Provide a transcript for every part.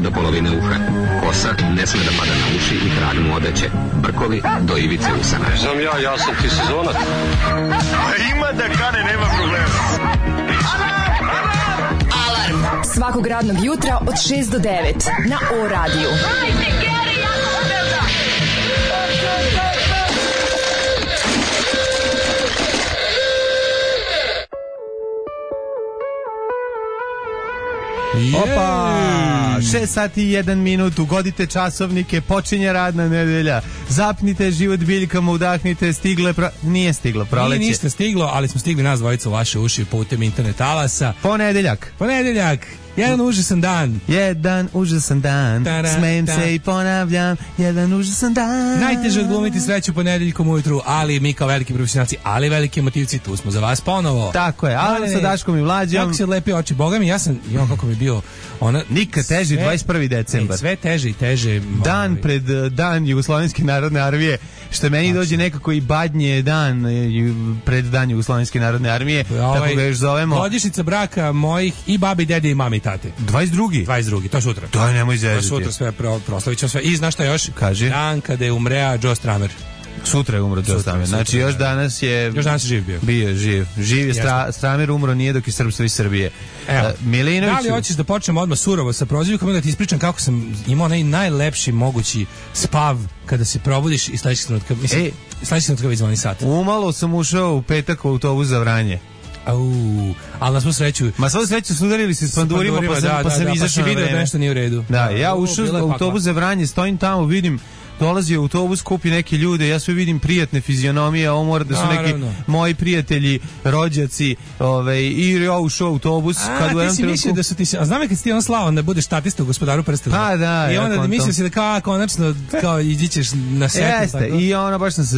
do polovine uha. Kosa ne sme da pada na uši i krag mu odeće. Brkovi do ivice usana. Znam ja sam ti sezonac. Ima da kane, nema problema. Alarm svakog radnog jutra od 6 do 9 na O-radiju. Opa, 6 sati i 1 minut, ugodite časovnike, počinje radna nedelja, zapnite život biljkama, udahnite, nije stiglo proleće. Nije ništa stiglo, ali smo stigli nas dvojica u vaše uši putem internet alasa. Ponedeljak. Jedan užasan dan. Smejem se i ponavljam. Jedan užasan dan. Najteže odglumiti sreću ponedeljkom ujutru, ali mi kao veliki profesionalci, ali veliki emotivci, tu smo za vas ponovo. Tako je, ali sa Daškom i Mlađom. Kako se lepi oči, boga mi, kako mi bio nikad teži 21. decembar. Sve teže i teže. Dan pred dan Jugoslovenske narodne armije, što meni dođe nekako i badnje dan pred dan Jugoslovenske narodne armije, tako ga još zovemo. Godišnjica braka mojih i babi, dede i mami i tate. 22. To sutra. To nemoj zezati. To sutra sve proslavit ćemo sve. I znaš šta još? Kaži. Dan kada je umrea Joe Stramer. Sutra je umro Joe Stramer. Znači još danas je živ bio. Bio živ. Živ je Stramer, umro nije dok je Srpstvo iz Srbije. Milinović. Da li hoćeš da počnemo odmah surovo sa prozivkom ili da ti ispričam kako sam imao najlepši mogući spav kada se probudiš i sledećeg trenutka već zvoni sat. Umalo sam ušao u petak u autobus za Vranje. Ali na svu sreću. Ma svu sreću sudarili se s pandurima, pa sam izašao na vreme. Da, nešto nije u redu. Da, ja ušao u autobus za Vranje, stojim tamo, vidim, dolazi autobus, kupi neke ljude, ja sve vidim prijatne fizionomije, ovo mora da su neki moji prijatelji, rođaci, i ja ušao autobus. Ti si mislio da su ti, a znam je kad si ti slavan da budeš statista u Gospodaru prstena. Pa da. I onda da mislio si da konačno iđićeš na setu. Jeste, i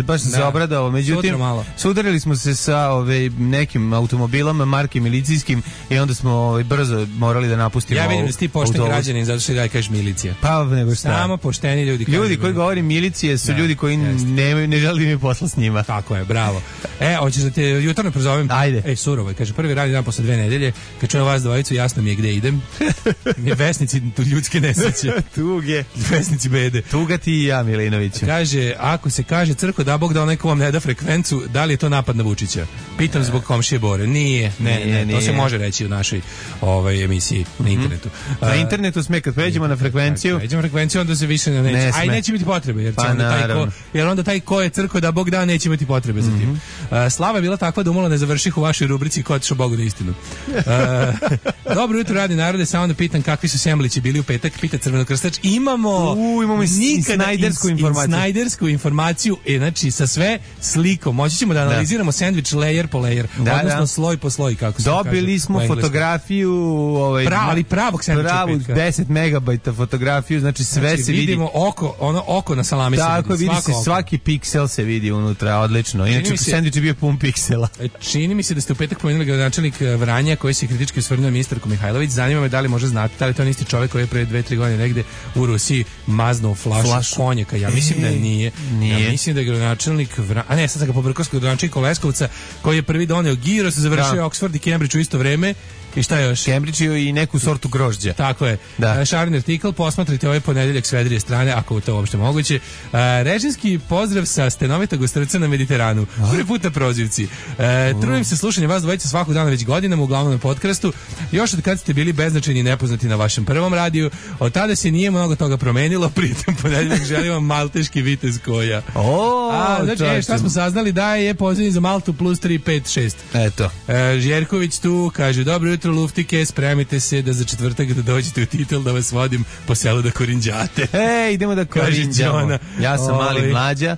baš sam se obradao, međutim, sudarili smo se sa nekim automobilama, marke milicijskim, i onda smo brzo morali da napustimo autobus. Ja vidim da si ti pošten građanin, zato što da kažeš milicija. Pa nego šta. Samo pošteni ljudi. Ljudi koji govori milicije su ljudi koji ne žele mi posla s njima. Tako je, bravo. Hoćeš da te jutarno prozovem? Ajde. Surovo je, kaže, prvi radni dan posle 2 nedelje, kad čujem vas dvojicu, jasno mi je gde idem. Vesnici ljudske nesreće. Tuge. Vesnici bede. Tuga ti i ja, Milinoviću. Kaže, ako se kaže crko da Bog da onaj ko vam ne da frekvencu, da li je to napad na Vučića? Pitam zbog komšije Bore. Nije. To se može reći u našoj emisiji na internetu. Na internetu sme, kad pređemo na frekvenciju. Pređemo na frekvenciju, onda se više neće. Aj, neće biti potrebe, jer onda taj ko je crko da Bog da neće imati potrebe za tim. Slava je bila takva da umalo ne završih u vašoj rubrici ko otišao Bogu da istinu. Dobro jutro, radi narode, samo da pitam kakvi su semblići bili u petak, pita Crvenokrstač. Imamo snajdersku informaciju, znači sa sve slikom. Moći ćemo da analiziramo sandvič layer po layer, odnosno sloj po sloj, kako se kaže. Dobili smo fotografiju, ali pravog sandviča, pravu 10 megabajta fotografiju, znači sve se vidi. Vidimo oko na salami. Tako vidi se, svaki piksel se vidi unutra, odlično. Inače, sandvič je bio pun piksela. Čini mi se da ste u petak pomenuli gradonačelnik Vranja koji se kritički osvrnuo ministarku Mihajlović. Zanima me da li možda znate, da li to je isti čovjek koji je pre 2-3 godine negde u Rusiji maznuo flašu konjaka. Ja mislim da nije. Ja mislim da je gradonačelnik Vranja, sad sam ga pobrkao s gradonačelnikom Leskovca koji je prvi doneo giros, završio Oxford i Cambridge u isto vreme. I šta još? Cambridge i neku sortu grožđa. Tako je. Šarni artikl, posmatrajte ovaj ponedeljak s vedrije strane, ako je to uopšte moguće. Režimski pozdrav sa stenovitog ostrvca na Mediteranu. Prvi put na prozivci. Trudim se slušanje vas dvojica svakog dana već godinama, uglavnom na podcastu. Još od kad ste bili beznačajni i nepoznati na vašem prvom radiju, od tada se nije mnogo toga promenilo, pritom ponedeljak želim vam malteški vitez koja. Znači, šta smo saznali? Da je pozivni za Maltu plus 3, 5, 6. Eto. Žjerković tu kaže, dobro jutro luftike, spremite se da za četvrtak da dođete u Titel da vas vodim po selu da korinđate. Idemo da korinđamo. Ja sam mali Mlađa,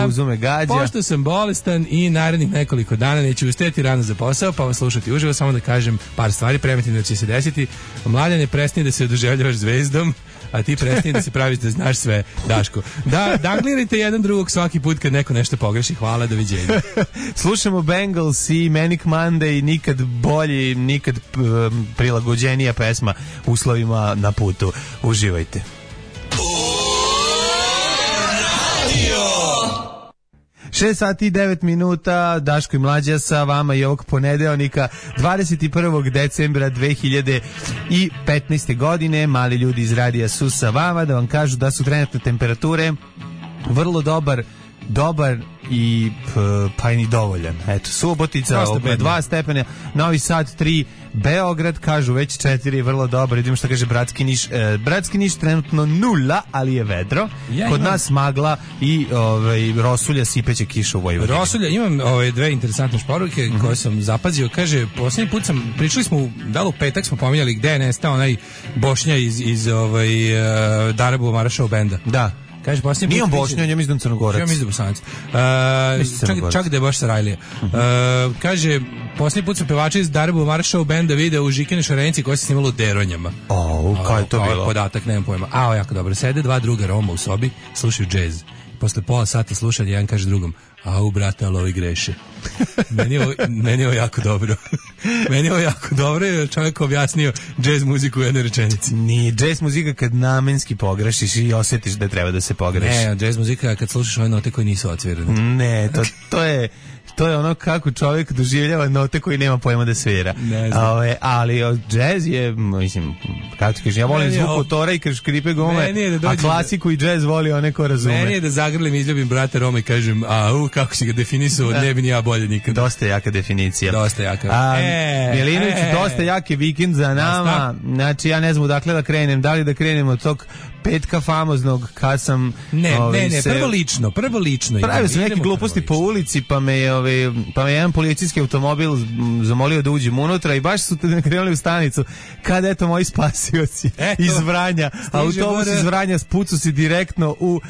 Buzu me gađa. Pošto sam bolestan i narednih nekoliko dana neću ustajati rano za posao, pa vas slušati uživo, samo da kažem par stvari preventivno da će se desiti. Mladen, ne prestani da se oduševljavaš zvezdom, a ti prestani da se praviš da znaš sve, Daško. Danglirajte jedan drugog svaki put kad neko nešto pogreši. Hvala, doviđenja. Slušamo Bengals i Manic Monday, nikad bolji, nikad prilagođenija pesma uslovima na putu. Uživajte. 6 sati i 9 minuta, Daško i Mlađa sa vama i ovog ponedeljnika 21. decembra 2015. godine. Mali ljudi iz radija su sa vama da vam kažu da su trenutne temperature vrlo dobar i pa i ni dovoljan. Eto, Subotica 2 stepena, Novi Sad 3, Beograd kažu već 4, vrlo dobro. Vidimo što kaže Bratski Niš. Bratski Niš trenutno 0, ali je vedro. Kod nas magla i rosulja, sipeće kiša u Vojvodini. Rosulja, imam dve interesantne poruke koje sam zapazio. Kaže, posljednji put pričali smo, da li u petak smo pominjali gde je nestao onaj Bošnja iz Darabu Marašov benda. Da. Kaže, nije on Bošnjan, ja mislim da je Crnogorac. Ja mislim da je Bosanac. Čak da je baš Sarajlija. Kaže, posljednji put su pevači iz Darabu Maršov benda video u Žikine Šarenici koje se snimalo u Deronjama. Kao je to bilo? Podatak, nemam pojma. Jako dobro. Sede dva druga Roma u sobi, slušaju džez. Posle pola sata slušanja, jedan kaže drugom, brate, ali ovi greše. Meni je ovo jako dobro. Meni je ovo jako dobro jer čovjek objasnio džez muziku u jednoj rečenici. Nije džez muzika kad namenski pogrešiš i osjetiš da treba da se pogreši. Ne, džez muzika kad slušaš ove note koje nisu odsvirane. Ne, to je ono kako čovjek doživljava note koji nema pojma da svira. Ali džez je, mislim, kako ti kažem, ja volim zvuk motora i škripe gome, a klasiku i džez voli one ko razume. Meni je da zagrlim, izljubim brata Roma i kažem, kako si ga definisao, ne bi ni ja bolje nikad. Dosta jaka definicija. Dosta jaka. Milinović, dosta jaki vikend za nama. Znači, ja ne znam odakle da krenem. Da li da krenem od tog petka famoznog kad sam... Ne, prvo lično. Pravio sam neke gluposti po ulici, pa me jedan policijski automobil zamolio da uđem unutra i baš su krenuli u stanicu kad eto moji spasioci iz Vranja. Autobus iz Vranja spucu si direktno u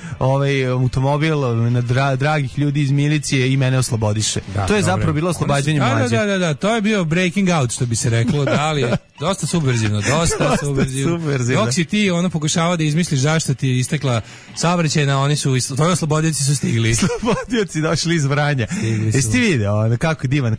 automobil na dragih ljudi iz milicije i mene oslobodiše. To je zapravo bilo oslobađanje Mlađe. Da, to je bio breaking out, što bi se reklo, da li je dosta subverzivno. Dok si ti pokušavao da izmisliš zašto ti je istekla saobraćajna, oni su, tvoji oslobodioci su stigli. Slobodioci došli iz Vranja. Jesi ti video, kako divan,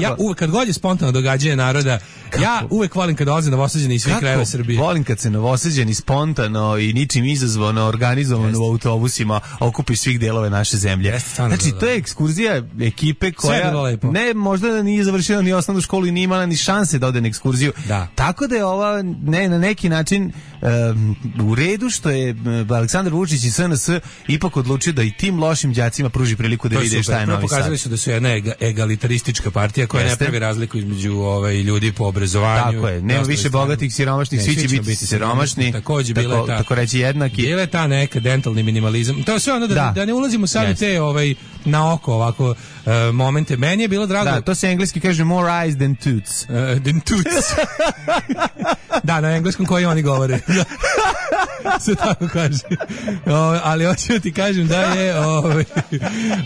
ja uvek kad god je spontano događanje naroda, ja uvek volim kad dolaze Novosađani iz svih krajeva Srbije. Volim kad se Novosađani spontano i ničim izazvano, organizovano u autobusima okupi svih delove naše zemlje. Znači, to je ekskurzija ekipe koja možda nije završila ni osnovnu školu i nije imala ni šanse da ode na ekskurziju. Tako da je ova na neki način u redu što je Aleksandar Vučić i SNS ipak odlučio da i tim lošim đacima pruži priliku da vide šta je Novi Sad. Pokazali su da su jedna egalitaristička partija koja ne pravi razliku između ljudi po obrazovanju. Tako je, nema više bogatih, siromašnih, svi će biti siromašni. Takođe bila ta, tako reći jednaki. Bila je ta neka dentalni minimalizam. To je sve ono da ne ulazimo sad u te na oko ovako momente. Meni je bilo drago. Da, to se engleski kaže more eyes than toots. Than toots. Da, na engleskom koji oni govore. Se tako kaže. Ali hoću ti kažem da je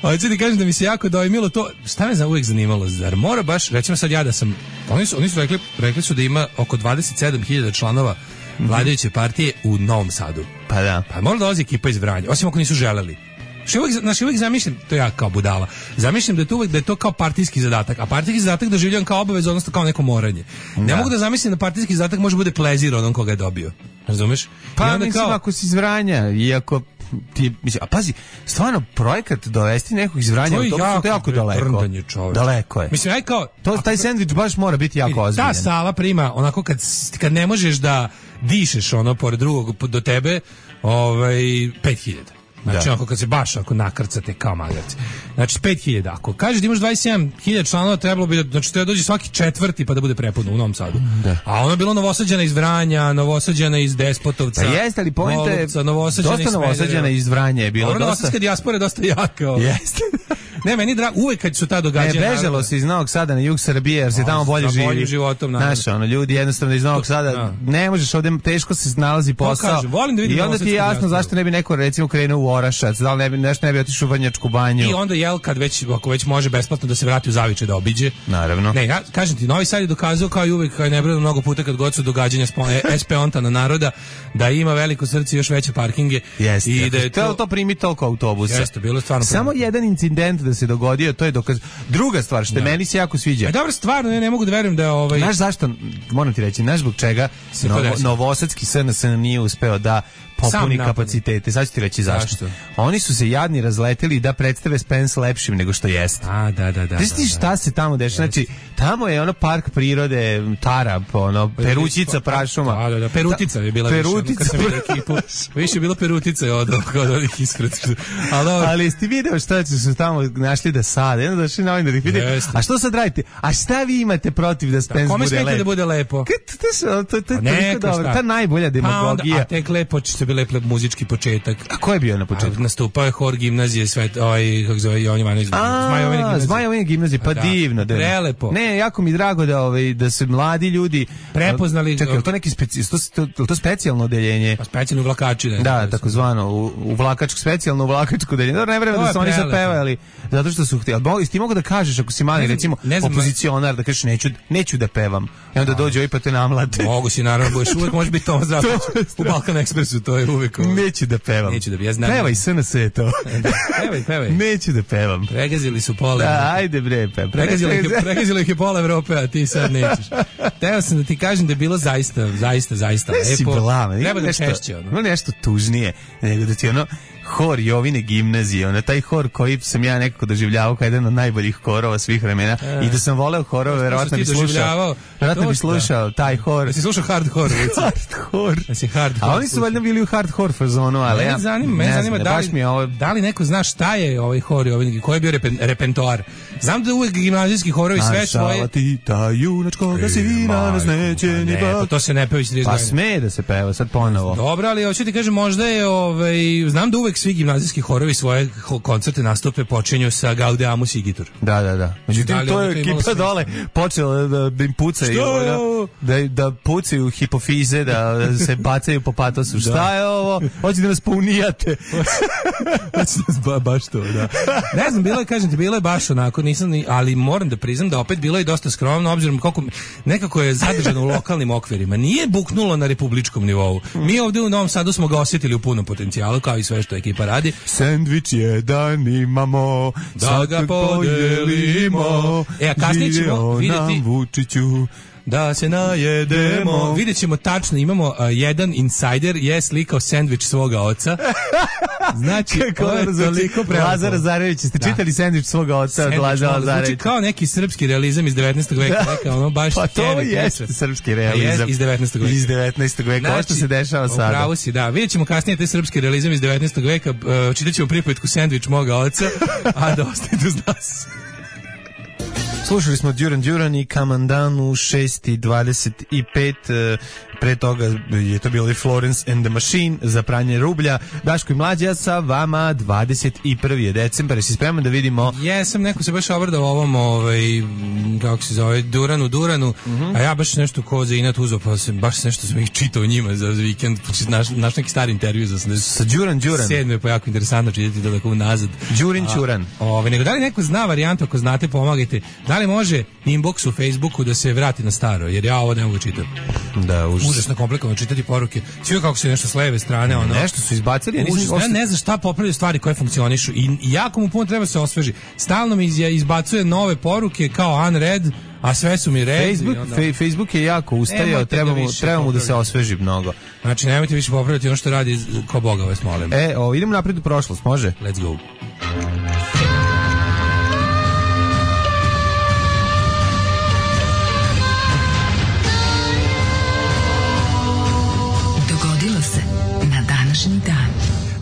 hoću ti kažem da mi se jako dojmilo to. Šta me uvijek zanimalo? Zar mora baš, recimo sad ja da sam, oni su rekli su da ima oko 27.000 članova vladajuće partije u Novom Sadu. Pa da. Pa mora dolazi ekipa iz Vranja, osim ako nisu želeli. Uvijek zamišljam, to ja kao budala, zamišljam da je to kao partijski zadatak, a partijski zadatak doživljavam kao obavezu, odnosno kao neko moranje. Ne mogu da zamislim da partijski zadatak može bude plezir onom koga je dobio. Razumeš? Pa mislim, ako si iz Vranja, iako a pazi, stvarno projekat dovesti nekog iz Vranja, to je jako daleko. Daleko je. Mislim, taj sendvič baš mora biti jako ozbiljan. Ta sala prima, onako kad ne možeš da dišeš pored drugog do tebe, 5.000. Znači, ako kad se baš nakrcate kao magarci. Znači, 5.000. Ako kažeš da imaš 27.000 članova, trebalo bi da dođe svaki četvrti pa da bude prepuno u Novom Sadu. A ono je bilo Novosađana iz Vranja, Novosađana iz Despotovca. Jeste, ali pojenta je dosta Novosađana iz Vranja je bilo. Novosadska dijaspora je dosta jaka. Jeste. Ne, meni drago, uvek kad su ta događanja. Bežalo se iz Novog Sada na jug Srbije, jer se tamo bolje živi. Životom, znaš, ljudi jednostavno iz Novog Sada ne možeš ovde, teško se nalazi posao. I onda ti je jasno zašto ne bi neko recimo krenuo u Orašac, da li ne bi otišao u Banjačku banju. I onda ako već može besplatno da se vrati u Zavičaj da obiđe. Naravno. Ne, ja kažem ti, Novi Sad je dokazao kao i uvek, kao je nebrojeno mnogo puta kad god su događanja SP-ontana naroda, da ima veliko srce i još veće parkinge. Jeste. I da je to primi toliko autobusa. Jeste, bilo stvarno. Samo jedan incident da se dogodio, to je dokaz. Druga stvar što meni se jako sviđa. Dobro, stvarno ne mogu da verujem da je Znaš zašto, moram ti reći, znaš zbog čega Novosadski SNS nije uspeo da popuni kapacitete. Sad ću ti reći zašto. Oni su se jadni razleteli da predstave Spence lepšim nego što jeste. A, da. Znaš šta se tamo dešava? Znači, tamo je ono park prirode, Tarap, ono, Perućica prašuma. Da, Perutica je bila više je bilo Perutica od ovih ispred. Ali jeste video šta su tamo našli da sade? Jedno došli na ovim da ih vide. A što sad radite? A šta vi imate protiv da Spence bude lepo? Kome smete da bude lepo? To je toliko dobro. Ta najbolja demagogija. A tek lepo će biti lep muzički početak. A ko je bio na početku? Nastupao je hor gimnazije, kako zove Jovan Ivanović. Zmajovine gimnazije, pa divno. Prelepo. Ne, jako mi drago da se mladi ljudi prepoznali. Čekaj, je to neki to specijalno odeljenje? Pa specijalno uvlakači. Da, takozvano uvlakačko, specijalno uvlakačko odeljenje. Dobro, ne vreme da su oni sad pevali, zato što su htjeli. Ti mogu da kažeš ako si mali, recimo, opozicionar, da kažeš neću da pevam. I onda dođe pa te namlate. Mogu si, naravno, budeš uvek, može biti Tomas Drapić. U Balkan Ekspresu, to je uvek. Neću da pevam. Ja znam. Pevaj SNS je to. Pevaj. Neću da pevam. Pregazili su pola. Ajde bre, pregazilo ih je pola Evrope, a ti sad nećeš. Teo sam da ti kažem da je bilo zaista lepo. Treba da češće. Nešto tužnije, nego da ti hor Jovine gimnazije, taj hor koji sam ja nekako doživljavao kao jedan od najboljih horova svih vremena i da sam voleo horove, verovatno bi slušao taj hor. Da si slušao hard hor? A oni su valjda bili u hard hor fazonu, ali ja... Mene zanima da li neko zna šta je ovaj hor Jovine, koji je bio repertoar. Znam da uvek gimnazijski horovi sve svoje... Šala ti ta junačkoga sivina nas neće ni bak. To se ne peva iz 30 godina. Pa sme da se peva sad ponovo. Dobro, ali hoću ti kažem, možda je... Znam da uvek svi gimnazijski horovi svoje koncerte nastupe počinju sa Gaudeamus Igitur. Da. Međutim, to je ekipa dole počela da im pucaju, da pucaju hipofize, da se bacaju po patosu. Šta je ovo? Hoće da nas pounijate. Baš to, da. Ne znam, bilo je baš onako, ali moram da priznam da opet bilo je dosta skromno, obzirom koliko nekako je zadržano u lokalnim okvirima. Nije buknulo na republičkom nivou. Mi ovdje u Novom Sadu smo ga osjetili u punom potencijalu, kao i sve što ekipa radi. Sendvič jedan imamo, da ga podelimo, a kasnije ćemo vidjeti Vučiću da se najedemo. Vidjet ćemo tačno, imamo jedan insider je slikao sendvič svoga oca. Znači, to je toliko prelepo. Lazar Lazarević, ste čitali sendvič svoga oca od Lazara Lazarevića? Znači kao neki srpski realizam iz 19. veka, ono baš... Pa to jeste srpski realizam. Iz 19. veka. Iz 19. veka, ovo što se dešava sada. Upravo si, da. Vidjet ćemo kasnije taj srpski realizam iz 19. veka, čitat ćemo pripovetku sendvič moga oca, a da ostanete uz nas. Slušali smo Duran i Kamandan u 6:25, pre toga je to bilo i Florence and the Machine za pranje rublja. Daško i Mlađa sa vama, 21. decembar, jesi spreman da vidimo? Jesam, neko se baš obradao ovom, kako se zove, Duranu, a ja baš nešto ko za inat uzeo, pa baš nešto sam ih čitao njima za vikend, naš neki stari intervju sa Duran. 7. je pa jako interesantno čitati to tako unazad. Đuran. Nego da li neko zna varijantu, ako znate, pomagajte. Da li može inbox u Facebooku da se vrati na staro, jer ja ovo ne mogu čitati. Da, užasno komplikovano čitati poruke. Sve kako se nešto s leve strane, nešto su izbacili, ne znam šta popravljaju stvari koje funkcionišu i jako mu puno treba se osveži. Stalno mi izbacuje nove poruke kao unread, a sve su mi red. Facebook je jako ustajao, treba mu da se osveži mnogo. Znači, nemojte više popravljati ono što radi ko Boga vas molim. Idemo napred u prošlost, može? Let's go.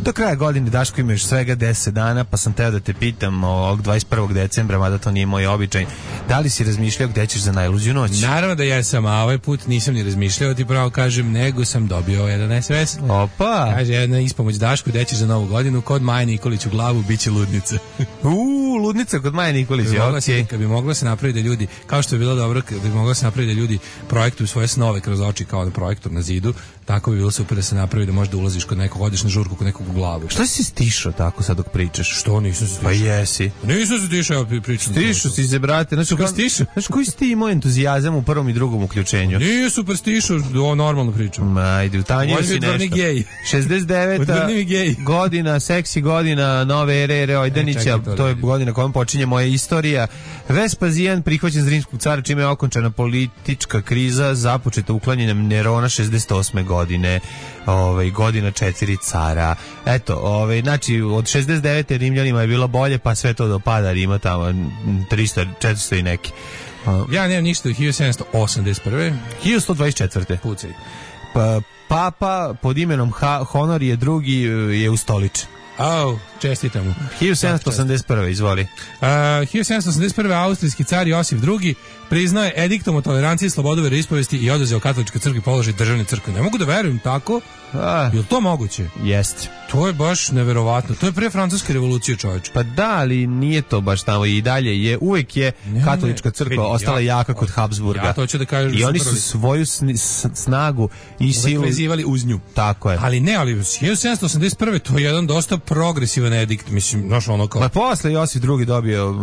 Do kraja godine, Daško, ima još svega 10 dana, pa sam teo da te pitam ovog 21. decembra, mada to nije moj običaj, da li si razmišljao gde ćeš za najluđu noć? Naravno da jesam, a ovaj put nisam ni razmišljao, ti pravo kažem, nego sam dobio jedan SMS. Opa! Kaže, jedna ispomoć Daško, gde ćeš za novu godinu, kod Maje Nikolić u glavu, bit će ludnica. Ludnica kod Maje Nikolić, kad bi moglo se napraviti da ljudi, kao što je bilo dobro, kad bi moglo se napraviti da ljudi projektuju svoje snove kroz oči kao na projektor na zidu, tako bi bilo super da se napravi da možda ulaziš kod nekog, odeš na žurku kod nekog u glavu. Što si stišao tako sad dok pričaš? Što nisam se stišao? Pa jesi. Nisam se stišao, ja pričam. Stišao si se, brate. Znaš koji si ti imao entuzijazam u prvom i drugom uključenju? Nije super stišao, normalno pričam. Ajde, utanjio si nešto. 69. godina, seksi godina, nove ere Ojdanića, to je godina kojom počinje moja istorija. Vespazijan prihvaćen za rimskog cara, čime je okončana politička kriza, započeta uklanjanjem Nerona 68. godine. godine, godina 4 cara. Eto, znači od 69. Rimljanima je bilo bolje, pa sve to dopada Rima tamo 300, 400 i neki. Ja nemam ništa, 1781. 1124. Pucaj. Papa pod imenom Honorije II je ustoličen. Čestitam mu. 1781. izvoli. 1781. austrijski car Josif II priznao je ediktom o toleranciji, slobodu veroispovesti i oduzeo katoličkoj crkvi položaj državne crkve. Ne mogu da verujem tako. Je li to moguće? Jeste. To je baš neverovatno. To je pre francuske revolucije, čoveče. Pa da, ali nije to baš tamo i dalje. Uvek je katolička crkva ostala jaka kod Habsburga. Ja to ću da kažem. I oni su svoju snagu i silu vezivali uz nju. Tako je. Ali 1781. to je jedan dosta progresivan edikt. Mislim, znaš ono kao... Ma posle Josif II dobio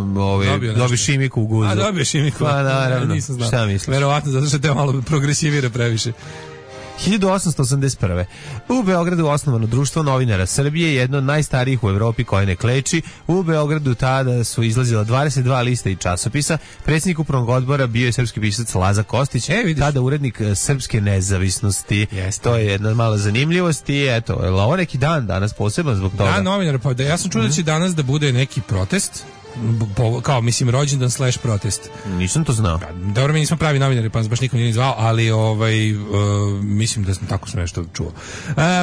šimiku u guzu. Dobio šimiku. Pa naravno. Nisam znao. Šta misliš? Verovatno, zato što te malo progresivira previše. 1881. U Beogradu osnovano društvo novinara Srbije, jedno od najstarijih u Evropi koje ne kleči. U Beogradu tada su izlazila 22 lista i časopisa. Predsjednik upravnog odbora bio je srpski pisac Laza Kostić, tada urednik Srpske nezavisnosti. To je jedna mala zanimljivost i eto, ovo neki dan danas poseban zbog toga. Da, novinar, pa ja sam čuo da će danas da bude neki protest. Kao, mislim, rođendan / protest. Nisam to znao. Dobro, mi nismo pravi novinari, pa nas baš nikom nije zvao, ali mislim da sam tako sam nešto čuo.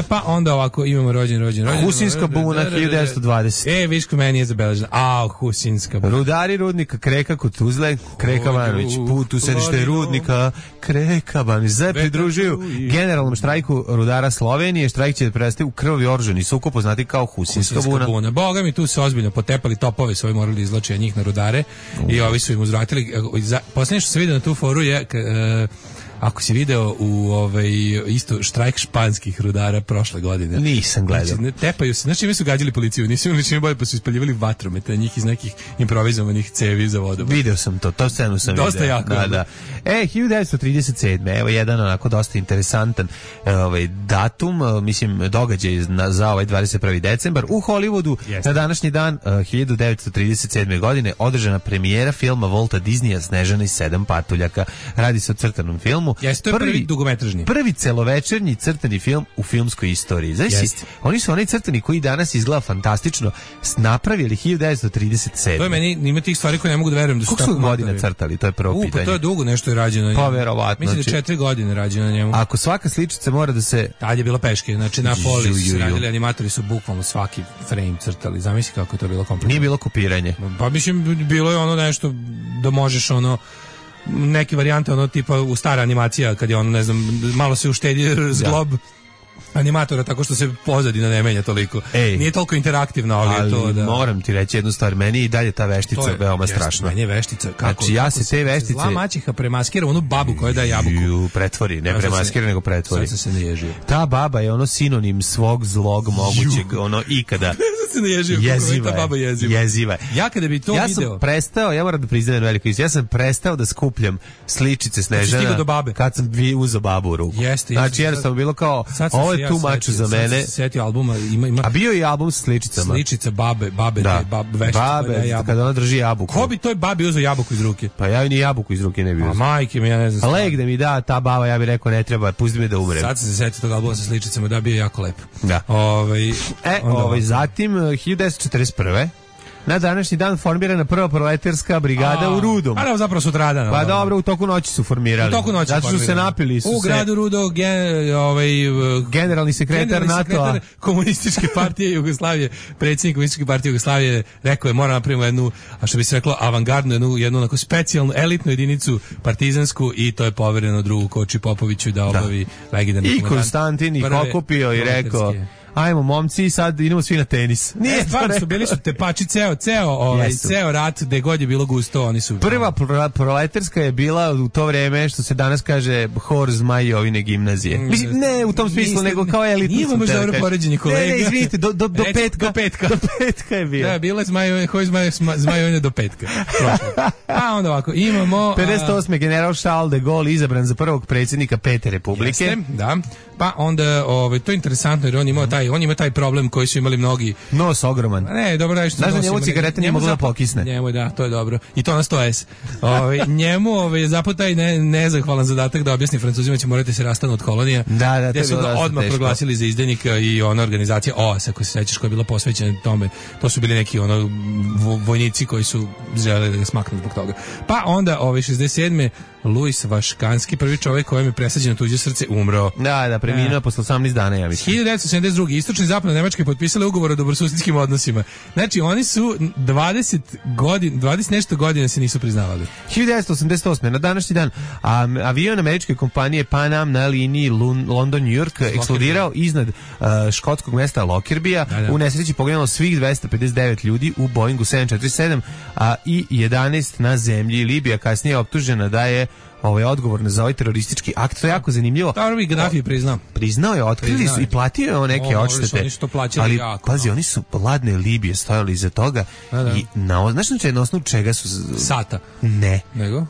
Pa onda ovako, imamo rođen. Husinska buna, 1920. Viško meni je zabeleženo. Husinska buna. Rudari rudnika Kreka kod Tuzle, Kreka Banović, put u sedište rudnika Kreka Banović. Zaj pridružuju generalnom štrajku rudara Slovenije. Štrajk će prestati u krvavi oružani sukob, poznati kao Husinska buna. Boga mi tu se ozbiljno potepali topove svoje, morali izlače njih na rudare i ovi su im uzvratili. Posljednje što se vidio na tu foru je ako si video isto štrajk španskih rudara prošle godine. Nisam gledao. Znači, tepaju se, znači mi su gađali policiju, nisu imali čime bolje, pa su ispaljivali vatromete njih iz nekih improvizovanih cevi za vodom. Video sam to scenu sam dosta video. Jako. Da. 1937. Evo jedan onako dosta interesantan datum, mislim događaj za 21. decembar. U Hollywoodu na današnji dan 1937. godine održana premijera filma Walta Disneya Snežana i 7 patuljaka. Radi se o crtanom filmu. Jeste, to je prvi dugometražni. Prvi celovečernji crtani film u filmskoj istoriji. Znači, oni su onaj crtani koji danas izgleda fantastično napravili 1937. To je meni, ima tih stvari koje ne mogu da verujem da su tako godina crtali, to je prvo pitanje. Pa to je dugo nešto je rađeno. Pa verovatno. Mislim da 4 godine rađeno na njemu. Ako svaka sličica mora da se... Tad je bilo peške, znači na poli su radili, animatori su bukvalno svaki frame crtali. Zamisli kako je to bilo kompletno. Nije bilo kopiranje. Pa mislim, bilo je ono nešto da možeš neke varijante tipa u stara animacija kad je ne znam, malo se uštedi zglob animatora tako što se pozadina ne menja toliko. Nije toliko interaktivno, ali je to da... moram ti reći jednu stvar, meni i dalje ta veštica veoma strašna. Meni je veštica, kako? Znači ja se te veštice... Zla maćeha premaskira onu babu koja daje jabuku. Pretvori, ne premaskira, nego pretvori. Sad se ne ježio. Ta baba je sinonim svog zlog mogućeg, ikada. Se ne ježio, jeziva je. Ja kada bi to video... Ja sam prestao, ja moram da priznajem veliko istinu, ja sam prestao da skupljam sličice Snežana kad sam uzeo babu u ruku. Znači jednostavno bilo kao, ovo je tu maču za mene. Sad se setio albuma, ima... A bio je i album s sličicama. Sličica babe, veštice. Kada ona drži jabuku. Ko bi toj babi uzeo jabuku iz ruke? Pa ja ni jabuku iz ruke ne bi uzeo. A majke mi, ja ne znam. A leg da mi da ta baba, ja bih rekao ne treba, pusti me da umrem. Sad se setio tog albuma sa sličicama, da bio jako lep. Da. Zatim 1941. Na današnji dan formirana prva proletarska brigada u Rudom. Pa zapravo sutradan. Pa dobro, u toku noći su formirali. U toku noći zato što se napili. U gradu Rudo generalni sekretar NATO-a Komunističke partije Jugoslavije, predsjednik Komunističke partije Jugoslavije rekao je mora napravimo jednu, a što bi se reklo, avangardnu, jednu onako specijalnu elitnu jedinicu partizansku i to je povereno drugu Koči Popoviću da obavi legendarni komandant. I Konstantin ih okupio i rekao ajmo momci, sad idemo svi na tenis. Nije stvarno su bili su tepači ceo rat, gde god je bilo gusto, oni su... Prva proletarska je bila u to vreme, što se danas kaže, hor Zmajovine gimnazije. Mislim, ne u tom smislu, nego kao elitno. Nije možda dobro poređenje, kolega. Ne, izvinite, do petka. Do petka. Do petka je bila. Da, bila je Zmajovine do petka. A onda ovako, imamo... 58. general Charles de Gaulle izabran za prvog predsjednika Pete Republike. Jeste, da. Pa onda, to je interesantno jer on imao taj on ima taj problem koji su imali mnogi. Nos ogroman. Ne, dobro da što. Znaš da njemu cigareta nije mogla da pokisne. Njemu da, to je dobro. I to na 100S. Njemu zapao taj nezahvalan zadatak da objasni Francuzima će morati se rastanu od kolonija. Da, gde su ga odmah proglasili za izdajnika i ona organizacija OAS, ako se sećaš, koja je bila posvećena tome. To su bili neki vojnici koji su želeli da ga smaknu zbog toga. Pa onda 67. Luis Vaškanski, prvi čovjek kojem je presađeno tuđe srce, umro. Da, preminuo posle 18 dana, ja mislim. 1972. Istočna i zapadna Nemačka je potpisala ugovor o dobrosusedskim odnosima. Znači, oni su 20 nešto godina se nisu priznavali. 1988. na današnji dan avion američke kompanije Pan Am na liniji London-New York eksplodirao iznad škotskog mesta Lockerbie. U nesreći poginulo svih 259 ljudi u Boeingu 747 i 11 na zemlji. Libija kasnije je optužena da je odgovorna za ovaj teroristički akt. To je jako zanimljivo. Dobro bi Gaddafi priznao. Priznao je, otkrili su i platio je neke odštete. Oni su to plaćali ali, jako. Pazi, oni su ladne Libije stojali iza toga i znaš na osnovu čega su... Sata. Ne. Nego?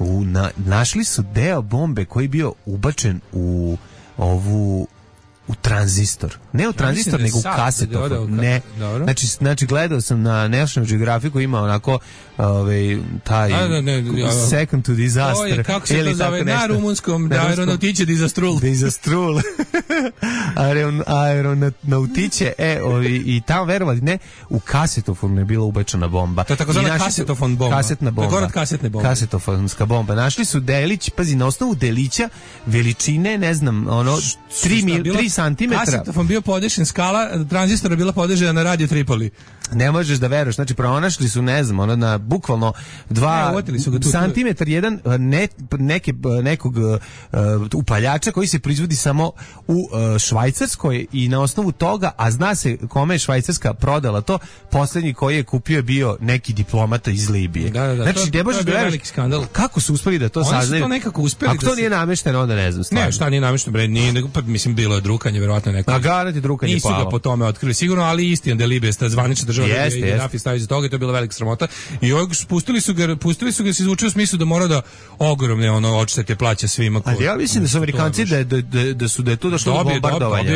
Našli su deo bombe koji je bio ubačen u tranzistor. Ne u tranzistor, nego u kasetofon. Ne. Znači, gledao sam na National Geographic koji ima onako taj second to disaster. Kako se to zove? Na rumunskom aeronautiće disastrul. Disastrul. Aeronautiće. I tamo, verovali, ne, u kasetofonu je bila ubačena bomba. To je tako zvana kasetofon bomba. Kasetna bomba. Gorad kasetne bombe. Kasetofonska bomba. Našli su delić, pazi, na osnovu delića veličine, ne znam, 3 centimetra. Kasetofon bio podešen, skala tranzistora bila podešena na radio Tripoli. Ne možeš da veruješ, znači pronašli su, ne znam, na bukvalno 2 santimetar jedan nekog upaljača koji se proizvodi samo u Švajcarskoj i na osnovu toga, a zna se kome je Švajcarska prodala to, posljednji koji je kupio je bio neki diplomata iz Libije. Da. Znači, ne možeš da veruješ kako su uspeli da to saznaju. Oni su to nekako uspeli. Ako to nije namešteno, onda ne znam. Ne, šta nije namešteno, bre, nije, mislim, bilo je drukanje, verovatno neko. A garant drukanje nisu ga po tome otkrili, sigurno, ali istina da je Libija zvanična država i Gaddafi stavio za toga, to je bila velika sramota. I pustili su ga se izvuče u smislu da mora da ogromne odštete plaća svima. Ali ja mislim da su Amerikanci da je tu došlo do bombardovanja.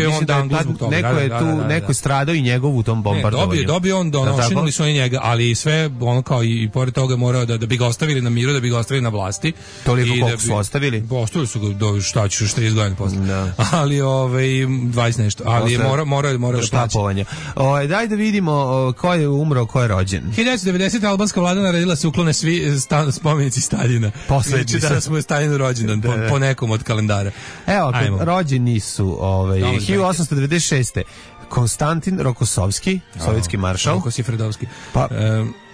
Neko je stradao i njegov u tom bombardovanju. Dobio on, ošinuli su oni njega, ali sve kao i pored toga morao da bi ga ostavili na miru, da bi ga ostavili na vlasti. Toliko koliko su ostavili? Ostavili su ga do šta ćeš 30 godina posle. Ali 20 nešto, ali morao da plaća. Daj da vidimo ko je umro, ko je rođen. 1990. albanska vlada naredila se uklone svi spomenici Staljina. Poslednji da smo Staljinu rođendan po nekom od kalendara. Evo, rođeni su 1896. Konstantin Rokosovski, sovjetski maršal. Rokosifredovski. Pa,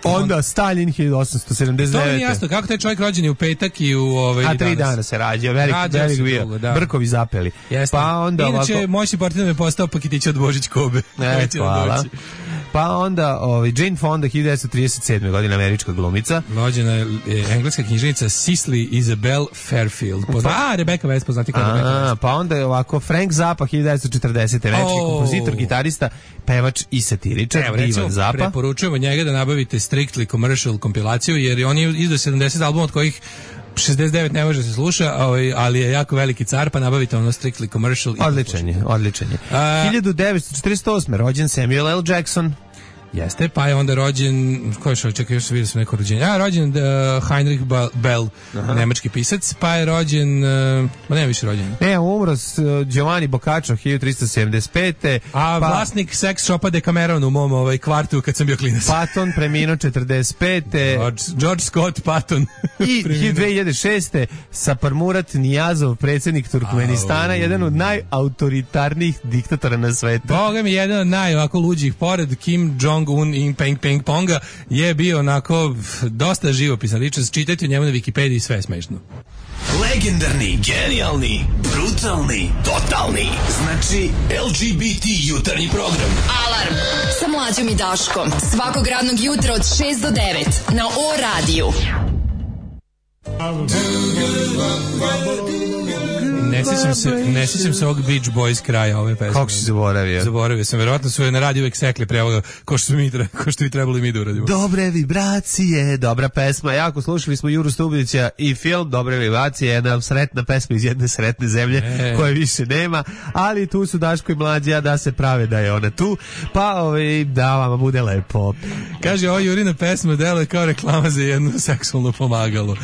onda Stalin 1879. To mi je jasno, kako taj čovjek rođen je u petak i u a 3 dana se rađao, velik bio, brkovi zapeli. Pa onda inače, ovako... moćni partner je postao paketić od Božić Kobe. Hvala. Pa onda Jane Fonda 1937. godina, američka glumica. Rođena je engleska književnica Cicely Isabel Fairfield. Rebecca West, poznati kao Rebecca West. Pa onda je ovako Frank Zappa 1940. Večki kompozitor, gitarista, pevač i satiričar. Ivan Zappa. Preporučujemo njega da nabavite Strictly Commercial kompilaciju, jer on je izdao 70 albuma, od kojih 69 ne može se sluša, ali je jako veliki car, pa nabavite ono Strictly Commercial. Odličan je. 1948. rođen Samuel L. Jackson. Jeste, pa je onda rođen, ko je što, čekaj, još se vidio su neko rođenje. Rođen Heinrich Bell, nemački pisac, pa je rođen, nema više rođenja. Ne, umro Giovanni Boccaccio 1375. Vlasnik sex shopa Decameron u mom kvartu kad sam bio klinac. Patton preminuo 45. George Scott Patton. I 2006. Saparmurat Niyazov, predsjednik Turkmenistana, jedan od najautoritarnijih diktatora na svetu. Boga mi, jedan od najovako luđih, pored Kim Jong-un i Peng Ponga, je bio onako dosta živopisan ličnost. Čitajte o njemu na Wikipediji, sve je smešno. Legendarni, genijalni, brutalni, totalni. Znači LGBT jutarnji program. Alarm sa Mlađom i Daškom. Svakog radnog jutra od 6 do 9 na O radiju. Ne sjećam se ovog Beach Boys kraja ove pesme. Kako si zaboravio? Zaboravio sam, verovatno su na radiju uvek sekli prevoga ko što bi trebali mi da uradimo. Dobre vibracije, dobra pesma. Jako slušali smo Juru Stublića i film Dobre vibracije, jedna sretna pesma iz jedne sretne zemlje koje više nema, ali tu su Daško i Mlađa da se prave da je ona tu, pa da vama bude lepo. Kaže, ovo Jurina pesma deluje kao reklama za jedno seksualno pomagalo.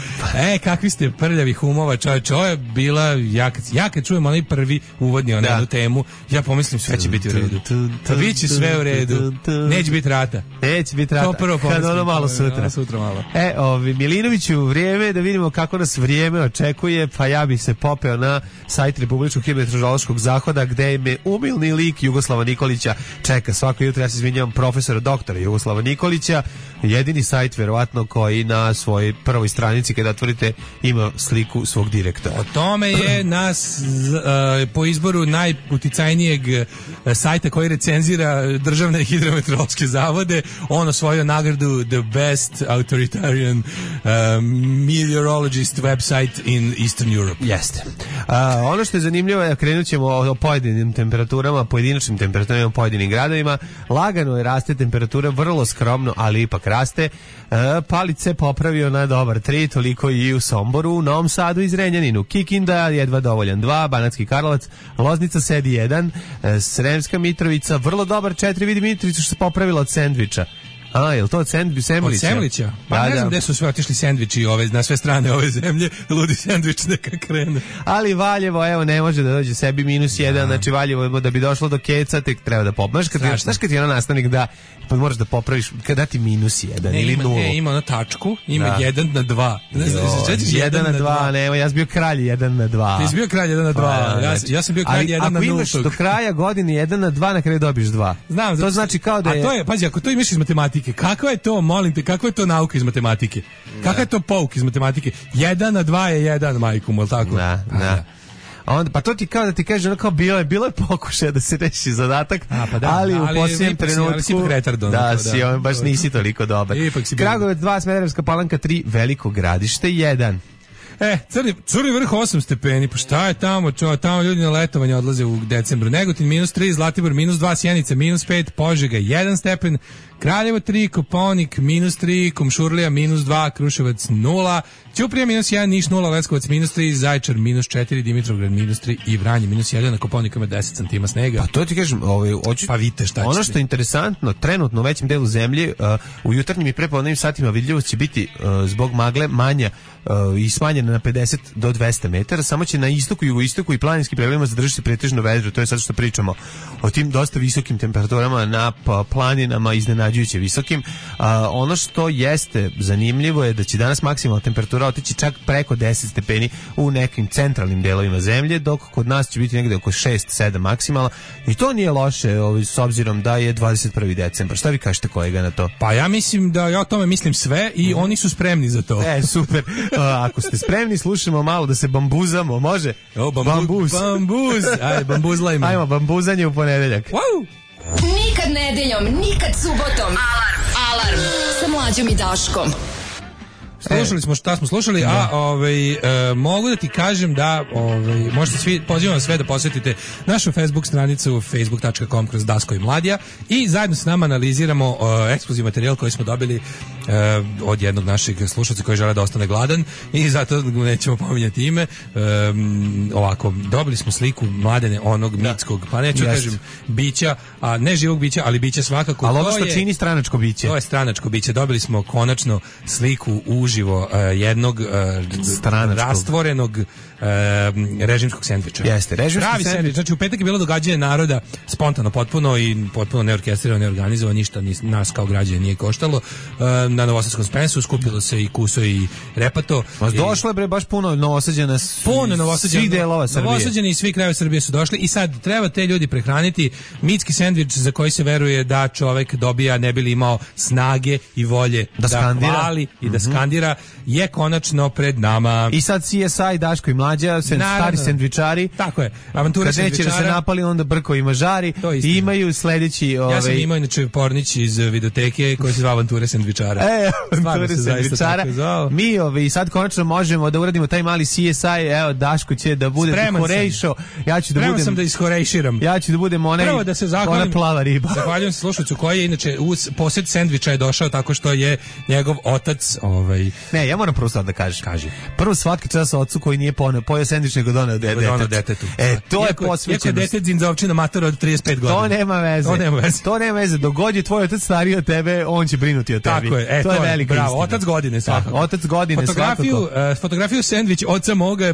Kakvi ste prljavi humova, čovječe, ovo je bila, ja kad čujem onaj prvi uvodni jednu temu, ja pomislim sve će biti u redu. Pa bit će sve u redu. Neće biti rata. Neće biti rata. To prvo pomislim. Kad ono malo sutra. Sutra malo. Milinoviću, vrijeme da vidimo kako nas vrijeme očekuje, pa ja bih se popeo na sajt Republičkog hidrometeorološkog zahoda gde me umilni lik Jugoslava Nikolića čeka svako jutro. Ja se izvinjavam, profesora doktora Jugoslava Nikolića, jedini sajt verovatno koji na svojoj prvoj stranici kada otvorite ima sliku svog direktora. O tome je nas po izboru najuticajnijeg sajta koji recenzira državne hidrometeorološke zavode, on osvojio nagradu The Best Authoritarian Meteorologist website in Eastern Europe. Jeste. Ono što je zanimljivo je, krenut ćemo o pojedinim temperaturama, pojedinačnim temperaturama u pojedinim gradovima. Lagano je raste temperatura, vrlo skromno, ali ipak raste. Palić se popravio na dobar 3, toliko i u Somboru, u Novom Sadu i Zrenjaninu. Kikinda jedva dovoljan 2, Banatski Karlovac, Loznica sedi 1, Sremska Mitrovica vrlo dobar 4, vidi Mitrovicu što se popravila od sendviča. Je li to od Semlića? Od Semlića? Pa ne znam gde su sve otišli sendviči na sve strane ove zemlje, ludi sendvič neka krene. Ali Valjevo, evo, ne može da dođe sebi -1, znači Valjevo da bi došlo do keca, tek treba da popraviš. Znaš kad ti je ono nastavnik da pa moraš da popraviš, kada ti -1 ili 0. Ima na tačku, ima 1 na 2. Ne znam, 1 na 2, ne, ja sam bio kralj 1 na 2. Ti si bio kralj 1 na 2, ja sam bio kralj 1 na 0. Ako imaš do kraja godine 1 na 2, na kraju dobiješ 2. Znam, to znači kao da je... A to je, pazi, ako to imaš iz matematike, kakva je to, molim te, kakva je to nauka iz matematike? Kakva je to pouk iz matematike? 1 na 2 je 1, majku, mol tako? Da. Onda, pa to ti kao da ti kaže, ono kao bilo je pokušaj da se reši zadatak, ali u posljednjem trenutku si on baš nisi toliko dobar. Kragujevac 2, Smederevska Palanka 3, Veliko Gradište 1. Crni vrh 8 stepeni, pa šta je tamo, tamo ljudi na letovanje odlaze u decembru. Negotin -3, Zlatibor -2, Sjenica -5, Požega 1 stepen, Kraljevo 3, Kopaonik -3, Komšurlija -2, Kruševac 0, Ćuprija -1, Niš 0, Leskovac -3, Zaječar -4, Dimitrovgrad -3 i Vranje -1, na Kopaoniku ima 10 cm snega. Pa to ti kažem, pa vidite šta će. Ono što je interesantno, trenutno u većem delu zemlje, u jutarnjim i prepodnevnim satima vidljivost će biti zbog magle manja i smanjena na 50 do 200 metara, samo će na istoku, jugoistoku i planinskim predelima zadržati pretežno vedro. To je sad što pričamo o tim dosta visokim temperaturama na planinama, iznenađujuće visokim. Ono što jeste zanimljivo je da će danas maksimalna temperatura otići čak preko 10 stepeni u nekim centralnim delovima zemlje, dok kod nas će biti negde oko 6-7 maksimalna, i to nije loše s obzirom da je 21. decembar. Šta vi kažete, kolega, na to? Pa ja mislim da ja o tome mislim sve i oni su spremni za to. Super. Ako ste spremni, slušamo malo da se bambuzamo, može? Bambuz. Ajde, bambuzlajmo. Ajmo, bambuzanje u ponedeljak. Wow. Nikad nedeljom, nikad subotom. Alarm sa Mlađom i Daškom. Slušali smo šta smo slušali, mogu da ti kažem da možete svi, pozivam sve da posjetite našu Facebook stranicu facebook.com/Daško i Mladija i zajedno s nama analiziramo ekskluzivni materijal koji smo dobili od jednog našeg slušalca koji žele da ostane gladan i zato nećemo pominjati ime. Ovako, dobili smo sliku Mladene, onog mitskog, pa neću kažem bića, a ne živog bića, ali bića svakako. Ali ono što čini stranačko biće. To je stranačko biće. Dobili smo konačno sliku uživo jednog rastvorenog režimskog sendviča. Jeste, režimski sendvič. Znači u petak je bilo događanje naroda, spontano potpuno i potpuno neorkestrirano, neorganizovano, ništa nas kao građane nije koštalo. Na Novosadskom Spensu skupilo se i kuso i repato. Došlo je bre baš puno Novosađana, svih delova Srbije. Novosađani i svi krajevi Srbije su došli i sad treba te ljudi prehraniti. Mitski sendvič za koji se veruje da čovek dobija ne bi li imao snage i volje da hvali i da skandira burgera je konačno pred nama. I sad CSI, Daško i Mlađa, stari sendvičari. Tako je. Avanture sendvičara. Kad neće da se napali, onda Brko i mažari. I imaju sledeći... Ja sam imao inače pornić iz videoteke koji se zva Avanture sendvičara. Avanture sendvičara. Mi sad konačno možemo da uradimo taj mali CSI. Evo, Daško će da bude Horejšo. Ja ću da budem... sam da ishorejširam. Ja ću da budem ona plava riba. Zahvaljujem se slušalcu koji je inače uz posjed sendviča je došao tako što je njegov otac Ne, ja moram prvo sad da kažem. Kaži. Prvo svaki čas ocu koji nije pojeo sendvič nego doneo detetu. To je posvećenost. Iako je dete dzinzovčina matora od 35 godina. To nema veze. Dok god je tvoj otac stariji od tebe, on će brinuti o tebi. Tako je. To je velika istina. Bravo, otac godine svakako. Otac godine svakako. Fotografiju sendvič oca moga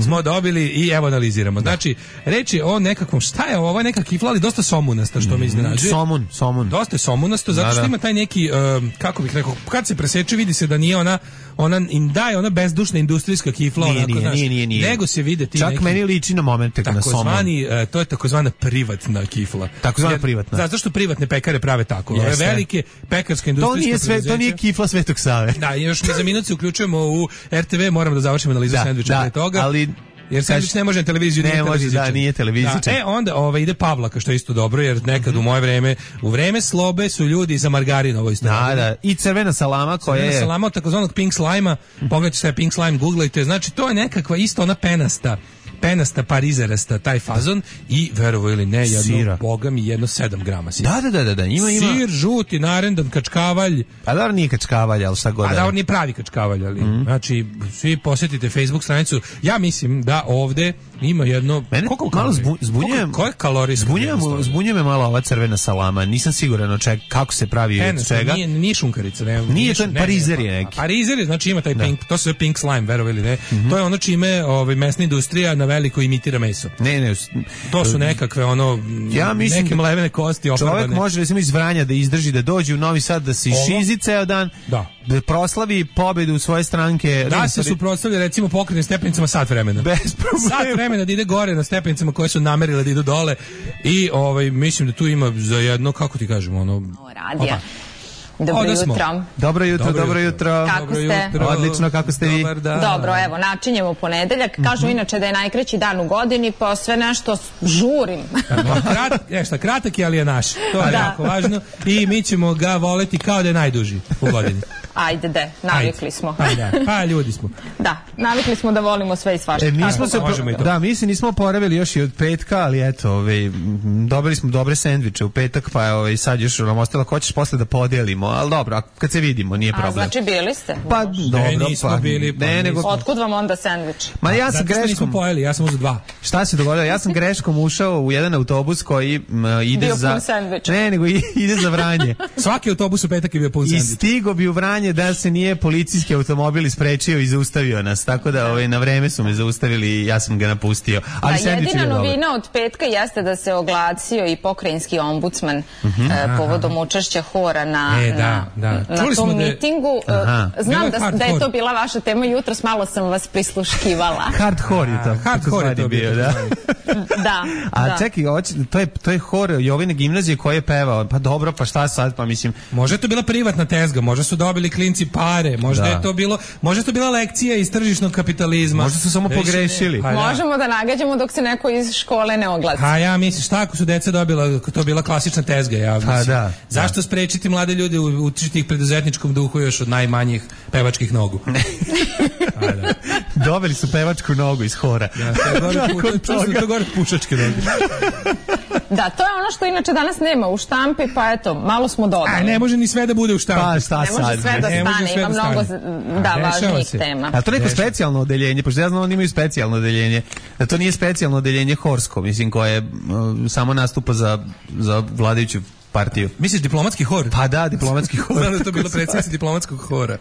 smo dobili i evo analiziramo. Znači, reči o nekakvom, šta je ovo, neka kifla, ali dosta somunasta, što me iznenađuje. Somun. Dosta je somunasto, zato što ima taj neki, kako bih rekao, kad se preseče vidi se da nije ona bezdušna industrijska kifla, nije. Nego se vide ti čak neki, meni liči na momente na somun. To je takozvana privatna kifla. Takozvana privatna. Zato što privatne pekare prave tako. Ove velike pekarske industrijske to nije kifla Svetog Save. Da, još mi za minut se uključujemo u RTV, moramo da završimo analizu sendviča pre toga. Ali jer sendvič ne može na televiziju, nije televizičan. Onda ide Pavlaka, što je isto dobro, jer nekad u vreme slobe su ljudi za margarin ovo isto. Da. I crvena salama koja je... Crvena salama od takozvanog pink slajma, pogledajte šta je pink slime, googlajte, znači to je nekakva isto ona penasta parizerasta taj fazon i verovo ili ne jedno boga mi jedno 7 grama sira. Da, ima sir žuti narendan kačkavalj. A da nije kačkavalj, al šta god. A da nije pravi kačkavalj, ali znači svi posjetite Facebook stranicu. Ja mislim da ovde ima jedno malo zbunjujem. Koje kalorije? Zbunjuje me malo ova crvena salama. Nisam siguran kako se pravi od čega. Nije šunkarica, ne. Nije to parizer je neki. Parizer znači ima taj pink, to se pink slime, verovo ili ne. To je ono čime mesna industrija na veliko imitira meso. Ne. To su nekakve neke mlevene kosti oparbane. Čovjek može recimo iz Vranja da izdrži da dođe u Novi Sad da se šizi ceo dan, da proslavi pobedu svoje stranke. Da se suprotstavlja recimo pokretnim stepenicama sat vremena. Bez problema. Sat vremena da ide gore na stepenicama koje su namerile da idu dole i mislim da tu ima za jedno, kako ti kažemo, radija. Dobro jutro. Kako ste? Odlično, kako ste vi? Dobro, evo, načinjemo ponedeljak. Kažu inače da je najkraći dan u godini, pa sve nešto žurim. Kratak je, ali je naš. To je jako važno. I mi ćemo ga voleti kao da je najduži u godini. Ajde, navikli smo. Pa ljudi smo. Da, navikli smo da volimo sve i svašta. Mi se nismo oporavili još i od petka, ali eto, dobili smo dobre sendviče u petak, pa sad još nam ostalo ko ćeš posle da podelimo, ali dobro, kad se vidimo nije problem. A znači bili ste? Pa dobro, nismo bili. Otkud vam onda sendvič? Ma ja sam greškom. Nismo pojeli, ja sam uzeo 2. Šta se dogodilo? Ja sam greškom ušao u jedan autobus koji ide za... Ne, nego ide za Vranje. Svaki autobus u petak je bio pun sendvič. I stigo bi u Vranje da se nije policijski automobil isprečio i zaustavio nas, tako da na vreme su me zaustavili i ja sam ga napustio. Ali jedina novina od petka jeste da se oglasio i pokrajinski ombudsman povodom učešća hora na tom mitingu. Znam da je to bila vaša tema, jutros malo sam vas prisluškivala. Hardcore je to. Hardcore je to bio, da. A čekaj, to je hor Jovine gimnazije koji je pevao, pa dobro, pa šta sad, pa mislim... Možda je to bila privatna tezga, možda su dobili klinci pare, možda je to bila lekcija iz tržišnog kapitalizma. Možda su samo pogrešili. Možemo da nagađamo dok se neko iz škole ne oglasi. A ja mislim, šta ako su deca dobila, to bila klasična tezga, ja mislim. Zašto sprečiti mlade ljude učiti ih preduzetničkom duhu još od najmanjih pevačkih nogu? Dobili su pevačku nogu iz hora. To gore pušačke noge. Da, to je ono što inače danas nema u štampi, pa eto, malo smo dodali. Ne može ni sve da bude u štampi. Pa šta sad? Ne može sve da stane, ima mnogo važnijih tema. A to neko specijalno odeljenje, pošto ja znam oni imaju specijalno odeljenje, da to nije specijalno odeljenje horsko, mislim, koje samo nastupa za vladajuću partiju. Misliš diplomatski hor? Pa da, diplomatski hor. Znam da je to bilo predsjednica diplomatskog hora.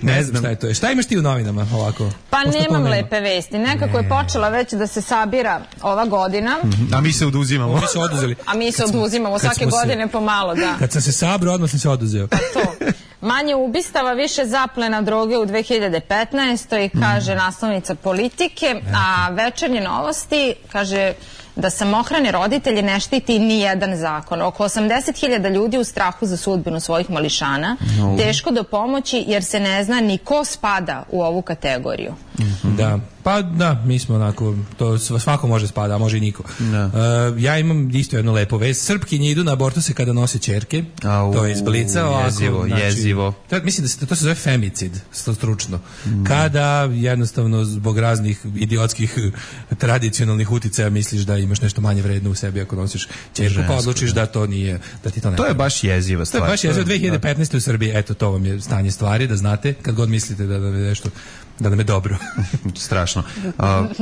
Ne znam šta je to. Šta imaš ti u novinama ovako? Pa nemam lepe vesti. Nekako je počela već da se sabira ova godina. A mi se oduzimamo. Mi se oduzeli. A mi se oduzimamo svake godine pomalo, da. Kad sam se sabrao, odmah sam se oduzeo. Pa to. Manje ubistava, više zaplena droge u 2015. kaže naslovnica Politike, a Večernje novosti kaže da samohrane roditelje ne štiti ni jedan zakon. Oko 80.000 ljudi u strahu za sudbinu svojih mališana, teško do pomoći jer se ne zna ni ko spada u ovu kategoriju. Da, pa da, mi smo onako, to svako može spada, a može i niko. Ja imam isto jednu lepo vest. Srpkinje idu na abortuse kada nose ćerke. To je iz Blica. Jezivo. Mislim da to se zove femicid, stručno. Kada jednostavno zbog raznih idiotskih tradicionalnih uticaja misliš da imaš nešto manje vredno u sebi ako nosiš ćerku, pa odlučiš da to nije, da ti to ne. To je baš jeziva stvar. To je baš jezivo. 2015. u Srbiji, eto, to vam je stanje stvari, da znate, kad god mislite da je nešto, da nam je dobro. Strašno.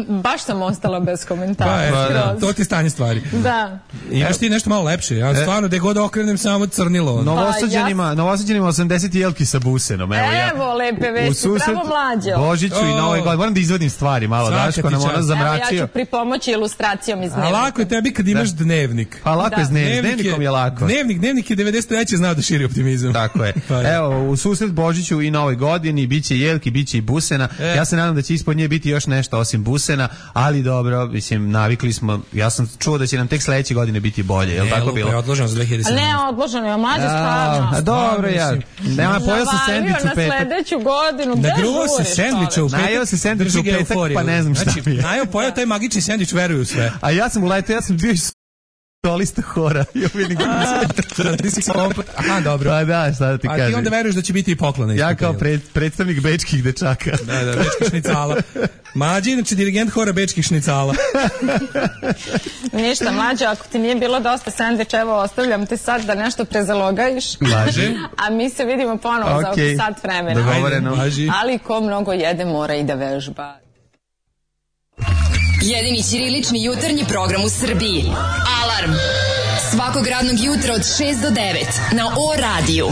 Baš sam ostala bez komentara. To ti je stanje stvari. Da. Imaš ti nešto malo lepše. Ja stvarno, gde god okrenem, samo crnilo. Novosađenima 80 jelki sa busenom. Evo lepe vesti, pravo mlađo. Božiću i Novoj godini. Moram da izvodim stvari malo, Daško nam ono zamračio. Ja ću pripomoći ilustracijom iz dnevnika. A lako je tebi kad imaš dnevnik. Pa lako je s dnevnikom je lako. Dnevnik je 93. znao da širi optimizam. Tako je. Evo, u susret Božiću i Novoj godini biće jelki, biće i busena. Ja se nadam da će ispod nje biti još nešto osim busena, ali dobro, mislim, navikli smo. Ja sam čuo da će nam tek sledeće godine biti bolje, je li tako bilo? Ne, odloženo za 2017. Ne, odloženo je mlađe stvarno. Dobro, ja. Nema, pojao sam sendvič u petak. Na sledeću godinu, gde žuriš? Najao se sendvič u petak, pa ne znam šta mi je. Najao pojao taj magični sendvič, veruju sve. A ja sam uletao, ja sam bio solista hora. Aha, dobro. Pa da, šta da ti kažem. A ti onda veruješ da će biti i poklona. Ja kao predstavnik bečkih dečaka. Da, bečkih šnicala. Mlađi, inače dirigent hora bečkih šnicala. Ništa, Mlađo, ako ti nije bilo dosta sendviča, evo, ostavljam te sad da nešto prezalogajiš. Laže. A mi se vidimo ponovo za oko sat vremena. Dogovoreno. Ali ko mnogo jede, mora i da vežba. Jedini ćirilični jutarnji program u Srbiji. Alarm. Svakog radnog jutra od 6 do 9 na O radiju.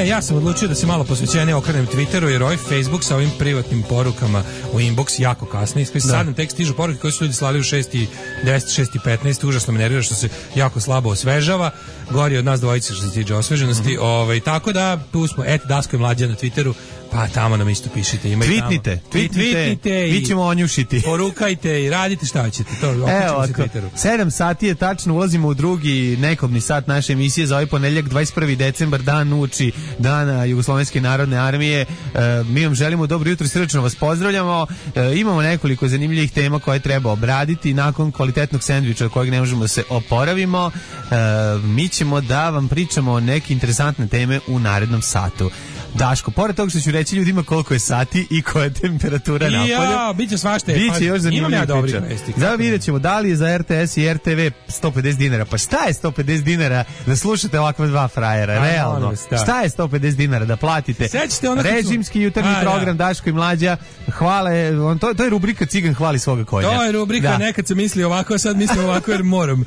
Ja sam odlučio da se malo posvećenije okrenem Twitteru, jer ovaj Facebook sa ovim privatnim porukama u inbox jako kasni. Sad nam tek stižu poruke koje su ljudi slali u 6:10, 6:15. Užasno me nervira što se jako slabo osvežava. Gori od nas dvojice što se tiče osveženosti. Tako da tu smo, Daško i Mlađa na Twitteru. Pa tamo nam isto pišite. Tweetnite. Mi ćemo onjušiti. Porukajte i radite šta ćete. Evo, 7 sati je tačno, ulazimo u drugi nekobni sat naše emisije za ovaj ponedeljak, 21. decembar, dan uči dana Jugoslovenske narodne armije. Mi vam želimo dobro jutro i srdačno vas pozdravljamo. Imamo nekoliko zanimljivih tema koje treba obraditi. Nakon kvalitetnog sendviča od kojeg ne možemo da se oporavimo, mi ćemo da vam pričamo o neke interesantne teme u narednom satu. Daško, pored toga što ću reći ljudima koliko je sati i koja je temperatura napolju. Ja, bit će svašta. Biće još zanimljivih priča. Zato vidjet ćemo da li je za RTS i RTV 150 dinara. Pa šta je 150 dinara da slušate ovakva dva frajera? Realno. Šta je 150 dinara da platite? Režimski jutarnji program Daško i Mlađa. Hvale, to je rubrika Cigan hvali svoga konja. To je rubrika, nekad sam mislio ovako, a sad mislim ovako jer moram.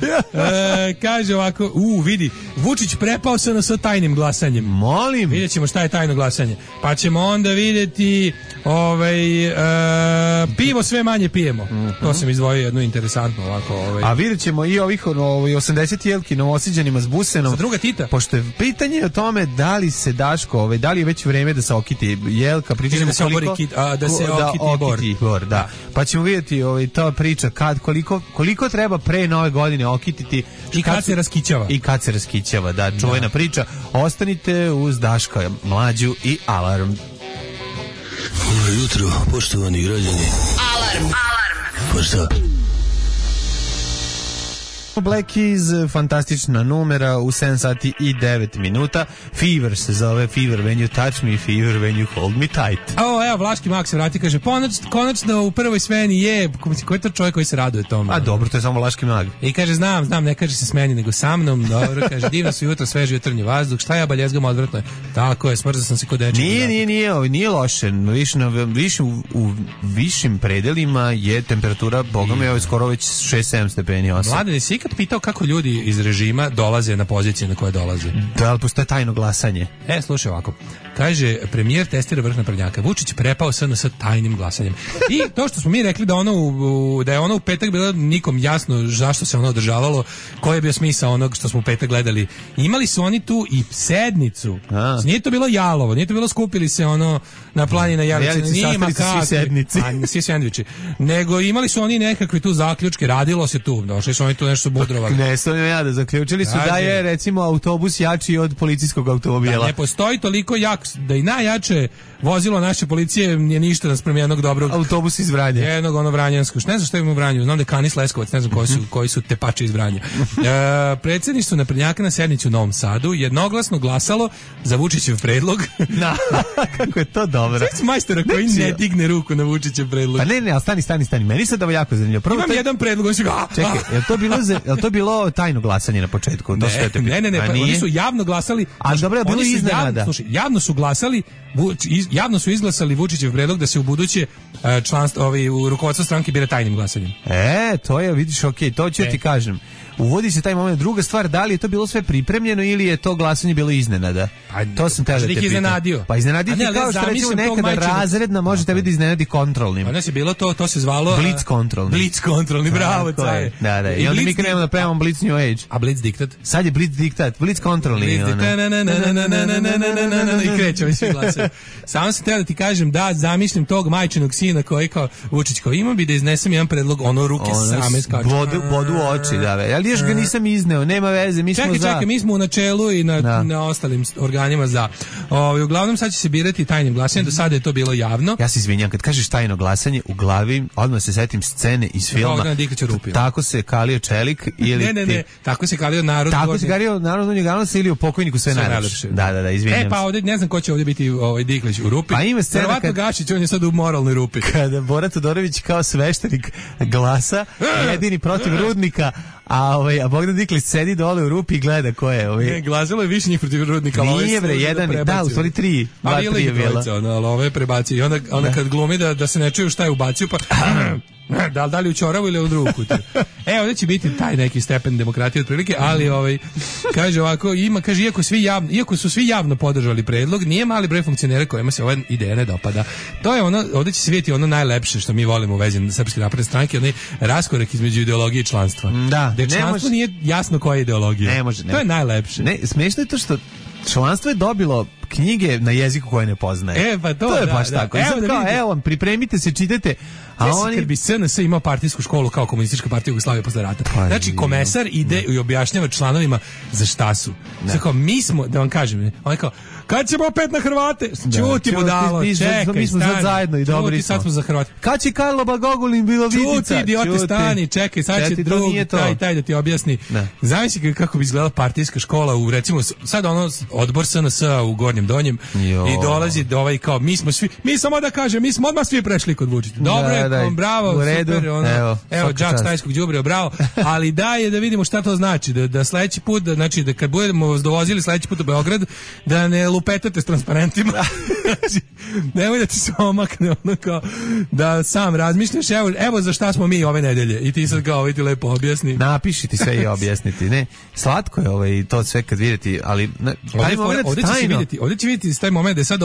Kaže ovako, vidi, Vučić prepao se na sa tajnim glasanjem. Molim. Vidjet ćemo šta je tajno glasanje. Pa ćemo onda vidjeti pivo sve manje pijemo. To sam izdvojio jednu interesantnu ovako. A vidjet ćemo i ovih 80 jelki Novosiđanima s busenom. Za druga Tita. Pošto je pitanje o tome da li se Daško, da li je već vreme da se okiti jelka, pričamo da se okiti bor. Da. Pa ćemo vidjeti ta priča koliko treba pre Nove godine okititi i kad se raskićava. I kad se raskićava, da, čuvena priča. Ostanite uz Daška, Mlađu i Alarm. Dobro jutro, poštovani građani. Alarm. Pa šta? Black Keys, fantastična numera u 7 sati i 9 minuta. Fever se zove, Fever when you touch me, Fever when you hold me tight. Evo, Vlaški Mak se vrati, kaže, konačno u prvoj smeni je, ko je to čovjek koji se raduje tome? A dobro, to je samo Vlaški Mag. I kaže, znam, ne kaže se smeni, nego sa mnom, dobro, kaže, divno su jutro, sveži jutarnji vazduh, šta ja baljezgam odvratno je. Tako je, smrzao sam se kod dečeg. Nije loše, u višim predelima je temperatura, boga mi, skoro već 6-7 stepeni, 8. Mladen, jesi kad pitao kako ljudi iz režima dolaze na pozicije na koje dolaze? Da, ali postoje tajno glasanje. Slušaj ovako. Kaže, premijer testira vrh naprednjaka. Vučić prepao SNS tajnim glasanjem. I to što smo mi rekli da je ono u petak bilo nikom jasno zašto se ono održavalo, koji je bio smisao onog što smo u petak gledali. Imali su oni tu i sednicu. Nije to bilo jalovo, nije to bilo skupili se ono na plani na Jelici. Nije ima kakvi. Svi sendviči. Nego imali su oni nekakve tu zaključke, radilo se tu. Došli su oni tu nešto budrovali. Ne, stavljam ja da zaključili su da je recimo autobus jači od policijskog automobila. Da, ne postoji toliko jak, da i najjače vozilo naše policije nije ništa naspram jednog dobrog autobus iz Vranja. Jednog ono vranjanskog. Ne znam šta ima u Vranju, znam da je Kanis Leskovac, ne znam koji su tepači iz Vranja. Predsjedništvo naprednjaka na sednici u Novom Sadu jednoglasno glasalo za Vučićev predlog. Kako je to dobro. Sve majstora koji ne digne ruku na Vučićev predlog. Pa ne, ali stani. Meni se da jako zanimljivo. Prvo imam jedan predlog, on se ga... Čekaj, je to bilo tajno glasanje na početku? Ne, pa oni su javno glasali. A dobro je bilo iznenada. Slušaj, javno su glasali, javno su izglasali Vučićev predlog da se u buduće članstvo u rukovodstvo stranke bira tajnim glasanjem. To je, vidiš, okej, to ću ti kažem. Uvodi se taj moment. Druga stvar, da li je to bilo sve pripremljeno ili je to glasanje bilo iznenada? To sam teo da te pitam. Iznenadio. Pa iznenadio ti kao što recimo nekada razredna može tebi da iznenadi kontrolnim. Pa nas je bilo to se zvalo... Blitz kontrolni. Blitz kontrolni, bravo, caje. Da. I onda mi krenemo da premamo Blitz New Age. A Blitz diktat? Sad je Blitz diktat, Blitz kontrolni. I krećemo i svi glasaju. Samo sam teo da ti kažem da zamišljam tog majčinog sina koji kao Vučić kao imam bi da iznesem jedan predlog, ono ruke same skaču. Bodu oči, da. Još ga nisam izneo, nema veze, mi smo za... Čekaj, mi smo u načelu i na ostalim organima za. Uglavnom sad će se birati tajnim glasanjem, do sada je to bilo javno. Ja se izvinjam, kad kažeš tajno glasanje, u glavi odmah se setim scene iz filma. Tako se kalio čelik ili... Ne, tako se kalio narod. Tako se kalio narod u njeganosa ili u pokojniku sve najlepše. Da, izvinjam se. Pa ovdje, ne znam ko će ovdje biti Diklić u rupi. Pa ima scena verovatno Gašić, on je sad u moralnoj rupi. Kada Bora Todorović kao sveštenik glasa, jedini protiv Rudnika, a Bogdan Diklić sedi dole u rupi i gleda ko je. Ne, glasilo je više njih protiv Rudnika. Nije bre, jedan, da, u stvari 3. Pa ili je bila. Ali ove prebacio. I onda kad glumi da se ne čuju šta je ubacio, pa... Da li u ćoravu ili u drugu kutiju. Ovdje će biti taj neki stepen demokratije otprilike, ali kaže ovako, kaže iako su svi javno podržali predlog, nije mali broj funkcionera kojima se ova ideja ne dopada. To je ono, ovdje će se vidjeti ono najlepše što mi volimo u vezi Srpske napredne stranke, onaj raskorak između ideologije i članstva. Da, gde članstvo nije jasno koja je ideologija. Ne može. To je najlepše. Ne, smiješno je to što članstvo je dobilo knjige na jeziku koje ne poznaje. Pa to je baš tako. Evo, pripremite se, čitajte. Kad bi SNS imao partijsku školu kao komunistička partija Jugoslavije posle rata. Znači, komesar ide i objašnjava članovima za šta su. Znači, kao, mi smo, da vam kažem, on je kao, kad ćemo opet na Hrvate? Čuti budalo, čekaj, mi smo sad zajedno i dobri smo. Sad smo za Hrvate. Kad će Karlo Bagogulin bilo vidica? Čuti, idiote, stani, čekaj, sad će drug, taj da ti objasni. Zamisli kako bi izgledala partijska škola u, recimo, sad odbor SNS u Gornjem Donjem i dolazi do kao, mi samo da kažem, mi smo odmah svi prešli kod Vučića. Dobro, bravo, super, evo džak stajskog đubriva, bravo, ali daj da vidimo šta to znači, da sledeći put, znači da kad budemo vas dovozili sledeći put u Beograd, da ne lupetate s transparentima, nemoj da ti se omakne, kao, da sam razmišljaš, evo za šta smo mi ove nedelje, i ti sad kao, ti lepo objasni. Napiši ti sve i objasniti, ne, slatko je to sve kad vidjeti, ali ovdje će vidjeti taj moment da je sad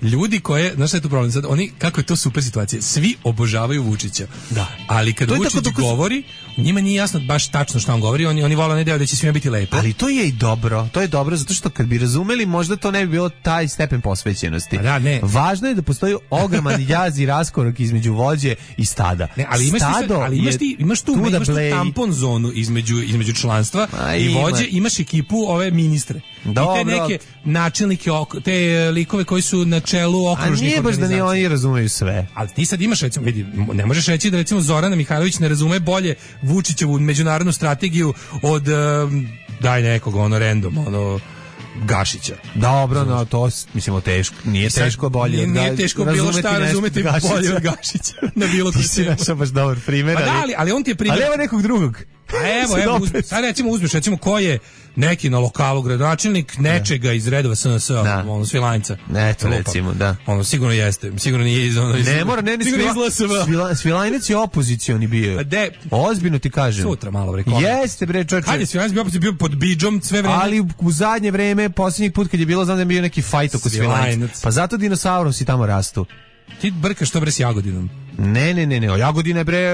ljudi koje, znaš šta je tu problem, sad oni, kako je to super situacija, svi obožavaju Vučića. Da. Ali kad Vučić govori, njima nije jasno baš tačno što on govori, oni vole onaj deo da će svima biti lepo. Ali to je i dobro, zato što kad bi razumeli, možda to ne bi bilo taj stepen posvećenosti. Da, ne. Važno je da postoji ogroman jaz i raskorak između vođe i stada. Ne, ali imaš tu tampon zonu između članstva i vođe, imaš ekipu ove ministre. Dobro. I te neke načelnike, te likove koji su na čelu okružnih organizacija. A nije baš da ni oni razumeju sve. Ali ti sad imaš, recimo, vidi, ne možeš reći da recimo Zorana Mihajlović ne razume bolje Vučićevu međunarodnu strategiju od daj nekog random, Gašića. Dobro, no to mislimo teško. Nije teško bolje. Nije teško bilo šta razumeti bolje od Gašića. Na bilo koji se. Ti si našao baš dobar primjer. Pa da, ali on ti je primjer. Ali evo nekog drugog. Evo, sad recimo ko je neki na lokalu gradonačelnik nečega iz redova SNS, ono Svilajnca. Eto, recimo, da. Ono sigurno jeste, sigurno nije iz ono. Ne mora, ne Svilajnac je opozicioni bio. Ozbiljno ti kažem. Sutra malo bre. Jeste bre, čoveče. Kad je Svilajnac bio pod bidžom sve vreme. Ali u zadnje vreme, posljednji put kad je bilo, znam da je bio neki fajt oko Svilajnac. Pa zato dinosaurusi tamo rastu. Ti brkaš to bre s Jagodinom. Ne, Jagodina je bre,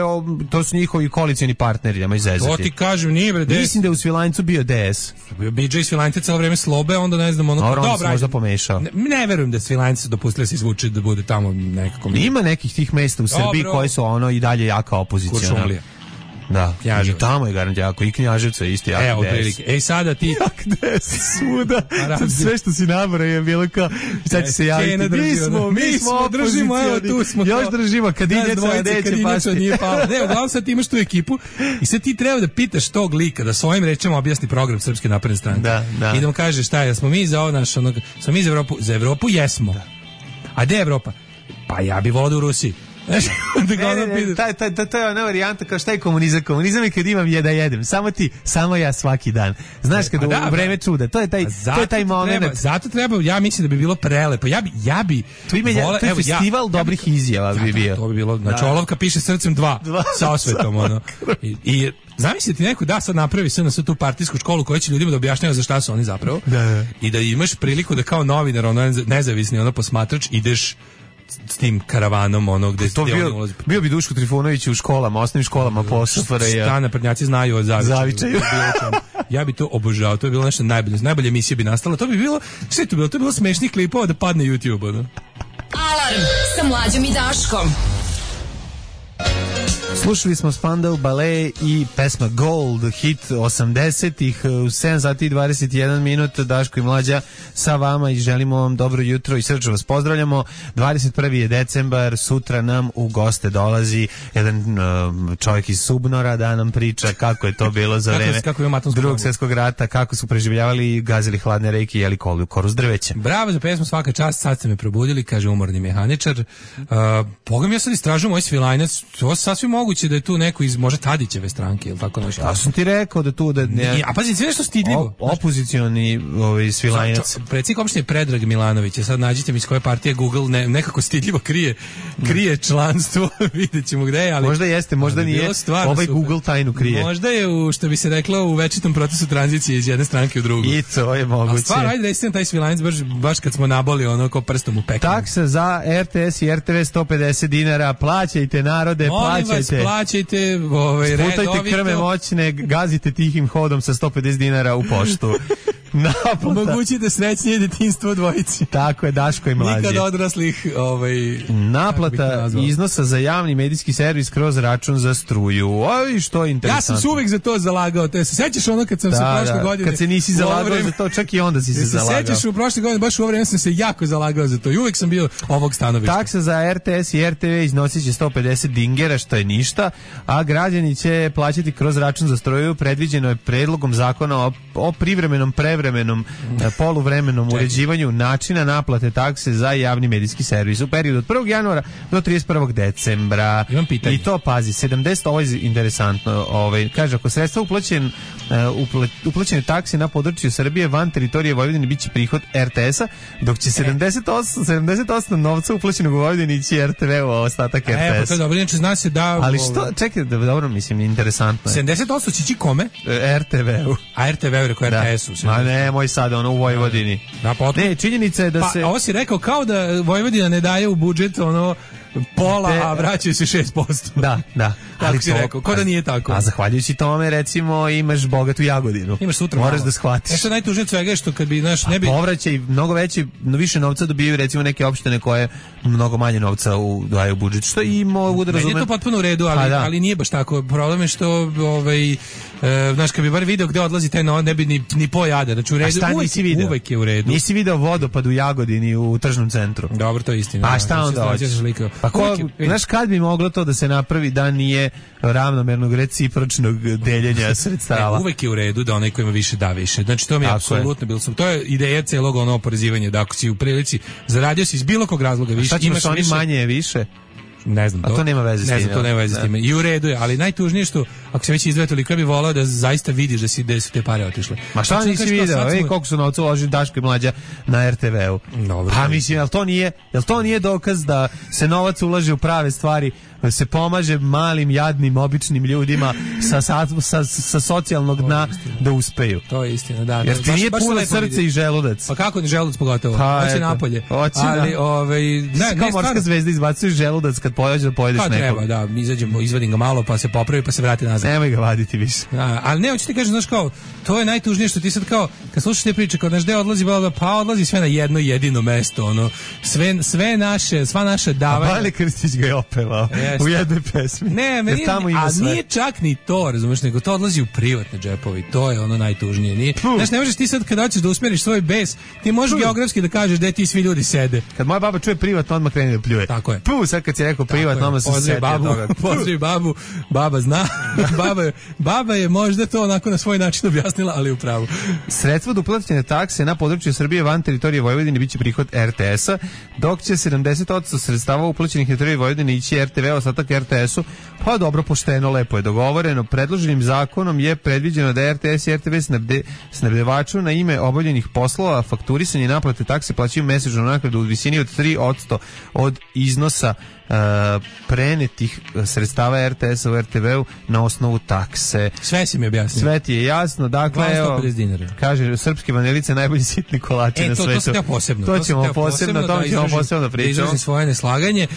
to su njihovi koalicioni partneri, nemoj zezati. To ti kažem, nije bre, Mislim da je u Svilajncu bio DS. Bio Bidža i Svilajnca celo vreme slobe, onda ne znam, ono... Dobro, on se možda pomešao. Ne verujem da Svilajnca dopustili se izvuči da bude tamo nekako... Ima nekih tih mesta u Srbiji koje su ono i dalje jaka opozicija. Kuršumlija. Da, Knjaževac. I tamo je garant jako, i Knjaževca isti jak DS. Sada ti... Jak DS, svuda. Sve što si nabrao je bilo kao, sad će se javiti. Mi smo držimo, evo tu smo. Još držimo, Kadinjača neće pasti. Nije pala. Ne, uglavnom sad ti imaš tu ekipu i sad ti treba da pitaš tog lika da svojim rečima objasni program Srpske napredne stranke. Da. I da mu kaže šta je, smo mi za ovo naš, onog, smo mi za Evropu? Za Evropu jesmo. A gde je Evropa? Pa ja bi volao u Rusiji. To je ona varijanta kao šta je komunizam. Komunizam je kad imam da jedem. Samo ja svaki dan. Znaš kad u vreme čuda. To je taj moment. Zato treba, ja mislim da bi bilo prelepo. Ja bi to je festival dobrih izjava bi bio. To bi bilo. Znači olovka piše srcem 2 sa osvetom ono. I zamisliti neko da sad napravi sve na sve tu partijsku školu koja će ljudima da objašnjava za šta su oni zapravo. I da imaš priliku da kao novinar, nezavisni posmatrač ideš s tim karavanom gde oni ulazi. Bio bi Duško Trifunović u školama, osnovnim školama po SFRJ. Šta naprednjaci znaju o Zavičaju. Ja bi to obožavao, to bi bilo nešto najbolje emisije bi nastala. To bi bilo, sve to bi bilo smešnih klipova da padne YouTube. Alarm sa Mlađom i Daškom. Slušali smo Spandau Ballet i pesma Gold, hit 80-ih, u 7 sati i 21 minut, Daško i Mlađa sa vama i želimo vam dobro jutro i srčno vas pozdravljamo. 21. je decembar, sutra nam u goste dolazi jedan čovjek iz Subnora da nam priča kako je to bilo za vreme Drugog svjetskog rata, kako su preživljavali, gazili hladne reke i jeli koru s drveća. Bravo za pesmu, svaka čast, sad ste me probudili, kaže umorni mehaničar. Pogledam, ja sad istražujem ovaj Svilajnac, to sasvim moguće da je tu neko iz možda Tadićeve stranke ili tako nešto. Ja sam ti rekao da tu da ne. A pazi, sve nešto stidljivo. Opozicioni Svilajnac. Predsjednik opštine Predrag Milanović, sad nađite mi iz koje partije Google nekako stidljivo krije članstvo, videćemo gde je, ali možda jeste, možda nije. Ovaj Google tajnu krije. Možda je što bi se reklo u večitom procesu tranzicije iz jedne stranke u drugu. I to je moguće. A stvar, ajde da istim taj Svilajnac baš kad smo naboli ko prstom u pekinu. Taksa za RTS i RTV 150 dinara, plaćajte narode, plaćajte sputajte krme moćne, gazite tihim hodom sa 150 dinara u poštu. Omogućite srećnije detinjstvo dvojici. Tako je, Daško i Mlađe. Nikad odraslih naplata iznosa za javni medijski servis kroz račun za struju. Oj, što je interesantno. Ja sam se uvek za to zalagao. Te se sećaš kad sam se prošle godine... Kad se nisi zalagao za to, čak i onda si se zalagao. Se sećaš u prošle godine, baš u ovo vreme sam se jako zalagao za to. I uvek sam bio ovog stanovišta. Taksa za RTS i RTV iznosit će 150 dingera, što je ništa, a građani će plaćati kroz račun za struju. Predviđeno je predlogom zakona o privremenom poluvremenom uređivanju načina naplate takse za javni medijski servis u periodu od 1. januara do 31. decembra. Imam pitanje. I to, pazi, 70, ovo je interesantno, kaže, ako sredstva uplaćene takse na području Srbije van teritorije Vojvodine biće prihod RTS-a, dok će 70% novca uplaćenog u Vojvodini ići RTV-u, a ostatak RTS. Pa to je dobro, inače zna se da... Ali što, čekaj, dobro, mislim, interesantno je. 70% će ići kome? RTV-u. A RTV-u rekao RTS-u. Ma ne, moj sad, u Vojvodini. Ne, činjenica je da se... Pa, ovo si rekao kao da Vojvodina ne daje u budžet, pola, a vraćaju se 6%. Da. Ali si rekao, ko da nije tako. A zahvaljujući tome, recimo, imaš bogatu Jagodinu. Imaš sutra moraš da shvatiš. Što najtužnije svega je što kad bi, ne bi... povraćaj, mnogo više novca dobijaju, recimo, neke opštine koje mnogo manje novca daju u budžet, što i mogu da razumem. Meni je to potpuno u redu, ali nije baš tako. Problem je što, znaš, kad bi bar video gde odlazi taj novac, ne bi ni pojada. Znači, u redu, uvek je u redu. Nisi video vodopad u Jagodini u tržnom centru. Dobro, to je istina. A šta onda hoćeš? Pa znaš kad bi moglo to da se napravi da nije ravnomernog recipročnog deljenja sredstava? Uvek je u redu da onaj ko ima više da više. Znači to mi je apsolutno bilo sam. To je ideja celog oporezivanja, da ako si u prilici zaradio si iz bilo kog razloga više, imaš oni manje više. Ne znam, to nema veze s time. Ne znam, to nema veze s time. I u redu je, ali najtužnije što ako se već izdvaja toliko, ja bih volao da zaista vidiš da su te pare otišle. Ma šta nisi video? Koliko su novca uložili Daško i Mlađa na RTV-u. Pa mislim, jel to nije dokaz da se novac ulaže u prave stvari, se pomaže malim, jadnim, običnim ljudima sa socijalnog dna da uspeju. To je istina, da. Jer ti nije puno srce i želudac. Pa kako ni želudac pogotovo? Hoće napolje. Ali, ne, kao morska zvezda izbacuješ želudac kad pojedeš da pojedeš nekog. Treba, da, izvadim ga malo pa se popravi pa se vrati nazad. Nemoj ga vaditi više. Ali ne, hoću ti kažem, znaš kao, to je najtužnije što ti sad kao, kad slušaš te priče, kao znaš gde odlazi, pa odlazi sve na jedno jedino mesto, ono, sva naša davanja. A Bajle Krstić ga je opevao u jednoj pesmi. Ne, nije čak ni to, razumeš, nego to odlazi u privatne džepovi, to je ono najtužnije. Znaš, ne možeš ti sad kad hoćeš da usmeriš svoj bes, ti možeš geografski da kažeš gde ti svi ljudi sede. Kad moja baba čuje privatno, odmah krene da pljuje. Tako je. Sad kad si rekao privatno, odmah se sedi toga. Pozdravi babu, baba zna, baba je možda to onako na svoj način objasnila, ali u pravu. Sredstva od uplaćene takse na području Srbije van teritorije Vojvodine biće prihod RTS-a, dok će 70% sredstava uplaćenih na teritoriji Vojvodine ići RTV, ostatak RTS-u. Pa dobro, pošteno, lepo je dogovoreno. Predloženim zakonom je predviđeno da RTS i RTV snabdevaču na ime obavljenih poslova fakturisanje i naplate takse plaćaju mesečnu naknadu u visini od 3% od iznosa prenetih sredstava RTS-a u RTV-u na osnovu takse. Sve si mi objasnio. Sve ti je jasno. Dakle, evo, kaže, srpske vanilice najbolji sitni kolači na svetu. To sam ja posebno. To ćemo posebno da pričamo. Da izrazim svoje neslaganje,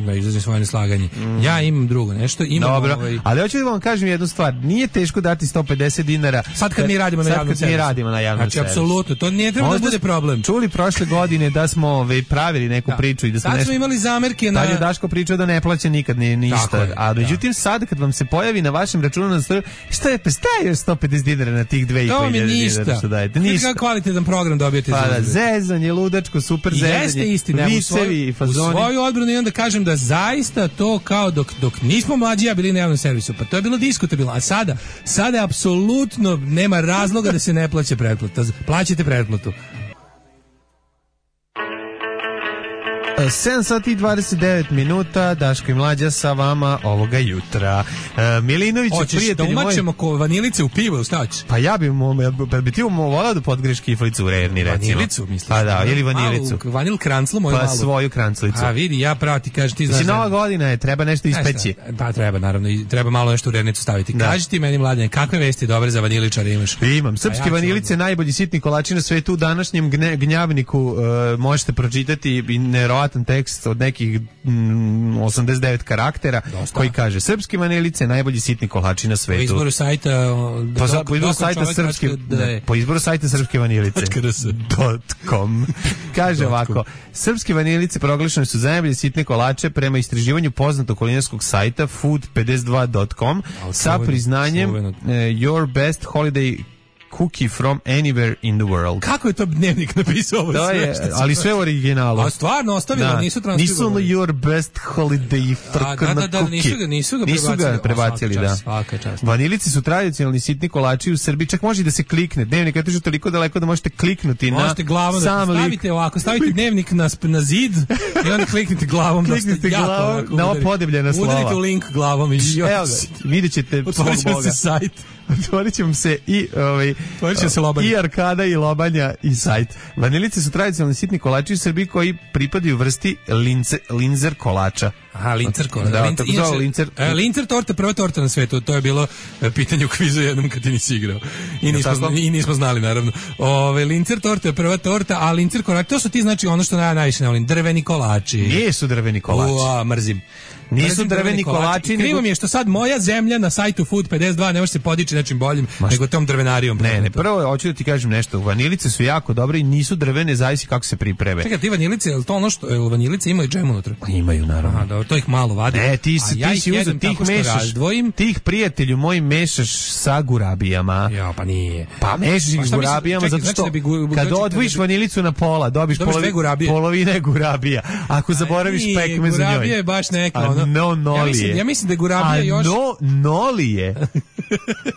da izrazim svoje neslaganje. Ja imam drugo nešto. Dobro, ali hoću da vam kažem jednu stvar. Nije teško dati 150 dinara. Sad kad mi radimo na javnom servisu. Znači, apsolutno, to nije treba da bude problem. Čuli prošle godine da smo pravili neku priču i da smo nešto... Sad smo imali zamerke na... Tad je Daško pričao da ne plaća nikad ništa. A međutim sad kad vam se pojavi na vašem računu na stranu, šta je 150 dinara na tih 2.500 dinara što dajete? Ništa. Kako kvalitetan program dobijete za uzvrat. Zezanje, ludačko, super zezanje. Jeste istina. Vicevi i fazoni. U svoju odbranu i onda kažem da zaista to kao dok nismo mlađi, bili na javnom servisu, pa to je bilo diskutabilno. A sada apsolutno nema razloga da se ne plaća pretplata. Plaćate pretplatu. 7 sati i 29 minuta, Daško i Mlađa sa vama ovoga jutra. Milinović, prijatelji moji... Hoćeš da umačemo ko vanilice u pivo, šta ćeš? Pa ja bi ti volao da podgreš kiflicu u Rerni, recimo. Vanilicu, misliš? Pa da, ili vanilicu. Vanil kranclu, moju malu. Pa svoju kranclicu. A vidi, ja pravo ti kažem, ti znaš... Znači, nova godina je, treba nešto ispeći. Pa treba, naravno, i treba malo nešto u Rernicu staviti. Kaži ti meni, Mlađane, kakve vesti dobre za vaniličare imaš? Imam. Srpske vanilice, najbolji sitni kolači na svetu. U današnjem gnjavniku možete pročitati neverovatan tekst od nekih 89 karaktera. Dosta. Koji kaže: srpske vanilice, najbolji sitni kolači na svetu. Po izboru sajta po izboru sajta srpske vanilice .com kaže ovako: srpske vanilice proglašene su za najbolje sitne kolače prema istraživanju poznatog kulinarskog sajta food52.com sa priznanjem Your Best Holiday Cookie from anywhere in the world. Kako je to Dnevnik napisao ovo sve? Ali sve u originalu. A stvarno ostavilo, nisu transkribovali. Nisu Your Best Holiday cookie. Nisu ga prebacili, da. Svaka čast. Vanilici su tradicionalni sitni kolači u Srbiji, čak može da se klikne. Dnevnik je otišao toliko daleko da možete kliknuti možete na glavom sam lik. Stavite ovako, stavite Dnevnik na zid i onda kliknite glavom. Kliknite glavom na ova podebljena slova. Udarite u link glavom i evo ga, vidjet ćete svog Boga. Sajt. Otvorit ćemo se i arkada i lobanja i sajt. Vanilice su tradicionalni sitni kolači u Srbiji koji pripadaju vrsti linzer kolača. Aha, lincer kolača. Lincer torta, prva torta na svetu. To je bilo pitanje u kvizu jednom kad ti nisi igrao. I nismo znali, naravno. Lincer torta je prva torta, a lincer kolač, to su ti, znači, ono što najviše ne volim, drveni kolači. Nisu drveni kolači. Mrzim. Nisu drveni kolači. Krivo mi je što sad moja zemlja na sajtu Food 52 ne može se podići nečim boljim nego tom drvenarijom. Ne, prvo hoću da ti kažem nešto. Vanilice su jako dobre i nisu drvene, zavisi kako se pripreme. Čekaj, ti vanilice, je li to ono što vanilice imaju džem unutra? Imaju, naravno. Aha, dobro, to ih malo vadi. Ne, ti si uzeo, tih mešaš, tih prijatelju moji mešaš sa gurabijama. Ja, pa nije. Pa mešaš ih s gurabijama zato što kad odvojiš vanilicu na pola, dobiš polovine gurabija. Ako zaboraviš pekmez u njoj. Gurabija je baš neka, ono. Ja mislim da je gurabija još... Nolije.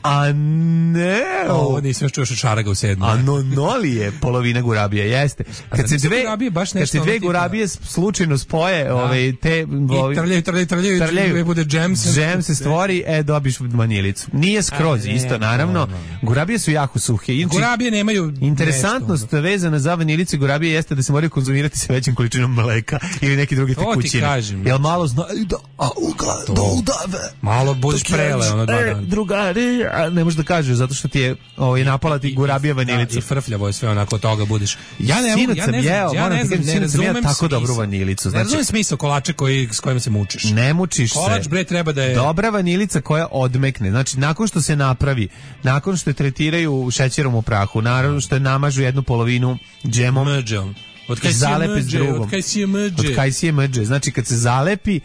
A ne. Ovo nisam još čuo šaraga u 7. Anonoli je polovina gurabije, jeste. Kad se dve gurabije slučajno spoje, te trljaju, bude džem se stvori, dobiš vanilicu. Nije skroz isto, naravno. Gurabije su jako suhe. Gurabije nemaju. Interesantnost vezana za vanilicu i gurabije jeste da se moraju konzumirati sa većim količinom mleka ili neki drugi tekućine. Jel malo znaju da udave. Malo budeš prele, ono 2 dana. Drugari, ne možeš da kažeš zato što ti je napala ti gurabija vanilica. I frfljavo je sve onako od toga budeš. Ja ne razumem tako dobru vanilicu. Ne razumem smisao kolača s kojim se mučiš. Ne mučiš se. Kolač bre treba da je dobra vanilica koja odmekne. Znači nakon što se napravi, nakon što je tretiraju šećerom u prahu, naravno što je namažu jednu polovinu džemom. Od kaj si je mđe. Znači kad se zalepi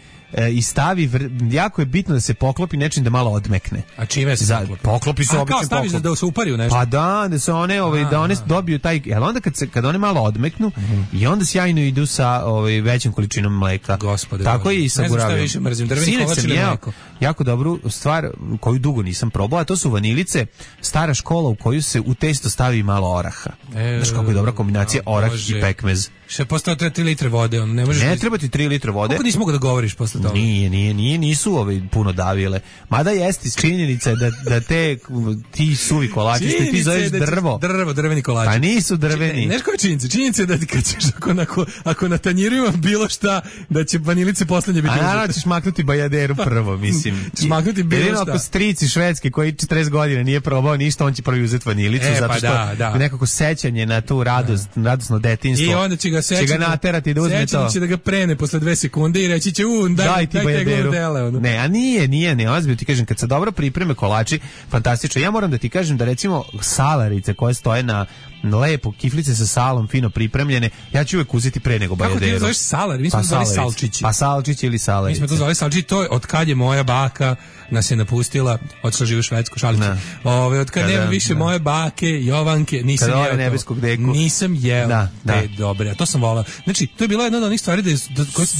i stavi, jako je bitno da se poklopi nečim da malo odmekne. A čime se poklopi se obično staviš da se upari u nešto? Pa da se one, da one dobiju taj, jel onda kad one malo odmeknu i onda sjajno idu sa većom količinom mleka. Gospode, tako je i sa gurabijom. Ne znam šta više mrzim, drveni kolač ili mleko. Jako dobru stvar koju dugo nisam probao, a to su vanilice, stara škola u koju se u testo stavi malo oraha. Znaš kako je dobra kombinacija orah i pekmez. Še postao 3 litre vode, ne treba ti 3 litre vode. Kako nisi mogao da govoriš posle toga? Nisu puno davile. Mada jeste činjenica da ti suvi kolači, što ti zoveš drveni kolači. Pa nisu drveni. Znaš koja je činjenica? Činjenica je da ti kad ćeš, ako na tanjiru ima bilo šta, da će vanilice poslednje biti uzete. A naravno ćeš maknuti bajaderu prvo, mislim. Ćeš maknuti bilo šta. Ako strici švedski koji 40 godina nije probao ništa, on će prvi uzeti vanilicu, zato što nekako sećanje na tu radosno detinjstvo. I onda će ga naterati da uzme to. Sećanje će da ga prene posle 2 sekunde i reći će daj ti bajaderu. Ne, a nije, ozbiljno ti kažem, kad se dobro pripreme kolači, fantastično. Ja moram da ti kažem da recimo salarice koje stoje na lepo, kiflice sa salom, fino pripremljene, ja ću uvek uzeti pre nego bajaderu. Kako ti zoveš salar? Mi smo to zvali salčići. Pa salčići ili salarice. Mi smo to zvali salčići, to je od kad je moja baka nas je napustila, otišla živi u Švedsku, šalicu. Od kad nema više moje bake, Jovanke, nisam jeo to. Nebeskog deku. Nisam jeo te dobre, a to sam volao. Znači, to je bila jedna od onih stvari da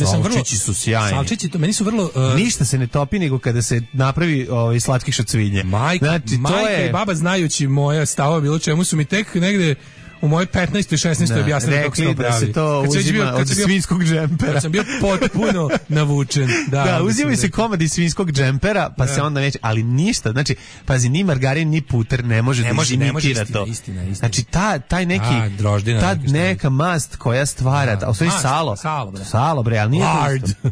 sam vrlo... Salčići su sjajni. Salčići, to meni su vrlo... Ništa se ne topi nego kada se napravi slatkih šacvinje. Majka i baba znajući moje stavove bilo čemu su mi tek negde u mojoj 15. i 16. objasnili kako se to pravi. Da se to uzima od svinjskog džempera. Kad sam bio potpuno navučen. Da, uzimaju se komadi svinjskog džempera, pa se onda neće, ali ništa. Znači, pazi, ni margarin, ni puter ne može da imitira to. Istina. Znači, taj neki, ta neka mast koja stvara, a u stvari salo, bre, ali nije to isto.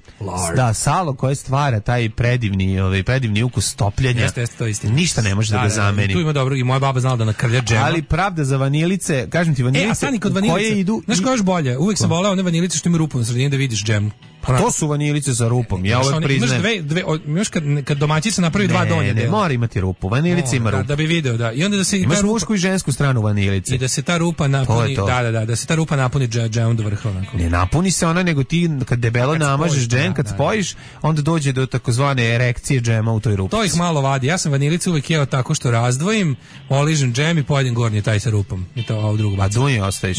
Da, salo koje stvara taj predivni ukus topljenja. To istina. Ništa ne može da ga zameni. Tu ima dobro, i moja baba znala da nakrlja džema. Ali pravda za vanilice, kažem ti, vanilice, a stani kod vanilice, koje idu... Znaš koja još bolje? Uvijek sam voleo one vanilice što ima rupu na sredini da vidiš džem. Pa to su vanilice sa rupom, ja uvek priznajem. Imaš kad domaćica napravi 2 donje dela. Ne, mora imati rupu, vanilica ima rupu. Da bi video, da. I onda da se imaš mušku i žensku stranu vanilice. I da se ta rupa napuni, da se ta rupa napuni džemom do vrha onako. Ne napuni se ona, nego ti kad debelo namažeš džem, kad spojiš, onda dođe do takozvane erekcije džema u toj rupi. To ih malo vadi. Ja sam vanilicu uvek jeo tako što razdvojim, oližem džem i pojedem gornji taj sa rupom. I to ovo drugo bacim. A dunje ostaviš.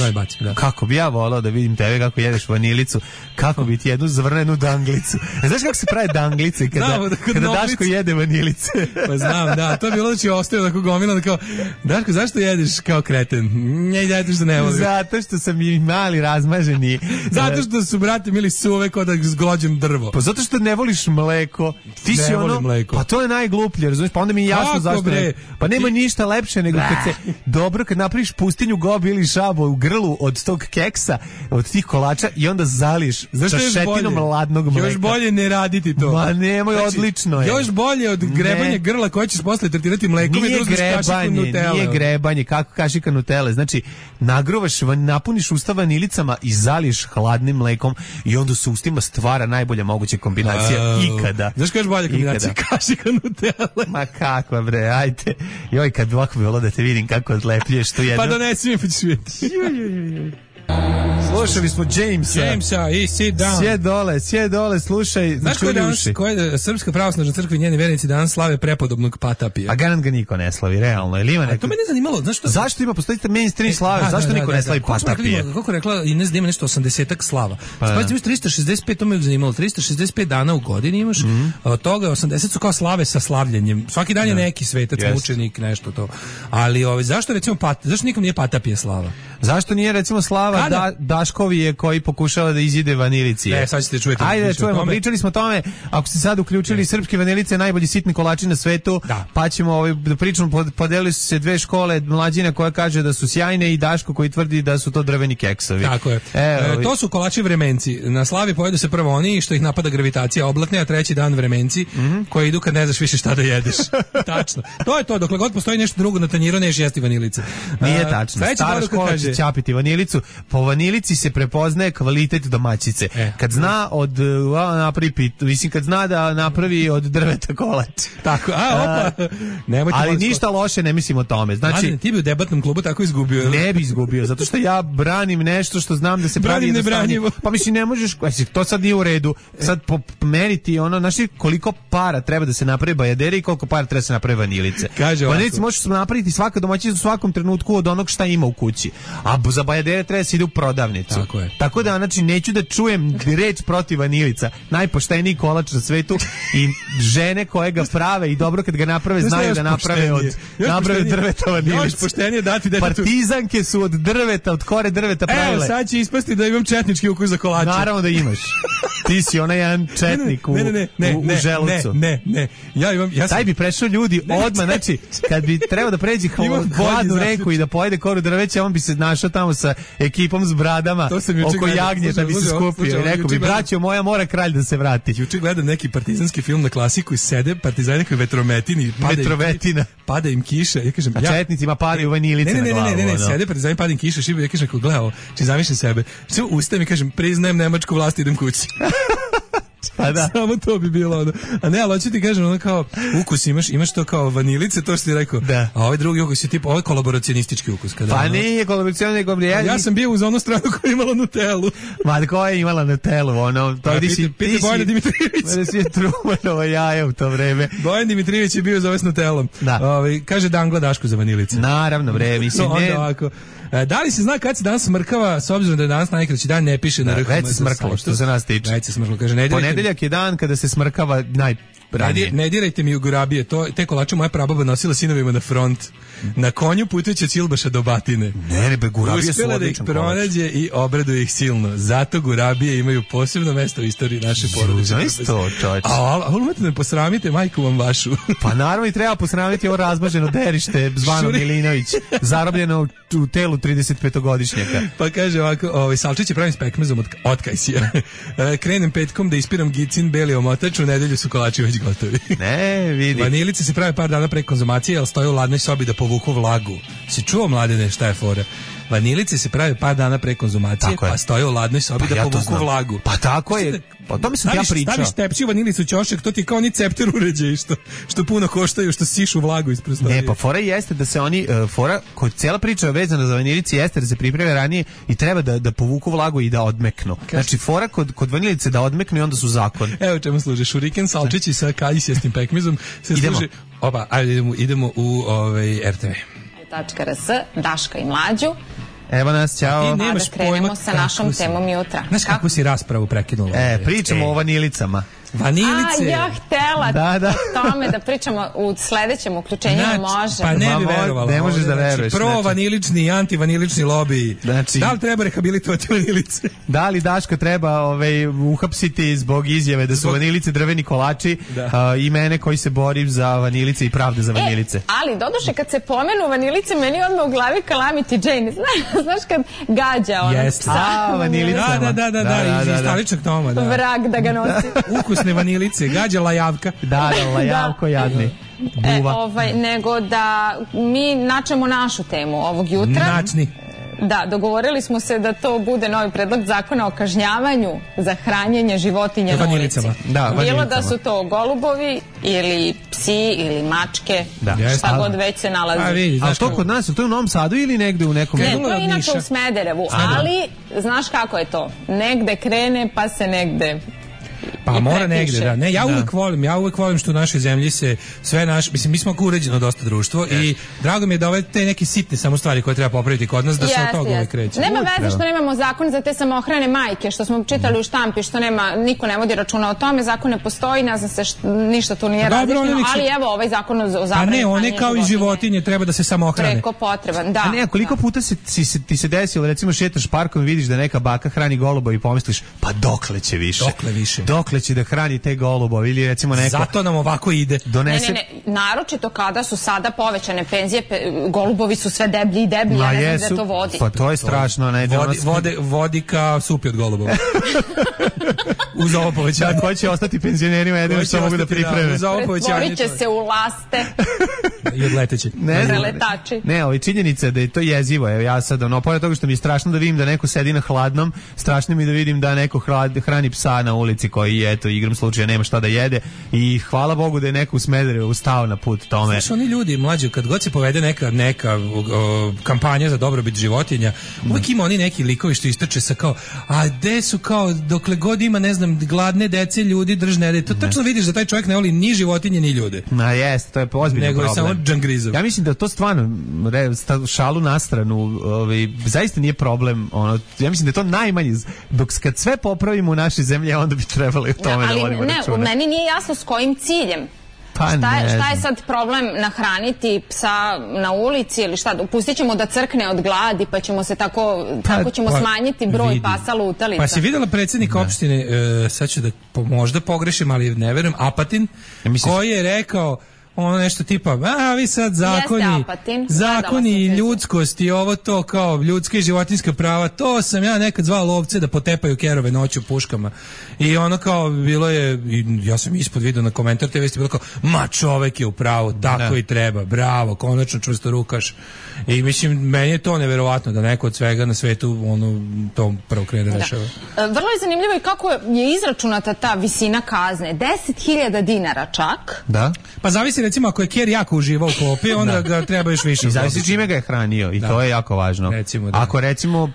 Kako bi ja volao da vidim tebe kako jedeš vanilicu, kako bi ti jednu zvrnenu danglicu. Znaš kako se pravi danglice kada Daško jede vanilice? Pa znam, da, to je bilo da će ostavio tako gomilano kao, Daško, zašto jedeš kao kreten? Ne, zato što ne volim. Zato što sam i mali razmaženi. Zato što su, brate, mili suve kao da zglođem drvo. Pa zato što ne voliš mleko. Ti si ono, mleko. Pa to je najgluplje, razumiješ? Pa onda mi je jasno zašto ne. Pa nema ništa lepše nego kad napraviš pustinju gobi ili šabo u grlu od tog keksa, od tih kolača i onda zališ čašetinom ladnog mleka. Još bolje ne raditi to. Ma nemoj, odlično je. Još bolje od grebanja grla koje ćeš posle tretirati mlekom i drugaš kašiku Nutelle. Nije grebanje, kako kašika Nutelle. Znači, nagruvaš, napuniš usta vanilicama i zaliješ hladnim mlekom i onda se ustima stvara najbolja moguća kombinacija ikada. Znaš koja je bolja kombinacija? Kašika Nutelle. Ma kakva bre, ajte. Joj, kad bi ovako bilo da te vidim kako odlepljuješ tu jednu. Pa donesi mi, pa ćeš vidjeti. Slušali smo Jamesa i Sit Down. Sjed dole, slušaj. Znaš koja Srpska pravoslavna crkva i njeni vernici danas slave prepodobnog Patapija? A garant ga niko ne slavi, realno. Ili ima neko... To me ne zanimalo. Zašto ima, postoji mainstream slave? Zašto niko ne slavi Patapija? Kako rekla Ines da ima nešto 80-ak slava. Spazite, imaš 365, to me zanimalo. 365 dana u godini imaš. Od toga 80 su kao slave sa slavljenjem. Svaki dan je neki svetac, mučenik, nešto to. Ali zašto recimo zašto nikom nije Patapija slava? Zašto nije recimo slava Daškovije koji pokušava da izjede vanilici? Sad ćete čujete. Ajde, čujemo, pričali smo o tome, ako ste sad uključili srpske vanilice, najbolji sitni kolači na svetu, pa ćemo da pričamo, podelili su se dve škole, Mlađina koja kaže da su sjajne i Daško koji tvrdi da su to drveni keksovi. Tako je. To su kolači vremenci. Na slavi pojedu se prvo oni što ih napada gravitacija oblatne, a treći dan vremenci koji idu kad ne znaš više šta da jedeš. Tačno. To je to, dokle god postoji nešto drugo na tanjiru, neš jesti vanilice. Nije tačno. Stara škola će ćapiti vanilicu. Po vanilici se prepoznaje kvalitet domaćice. Kad zna kad zna da napravi od drveta kolač. Tako, ali ništa loše ne mislim o tome. Znači, ti bi u debatnom klubu tako izgubio. Ne bi izgubio, zato što ja branim nešto što znam da se pravi jednostavnije. Pa mislim, ne možeš, to sad nije u redu. Sad pomeriti znači koliko para treba da se napravi bajadere i koliko para treba da se napravi vanilice. Vanilice možeš napraviti svaka domaćica u svakom trenutku od onog šta ima u kući. A za bajadere treba da se ide u prodavnicu. Tako da, znači, neću da čujem reč protiv vanilica. Najpošteniji kolač na svetu i žene koje ga prave i dobro kad ga naprave znaju da naprave od drveta vanilicu. Partizanke su od drveta, od kore drveta pravile. Evo, sad će ispasti da imam četnički ukus za kolače. Naravno da imaš. Ti si onaj jedan četnik u želucu. Ne. Taj bi prešao ljudi odmah, znači, kad bi trebao da pređi hladnu reku i da pojede koru drveća, on bi se našao tamo sa ekipom s bradama oko jagnjeta bi se skupio i rekao bi, braćo moja, mora kralj da se vrati. Juče gledam neki partizanski film na Klasiku i sede partizani koji vetrometini, pada im kiša. Ja kažem, a četnicima padaju vanilice na glavu. Ne, sede partizani, pada im kiša, šiba, ja kažem, gledao, či zamišljam sebe. Sve ustajem i kažem, priznajem nemačku vlast, idem kući. Samo to bi bilo ono. A ne, ali hoću ti kažem, ono kao ukus imaš to kao vanilice, to što ti rekao. A ovaj drugi ukus je tipa, ovaj kolaboracionistički ukus. Pa nije kolaboracionistički. Ja sam bio uz onu stranu koja je imala Nutellu. Ma koja je imala Nutellu, ono, to piti Bojana Dimitrijević. Mene si je Trumanovo jaje u to vreme. Bojan Dimitrijević je bio za ovaj s Nutellom. Kaže Dangla Daško za vanilice. Naravno, mislim, ne. Da li se zna kad se danas smrkava, s obzirom da je danas najkraći dan, ne piše na RHMZ. Već se smrkalo, što se nas tiče. Već se smrkalo, kaže ponedeljak je dan kada se smrkava najranije. Ne dirajte mi u gurabije, te kolače moja prababa nosila sinovima na front. Na konju putujući od Silbaša do Batine. Ne, gurabije su uspjela da ih pronađe i obraduje ih silno. Zato gurabije imaju posebno mesto u istoriji naše porodice. Znaš to, čovječe. A umete da posramite majku vam vašu. Pa naravno i treba posramiti ovo razmaženo derište zvano Milinović, zarobljeno u telu 35-godišnjaka. Pa kaže ovako, salčiće pravim s pekmezom od kajsija. Krenem petkom da ispiram gicin, beli omotač, u nedelju su kolači već gotovi. Ne, vidi. Vanilice se prave par dana pre konzumacije, ali stoje u ladnoj sobi da povuku vlagu. Si čuo, Mladene, šta je fora? Vanilice se prave par dana pre konzumacije, pa stoje u ladnoj sobi da povuku vlagu. Pa tako je. Pa o tome sam ja pričao. Staviš tepsi vanilicu u ćošak, to ti je kao oni cepter uređaji što puno koštaju, što sišu vlagu iz prostorije. Ne, pa fora jeste da se oni, cijela priča vezana za vanilici jeste da se pripreme ranije i treba da povuku vlagu i da odmeknu. Znači, fora kod vanilice da odmeknu i onda su zakon. Evo čemu služi. Šuriken, salčići sa kajsijastim pekmezom se služi. Oba, ajde idemo u RTV. .rs, Daška i Mlađu. Evo nas, ćao. Da krenemo sa našom temom jutra. Znaš kako si raspravu prekinula? Pričamo o vanilicama. Vanilice. Ja htela o tome da pričamo u sledećem uključenju, može. Pa ne bi verovala. Ne možeš da veruješ. Pro-vanilični i anti-vanilični lobiji. Da li treba rehabilitovati vanilice? Da li Daška treba uhapsiti zbog izjave da su vanilice drveni kolači i mene koji se borim za vanilice i pravde za vanilice. Ali, doduše, kad se pomenu vanilice, meni odmah u glavi Calamity Jane. Znaš kad gađa onog psa. Vanilicama. Da, iz Staličnog Toma. Vrag da ga nosi. Ukusne vanilice, gađa lajavka. Da, lajavko jadni. Nego da mi načemo našu temu ovog jutra. Načni. Da, dogovorili smo se da to bude novi predlog zakona o kažnjavanju za hranjenje životinja na ulici. Bilo da su to golubovi ili psi psi ili mačke, šta god već se nalazi. Ali to kod nas, to je u Novom Sadu ili negde u nekom... Ne, to je inače u Smederevu, ali znaš kako je to? Negde krene pa se negde... Pa mora negde, da. Ne, ja uvek volim što u našoj zemlji se sve mislim, mi smo uređeno dosta društvo i drago mi je da ove te neke sitne samo stvari koje treba popraviti kod nas, da se od toga uvek kreće. Nema veze što nemamo zakon za te samohrane majke, što smo čitali u štampi, što niko ne vodi računa o tome, zakon ne postoji, ne znam se ništa tu nije različeno, ali evo ovaj zakon o zabrani. A ne, one kao i životinje treba da se samohrane. Preko potreban, da. A ne, koliko puta ti se desilo, recimo šetaš parkom i vidiš da neka baka hrani goluba i pomisliš, pa dokle će više? Dokle će da hrani te golubovi ili recimo neko... Zato nam ovako ide. Ne, naročito kada su sada povećane penzije, golubovi su sve deblji i deblji, ja ne znam gde to vodi. Pa to je strašno. Vodi ka supi od golubova. Uz ovo povećanje. Ko će ostati penzionerima, jedino što mogu da pripreme. Pretvorit će se u laste. I odleteće. Preletači. Ne, ovo je činjenica da je to jezivo. Evo ja sad, pored toga što mi je strašno da vidim da neko sedi na hladnom, strašno mi da vidim da neko hrani psa na ulici koji, eto, igram slučaja nema šta da jede i hvala Bogu da je neko u Smederevu ustao na put tome. Znaš, oni ljudi mlađi, kad god se povede neka kampanja za dobrobit životinja, uvijek ima oni neki likovi što istrče sa kao, a gde su kao, dokle god ima, ne znam, gladne dece, ljudi držne, to tačno vidiš da taj čovjek ne voli ni životinje, ni ljude. Jeste, to je ozbiljan problem. Nego je samo džangrizov. Ja mislim da to stvarno, šalu na stranu, zaista nije problem, ja mislim da je to najmanje, dok kad sve popravimo u našoj zemlji, onda bi trebalo o tome da vodimo računa. Ali meni nije jasno s kojim ciljem. Šta je sad problem nahraniti psa na ulici ili šta? Pustit ćemo da crkne od gladi pa ćemo se tako ćemo smanjiti broj pasa lutalica. Pa si videla predsjednika opštine, sad ću da možda pogrešim, ali ne verujem, Apatin, koji je rekao ono nešto tipa, vi sad zakoni i ljudskost i ovo to kao ljudska i životinjska prava, to sam ja nekad zvao lovce da potepaju kerove noću puškama. I ono kao bilo je, ja sam ispod video na komentar te vesti bilo kao, ma čovek je u pravu, tako i treba, bravo, konačno čvrsto rukaš. I mislim, meni je to neverovatno da neko od svega na svetu to prvo krene da rešava. Vrlo je zanimljivo i kako je izračunata ta visina kazne, 10.000 dinara čak. Da. Pa zavisi recimo ako je ker jako uživao u klopi, onda ga treba još više. I zavisi čime ga je hranio i to je jako važno. Ako recimo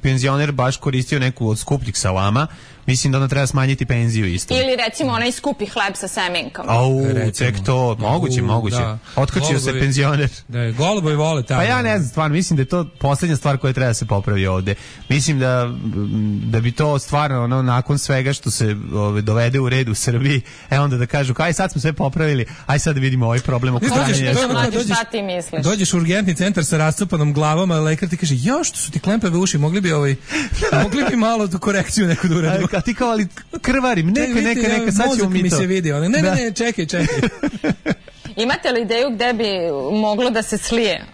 penzioner baš koristio neku od skupljih salama, mislim da onda treba smanjiti penziju isto. Ili recimo onaj skupi hleb sa semenkama. Tek to, moguće. Otkačio se penzioner. Da, golubovi vole tamo. Pa ja ne znam, stvarno, mislim da je to posljednja stvar koja treba se popravi ovde. Mislim da bi to stvarno, nakon svega što se dovede u red u Srbiji, onda da kažu, aj sad smo sve popravili, aj sad da vidimo ovaj problem oko hranjenja. Šta ti misliš? Dođeš u urgentni centar sa rascupanom glavom, a lekar ti kaže, što su ti klempave uši, mogli bi malo tu korekciju neku da uradimo. A ti kao, ali krvarim, neka, sad ćemo mi to. Mi se vidi, ne, čekaj. Imate li ideju gde bi moglo da se slije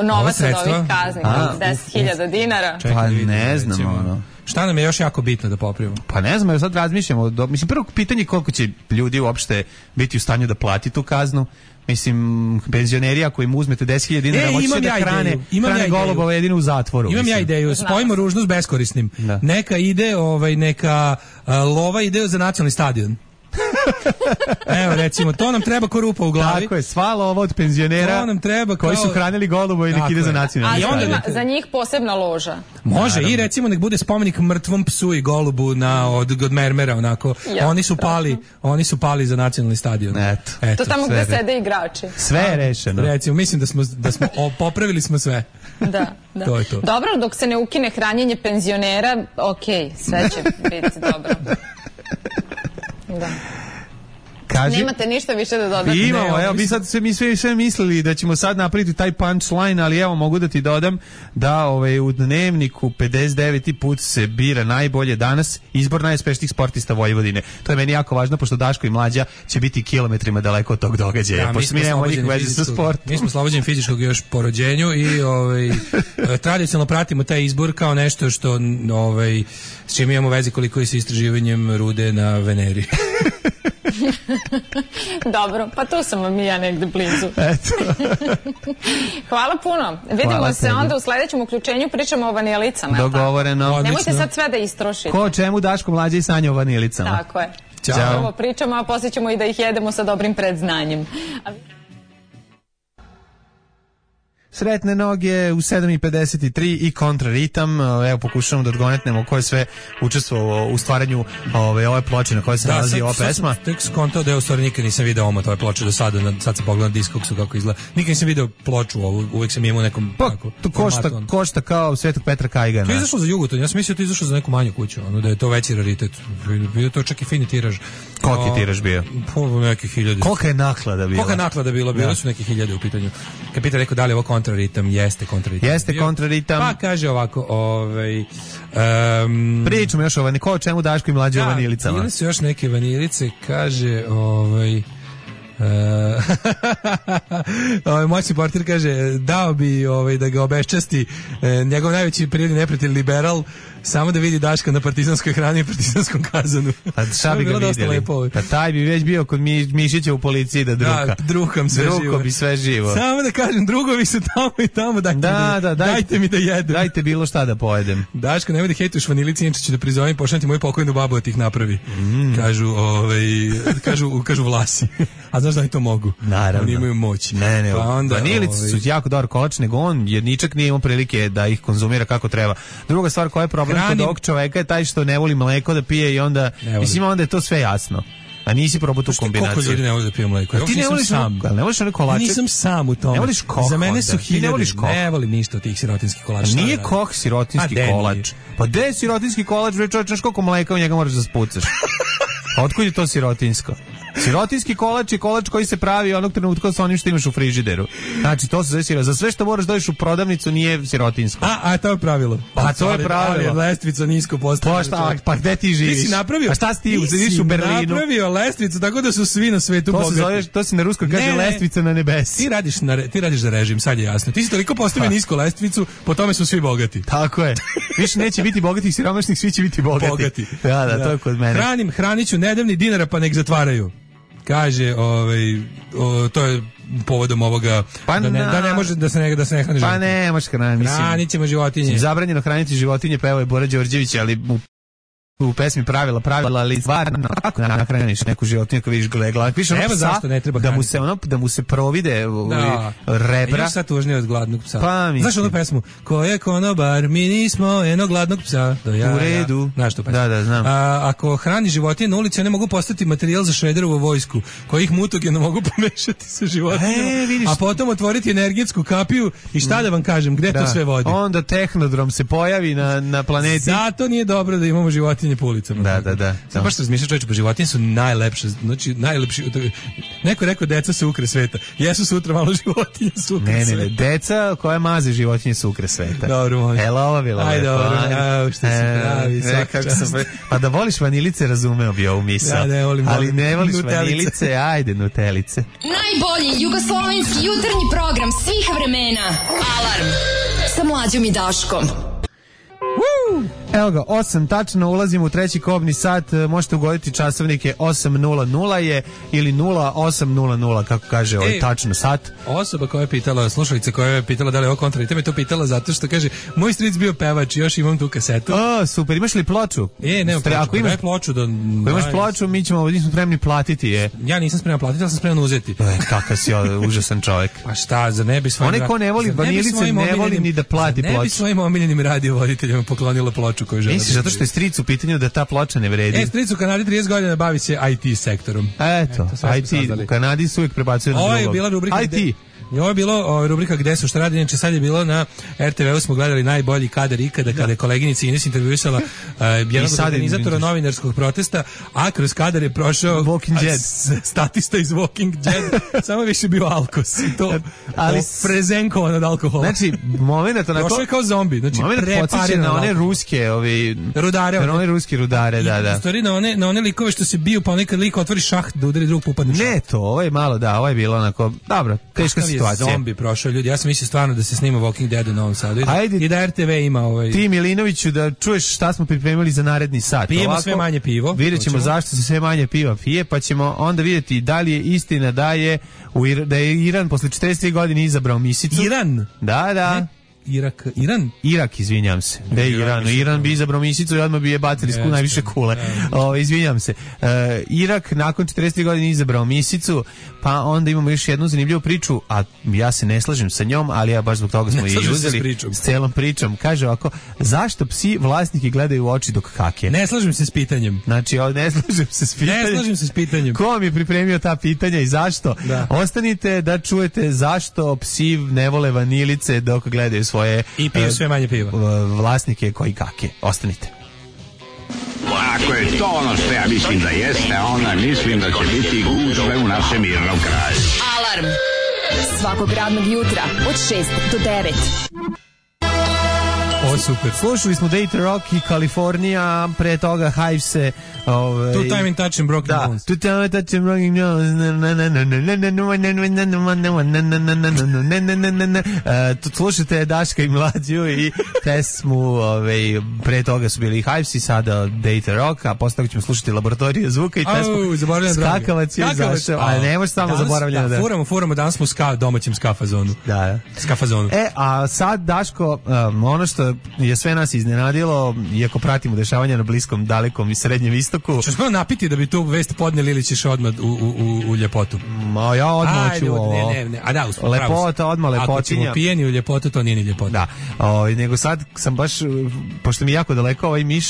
novac od ovih kazni, 10.000 dinara? Pa ne znam, Šta nam je još jako bitno da popravimo? Pa ne znam, sad razmišljamo. Mislim, prvo pitanje je koliko će ljudi uopšte biti u stanju da plati tu kaznu. Mislim, penzioneri, ako im uzmete 10.000 dinara, moći da hrane golubove jedino u zatvoru. Imam ja ideju, spojimo ružno s beskorisnim. Neka ide, neka lova ide za nacionalni stadion. Evo, recimo, to nam treba ko rupa u glavi. Tako je, sva lova od penzionera koji su hranili golubove i nek ide za nacionalni stadion. A za njih posebna loža. Može, i recimo nek bude spomenik mrtvom psu i golubu od Mermera, onako. Oni su pali za nacionalni stadion. To tamo gde sede igrači. Sve je rešeno. Recimo, mislim da smo popravili smo sve. Da. To je to. Dobro, dok se ne ukine hranjenje penzionera, sve će biti dobro. Da. Nemate ništa više da dodate? Imamo, evo, mi sve mislili da ćemo sad napraviti taj punchline, ali evo mogu da ti dodam da u Dnevniku 59. put se bira najbolje danas izbor najuspešnijih sportista Vojvodine. To je meni jako važno, pošto Daško i Mlađa će biti kilometrima daleko od tog događaja, pošto mi nemamo nikog veze sa sportom. Mi smo slobođeni fizičkog još po rođenju i tradicionalno pratimo taj izbor kao nešto što s čim imamo veze koliko je sa istraživanjem rude na Veneri. Dobro, pa tu sam vam i ja negde blizu. Hvala puno. Vidimo se onda u sledećem uključenju, pričamo o vanilicama. Dogovoreno. Nemojte sad sve da istrošite. Ko čemu Daško, Mlađa i Sanja o vanilicama. Tako je. Ćao. Ovo pričamo, a poslije ćemo i da ih jedemo sa dobrim predznanjem. Sretne noge u 7:53 i kontraritam. Evo pokušamo da odgonetnemo ko je sve učestvovao u stvaranju ove ploče na kojoj se nalazi ova pesma. Tek skontao da u stvari nikad nisam video omot ove ploče do sada, sad sam pogledao Discogsu kako izgleda. Nikad nisam video ploču ovu, uvek sam imao u nekom to košta kao Svetog Petra Kajgana. To je izašlo za Jugoton, ja sam mislio da je izašlo za neku manju kuću, da je to veći raritet. Bio to čak i fini tiraž. Koliki je tiraž bio? Neki 1000. Kolika je naklada bila? Kolika je naklada bila? Bilo su neki 1000 u pitanju. Kapitan rekao da li je ovo kontraritam, jeste kontraritam. Jeste kontraritam. Pa kaže ovako, pričamo još o Vaniko, o čemu Daško i mlađe o vanilicama. Ili su još neke vanilice, kaže moćni portir kaže dao bi da ga obeščasti njegov najveći prirodni neprijatelj liberal, samo da vidi Daška na partizanskoj hrani i partizanskom kazanu. Pa šta bi ga vidjeli? Pa taj bi već bio kod Mišića u policiji da druka. Da, drukam sve živo. Samo da kažem, drugovi su tamo i tamo, dajte mi da jedem. Dajte bilo šta da pojedem. Daško, nemoj da hejtuš vanilici, inače ću da prizovem, pošaljem ti moju pokojnu babu da ti ih napravi. Kažu Vlasi. A znaš da oni to mogu? Naravno. Oni imaju moć. Ne, vanilici su jako dobar kolač, nego on jedničak nije imao prilike da ih konzumira kako treba. Druga stvar koja je problem kod ovog čoveka je taj što ne voli mleko da pije i onda, mislim, onda je to sve jasno. A nisi probao tu kombinaciju. Koliko ljudi ne voli da pije mleko? Ja ti ne voliš sam. Ne voliš one kolače? Nisam sam u tome. Ne voliš koh. Za mene su hiljade. Ne voliš koh. Ne volim ništa od tih sirotinskih kolača. Nije koh sirotinski kolač. Pa gde je sirotinski kolač? Znaš koliko mleka u njega moraš da spucaš? Otkud je to sirotinsko? Sirotinski kolač je kolač koji se pravi onog trenutka sa onim što imaš u frižideru. Znači, to se zove sirotinsko. Za sve što moraš dođeš u prodavnicu nije sirotinsko. A to je pravilo. Pa to je pravilo. Lestvica nisko postavljena. Pa gde ti živiš? Ti si napravio. A šta si ti? Živiš u Berlinu. Ti si napravio lestvicu, tako da su svi na svetu bogati. To se na ruskom kaže lestvica na nebesi. Ti radiš za režim, sad je jasno. Ti si toliko postavio nisko lestvicu, po tome su svi bogati. Tako je. Više neće biti bogatih, siromašnih, svi će biti bogati. Da, to je kod mene. Hraniću nedavni dinara pa nek zatvaraju. Kaže, to je povodom ovoga da ne može da se ne hrani životinje. Pa ne može hraniti. Hranit ćemo životinje. Zabranjeno hraniti životinje, pa evo je Bora Đorđević, ali u pesmi pravila, ali stvarno kako nahraniš neku životinju kad vidiš gledala, vidiš evo zašto ne treba da mu se provide rebra. Još sad tužnije od gladnog psa. Pa, znaš onu pesmu? Ko je konobar, mi nismo jednog gladnog psa. U redu. Znaš tu pesmu? Da, znam. Ako hrani životinje na ulici, one mogu postati materijal za Šrederovu vojsku, koji ih mutageno mogu pomešati sa životinjama, a potom otvoriti energetsku kapiju i šta da vam kažem, gde to sve vodi? Onda tehnodrom se pojavi na planeti. Zato nije dobro da imamo životinje po ulicama. Da. Samo baš razmišljaš, čovječe, pa životinje su najlepše, znači najlepši. Neko je rekao deca su ukre sveta. Jesu sutra malo životinje su ukre sveta. Ne, deca koja maze životinje su ukre sveta. Dobro, može. Ova bila lepo. Ajde, dobro, što se pravi, svaka čast. Pa da voliš vanilice, razumeo bi ovu misao. Ne volim. Ali ne voliš vanilice, ajde, nutelice. Najbolji jugoslovenski jutarnji program svih vremena. Alarm sa Mlađom i Daškom. Evo ga, 8 tačno, ulazimo u treći kobni sat, možete ugoditi časovnike 8:00 je ili 08:00, kako kaže ovaj tačno sat. Osoba koja je pitala, slušalica koja je pitala da li je ovo kontraritam, je to pitala zato što kaže, moj stric bio pevač, još imam tu kasetu. Super, imaš li ploču? Nemam ploču, ako imaš ploču, ako imaš ploču, mi smo spremni platiti. Ja nisam spreman platiti, ali sam spreman uzeti. Kakav si užasan čovjek. Pa šta, za ne bi svojim... Onaj ko ne voli vanilice, ne voli ni da plati ploču. Ne bi svojim omiljenim radiovoditeljima poklonila ploču koju žele. Misliš, zato što je stric u pitanju da ta ploča ne vredi? Stric u Kanadi 30 godina bavi se IT sektorom. Eto IT, u Kanadi su uvijek prebacuju na drugog. Ovo je bila rubrika IT. Ovo je bilo rubrika Gde su šta radi, inače sad je bilo na RTV-u, smo gledali najbolji kadar ikada kada je koleginica Ines intervjuisala jednog od organizatora novinarskog protesta, a kroz kadar je prošao statista iz Walking Dead, samo više bio alkos. To prezenkovan od alkohola. Znači, moment onako... Prošao je kao zombi. Znači, moment podsjeća na one ruske rudare. Na one ruske rudare, da. U stvari na one likove što se biju, pa nekad lik otvori šaht da udari drug pupadne šaht. Ne to, ovo je malo, ovo je bilo onako, dobro, teška situacija. Zombi prošao, ljudi. Ja sam mislio stvarno da se snima Walking Dead u Novom Sadu i da RTV ima Ti Milinoviću da čuješ šta smo pripremili za naredni sat. Pijemo sve manje pivo. Vidjet ćemo zašto se sve manje piva pije, pa ćemo onda vidjeti da li je istina da je Iran posle 43 godine izabrao misicu. Iran? Da. Irak, izvinjam se. Iran bi izabrao misicu i odmah bi je bacili najviše kule. Izvinjam se. Irak nakon 43 godine izabrao misicu, pa onda imamo još jednu zanimljivu priču, a ja se ne slažem sa njom, ali ja baš zbog toga smo je uzeli s celom pričom. Kaže ovako, zašto psi vlasnike gledaju u oči dok hake? Ne slažem se s pitanjem. Znači, ne slažem se s pitanjem. Ko vam je pripremio ta pitanja i zašto? Da. Ostanite da čujete zašto psi ne vole vanilice dok gledaju svoje i piju sve manje piva. Vlasnike koji kake. Ostanite. Ako je to ono što ja mislim da jeste, onda mislim da će biti gužve u našem mirnom kraju. Alarm svakog radnog jutra od 6 do 9. O, super. Slušali smo Data Rock i Kalifornija, pre toga Hivese. Two Time in Touch and Broken Bones. Two Time in Touch and Broken Bones. Slušajte Daška i Mlađu i pesmu, pre toga su bili Hivesi, sada Data Rock, a posle toga ćemo slušati Laboratoriju zvuka i pesmu Skakavac je zašao, ali ne može samo zaboravljeno da... Furamo, danas smo u domaćem skafazonu. Da. Skafazonu. A sad, Daško, ono što je sve nas iznenadilo, iako pratimo dešavanja na Bliskom, Dalekom i Srednjem istoku. Ćeš prvo napiti da bi tu vest podneli ili ćeš odmah u ljepotu? Ma ja odmah ću ovo. Ne. A da, lepota, odmah lepotinja. Ako ćemo pijeni u ljepotu, to nije ni ljepota. Da. Nego sad sam baš, pošto mi jako daleko ovaj miš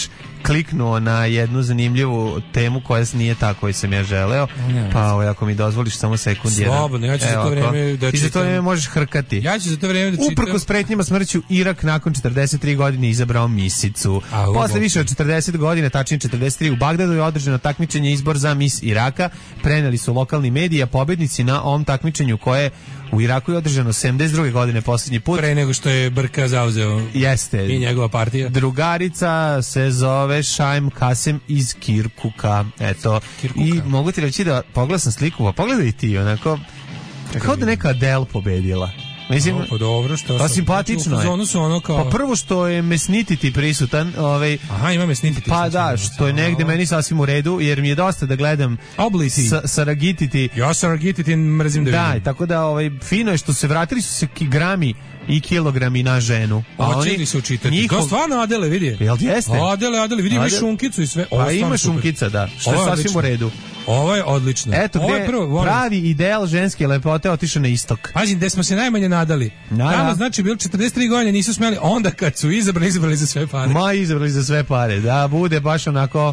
kliknuo na jednu zanimljivu temu koja nije ta koju sam ja želeo, pa ako mi dozvoliš samo sekund jedan. Slobodno, ja ću za to vreme da čitam. I za to vreme možeš hrkati. Ja ću za to vreme da čitam. Uprkos pretnjama smrću, Irak nakon 43 godine izabrao misicu. Posle više od 40 godina, tačnije 43, u Bagdadu je održano takmičenje izbor za mis Iraka. Preneli su lokalni mediji, a pobednici na ovom takmičenju koje u Iraku je održano 72. godine posljednji put. Pre nego što je Brka zauzeo. Jeste. I njegova partija. Drugarica se zove Šajm Kasem iz Kirkuka. Eto. Kirkuka. I mogu ti reći da pogledam sliku, pa pogledaj ti onako, kao da neka Adele pobedila. Mislim, dobro, što pa simpatično je. Su ono kao... Pa prvo što je Mesnititi prisutan, Aha, ima Mesnititi. Pa da, što je negde meni sasvim u redu, jer mi je dosta da gledam Saragititi. Ja Saragititi mrzim da vidim. Da, tako da fino je što se vratili su se grami i kilogrami na ženu. Hoće li se učitati? To stvarno Adele, vidi. Jel jeste? Adele, vidi, ima šunkicu i sve. Pa ima šunkica, da. Što je sasvim u redu. Ovo je odlično. Eto gde pravi ideal ženske lepote otišao na istok. Pazi, gde smo se najmanje nadali. Tamo znači bilo 43 godine, nisu smjeli, onda kad su izabrali za sve pare. Izabrali za sve pare, da bude baš onako,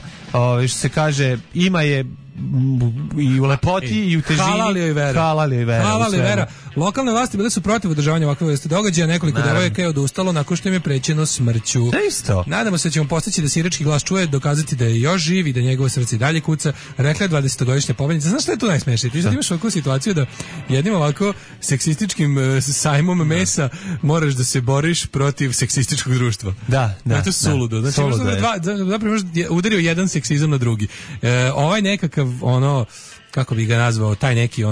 što se kaže, ima je i u lepoti i u težini. Halal joj vera. Lokalne vlasti bile su protiv održavanja ovakve vrste događaja, nekoliko devojaka je odustalo nakon što im je prećeno smrću. Isto. Nadamo se da ćemo postići da se irački glas čuje, dokazati da je još živ i da njegovo srce dalje kuca, rekla je 20-godišnja pobednica. Znaš što je tu najsmešnije? Ti sad imaš ovakvu situaciju da jednim ovako seksističkim sajmom mesa moraš da se boriš protiv seksističkog društva. Da. To je suludo. Znači, zapravo udario jedan seksizam na drugi. Ovaj nekakav kako bi ga nazvao, taj neki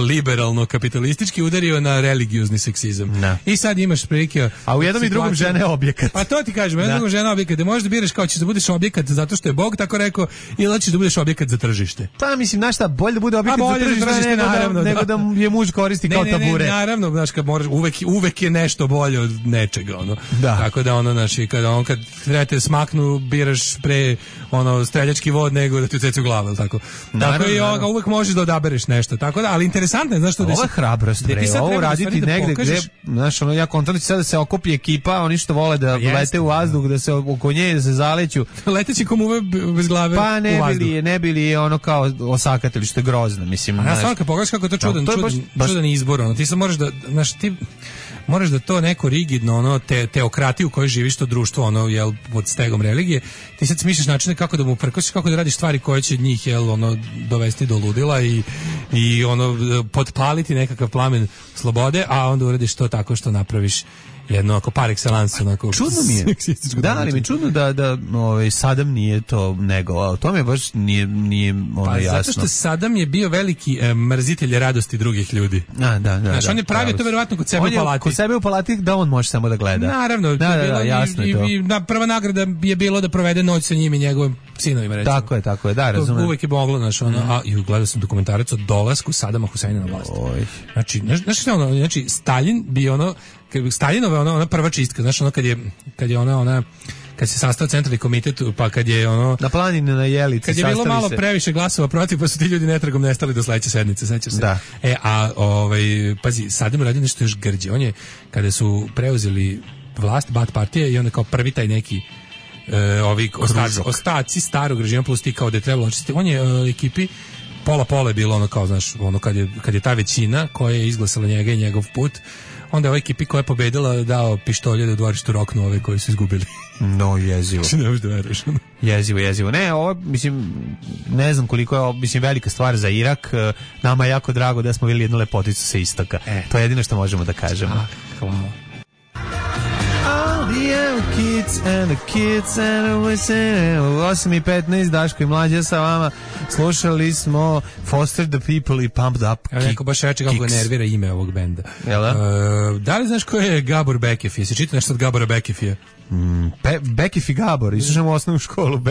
liberalno kapitalistički udario na religiozni seksizam. Da. I sad imaš prilike... A u jednom i drugom žena je objekat. Pa to ti kažem, u jednom drugom žena je objekat. Da možeš da biraš kao ćeš da budeš objekat zato što je Bog tako rekao ili hoćeš da budeš objekat za tržište. Pa mislim, znaš šta, bolje da bude objekat za tržište nego da je muž koristi kao tabure. Ne, naravno, znaš, kad moraš, uvek je nešto bolje od nečega. Da. Tako da kad trebate smaknu, biraš pre streljački vod nego da ti ucecu glavu, tako. Tako i uvek možeš da odabereš nešto, tako da, ali interesantno je, znaš što... Ovo je hrabrost, ovo raditi negde gde, znaš, ja kontam sad da se okupi ekipa, oni što vole da lete u vazduh, da se oko nje, da se zaleću. Leteći komuve bez glave u vazduh. Pa ne bili ono kao osakatili, što je grozno, mislim. A stvarno, kad pogledaš kako je to čudan izbor, ti sad moraš da, znaš, ti moraš da to neko rigidno, teokratiju u kojoj živiš, to društvo, pod stegom religije, ti sad smišljaš načine kako da mu prkosiš, kako da radiš stvari koje će njih, dovesti do ludila i potpaliti nekakav plamen slobode, a onda uradiš to tako što napraviš jedno ako par excellence onako. Čudno mi je. Da, ali mi je čudno da Sadam nije to negovao. To mi baš nije jasno. Zato što Sadam je bio veliki mrzitelj radosti drugih ljudi. Da. Znaš, on je pravio to verovatno kod sebe u palati. Kod sebe u palati da on može samo da gleda. Naravno. Jasno je to. Prva nagrada je bilo da provede noć sa njim i njegovim sinovima, recimo. Tako je, da, razumem. Uvek je moglo, znaš, a i gledao sam dokumentarac o dolasku Sadama Huseina na vlast. Znači, Stalin bi Staljinova ona prva čistka, znaš, kad je ona kad se sastao centralni komitet, pa kad je na planini na Jelici, kad je bilo malo previše glasova protiv, pa su ti ljudi netragom nestali do sledeće sednice, sećaš se? Da. Pazi, Saddam radio nešto još grđe. On je, kada su preuzeli vlast, Baath partije, i onda kao prvi taj neki ostaci starog režima plus ti kao da je trebalo očistiti, on je ekipi pola je bilo ono kao, znaš, ono kad je ta većina koja je izglasala njega i njegov put, onda je ovoj ekipi koja je pobedila dao pištolje da u dvorištu roknu ove koji su izgubili. No, jezivo. Ne možeš da veruješ. Jezivo. Ne, ovo, mislim, ne znam koliko je ovo, mislim, velika stvar za Irak. Nama je jako drago da smo vidjeli jednu lepoticu sa istoka. To je jedino što možemo da kažemo. Kids and the kids and the listen. 8:15, Daško i Mlađa sa vama. Slušali smo Foster the People i Pumped Up Kicks. Neko baš reče kako ga nervira ime ovog benda. Da li znaš ko je Gabor Bekefije? Si čitao nešto od Gabora Bekefije? Bekif i Gabor, išao u osnovnu školu.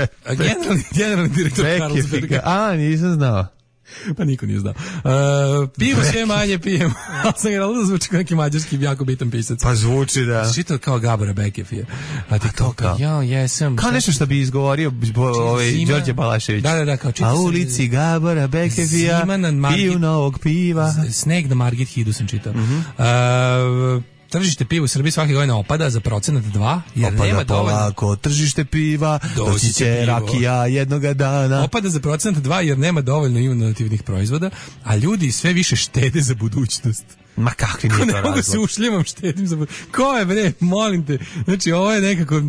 Generalni direktor Carlsberga. Nisam znao. Pa niko nije znao. Pivo sve manje pijemo. Ali sam ga da zvuči kao neki mađarski jako bitan pisac. Pa zvuči, da. Čitao kao Gabora Bekefija. A ti to kao, ja jesam. Kao nešto što bi izgovorio Đorđe Balašević. Da, kao čitao. A ulici Gabora Bekefija piju novog piva. Sneg na Margit Hidu sam čitao. Tržište piva u Srbiji svake godine opada za 2%, jer nema dovoljno. Polako, tržište piva, doći će rakija jednoga dana. Opada za 2% jer nema dovoljno inovativnih proizvoda, a ljudi sve više štede za budućnost. Ma kakvi nije to razlog? Ne mogu se ušljivam, štedim za budućnost. Ko je bre, molim te. Znači ovo je nekako,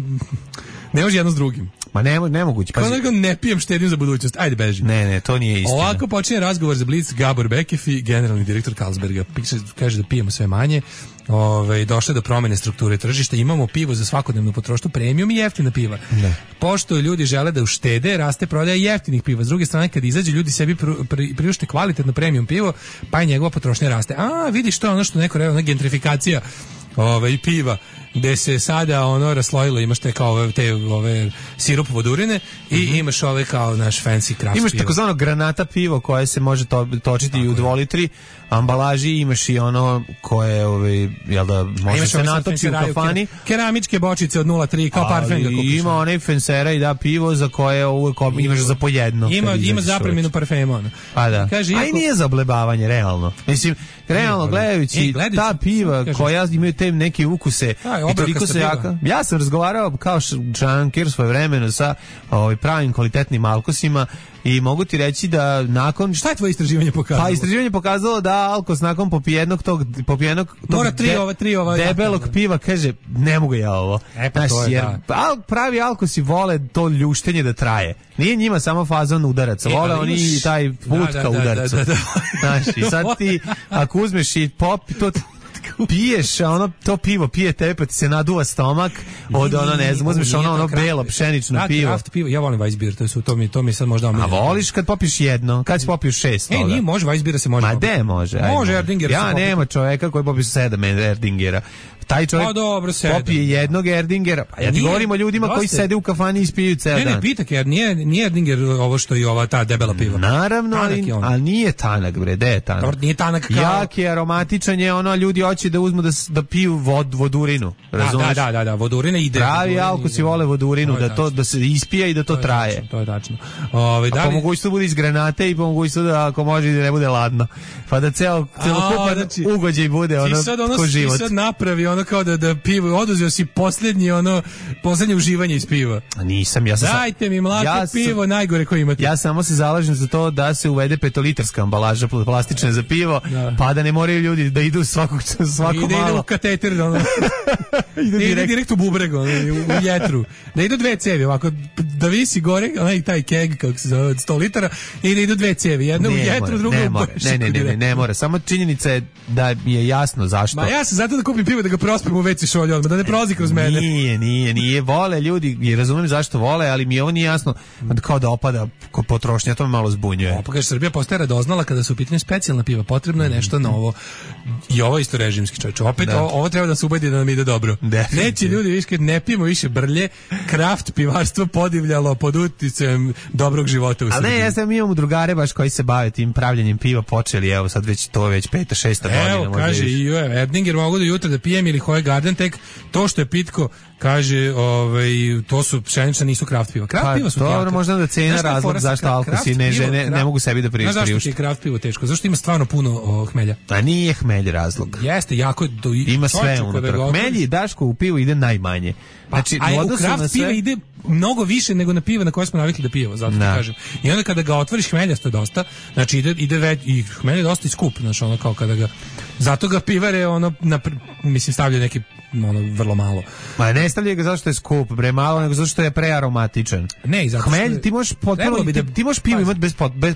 ne može jedno s drugim. Ma nemoguće. Kao nekako ne pijem, štedim za budućnost. Ajde, beži. Ne, to nije istina. Ovako počinje razgovor za Blitz. Gabor Bekefi, generalni direktor Carlsberga, kaže da pijemo sve manje. Došle do promene strukture tržišta, imamo pivo za svakodnevnu potrošnju, premium i jeftina piva. Pošto ljudi žele da uštede, raste prodaja jeftinih piva. S druge strane, kad izađe, ljudi sebi priušte kvalitetno premium pivo, pa i njegova potrošnja raste. Vidiš, to je ono što neko rekao, gentrifikacija piva, gde se sada raslojilo, imaš te kao te sirup vodurine i imaš ove kao naš fancy craft pivo. Imaš takozvano granata pivo koje se može točiti i u 2 litri ambalaži, imaš i ono koje jel da može se natoči u kafani. Keramičke bočice od 0,3 kao parfem ga kupiš. Ima onaj fensera i da pivo za koje uvek imaš za po jedno. Ima zapreminu parfema. Pa da. A i nije za oblebavanje, realno. Mislim, realno gledajući ta piva koja imaju te neke ukuse i toliko se jaka. Ja sam razgovarao kao šanker svoje vremeno sa pravim kvalitetnim alkosima i mogu ti reći da nakon... Šta je tvoje istraživanje pokazalo? Pa istraživanje pokazalo da alkos nakon popijenog tog debelog piva kaže, ne mogu ja ovo. Pa to je, jer pravi alkosi vole to ljuštenje da traje. Nije njima samo fazon udaraca, vole oni i taj put ka udarcu. Znaš, i sad ti, ako uzmeš i pop, to piješ, to pivo pije tebe, pa ti se naduva stomak od ne znam, uzmeš ono belo pšenično pivo. Ja volim Weissbier, to mi sad možda omiljeno. A voliš kad popiješ jedno? Kad si popiješ 6 toga? Nije, može, Weissbier se može. Ma de može? Može, Erdinger. Ja nema čoveka koji popije 7 Erdingera. Taj čovjek popije jednog Erdingera. Pa ja ti govorim o ljudima koji sede u kafani i ispiju ceo dan. Ne, pitak, jer nije Erdinger ovo što je ta debela piva. Naravno, ali nije tanak, bre, de je tanak. Dobro, nije tanak kao... Jak je, aromatičan je, ljudi hoće da uzmu da piju vodurinu, razumiješ? Da, vodurina ide. Pravi alkosi vole vodurinu, da se ispija i da to traje. To je tačno. A po mogućstvu bude iz granate i po mogućstvu da ako može da ne bude ladno. Pa da celokupan ugođaj bude ko život. Ti sad napravi kao da pivo, oduzeo si poslednje uživanje iz piva. Nisam, dajte mi mlako pivo, najgore koje imate. Ja samo se zalažem za to da se uvede 5-litarska ambalaža plastična za pivo, pa da ne moraju ljudi da idu svako malo. Ide u kateter, ide direkt u bubreg, u jetru. Da idu 2 cevi, ovako, da visi gore, taj keg, kako se zove, 100 litara, i da idu 2 cevi, jedna u jetru, druga u bubreg. Ne mora, samo činjenica je da mi je jasno zašto. Ma ja sam zato da kupim pivo da ga prospem u WC šolju odmah, da ne prolazi kroz mene. Nije, vole ljudi, i razumem zašto vole, ali mi ovo nije jasno, kao da opada potrošnja, to me malo zbunjuje. Pa kaže, Srbija postaje radoznala kada su u pitanju specijalna piva, potrebno je nešto novo. I ovo isto režimski čovječ. Opet ovo treba da se ubedi da nam ide dobro. Neće ljudi više, ne pijemo više brlje, kraft pivarstvo podivljalo pod uticajem dobrog života u Srbiji. Ali ne, mi imamo drugare baš koji se bave tim pravljenjem piva, počeli, evo sad već to već 5. 6. godina. Evo, kaže i Ebninger, mogu do jutra da pijem ili Hoje Garden, tek to što je pitko, kaže, to su pšenična, nisu kraft piva. Kraft piva su dobro, možda da cena razlog zašto alkosi ne mogu sebi da priušte. Zašto ti je kraft pivo teško? Zašto ima stvarno puno hmelja? A nije hmelj razlog. Jeste, jako je ima sve unutra. Hmelji, Daško, u pivu ide najmanje. Znači, a u kraft piva ide mnogo više nego na piva na koje smo navikli da pijemo, zato ti kažem. I onda kada ga otvoriš, hmeljasto je dosta, znači ide već, i hmelj je dosta i skup, znači ono kao kada ga, zato ga pivare mislim stavljaju neki vrlo malo. Ma ne stavljaju ga zato što je skup, malo, nego zato što je prearomatičan. Ne, i zato što hmelj, ti možeš pivo imati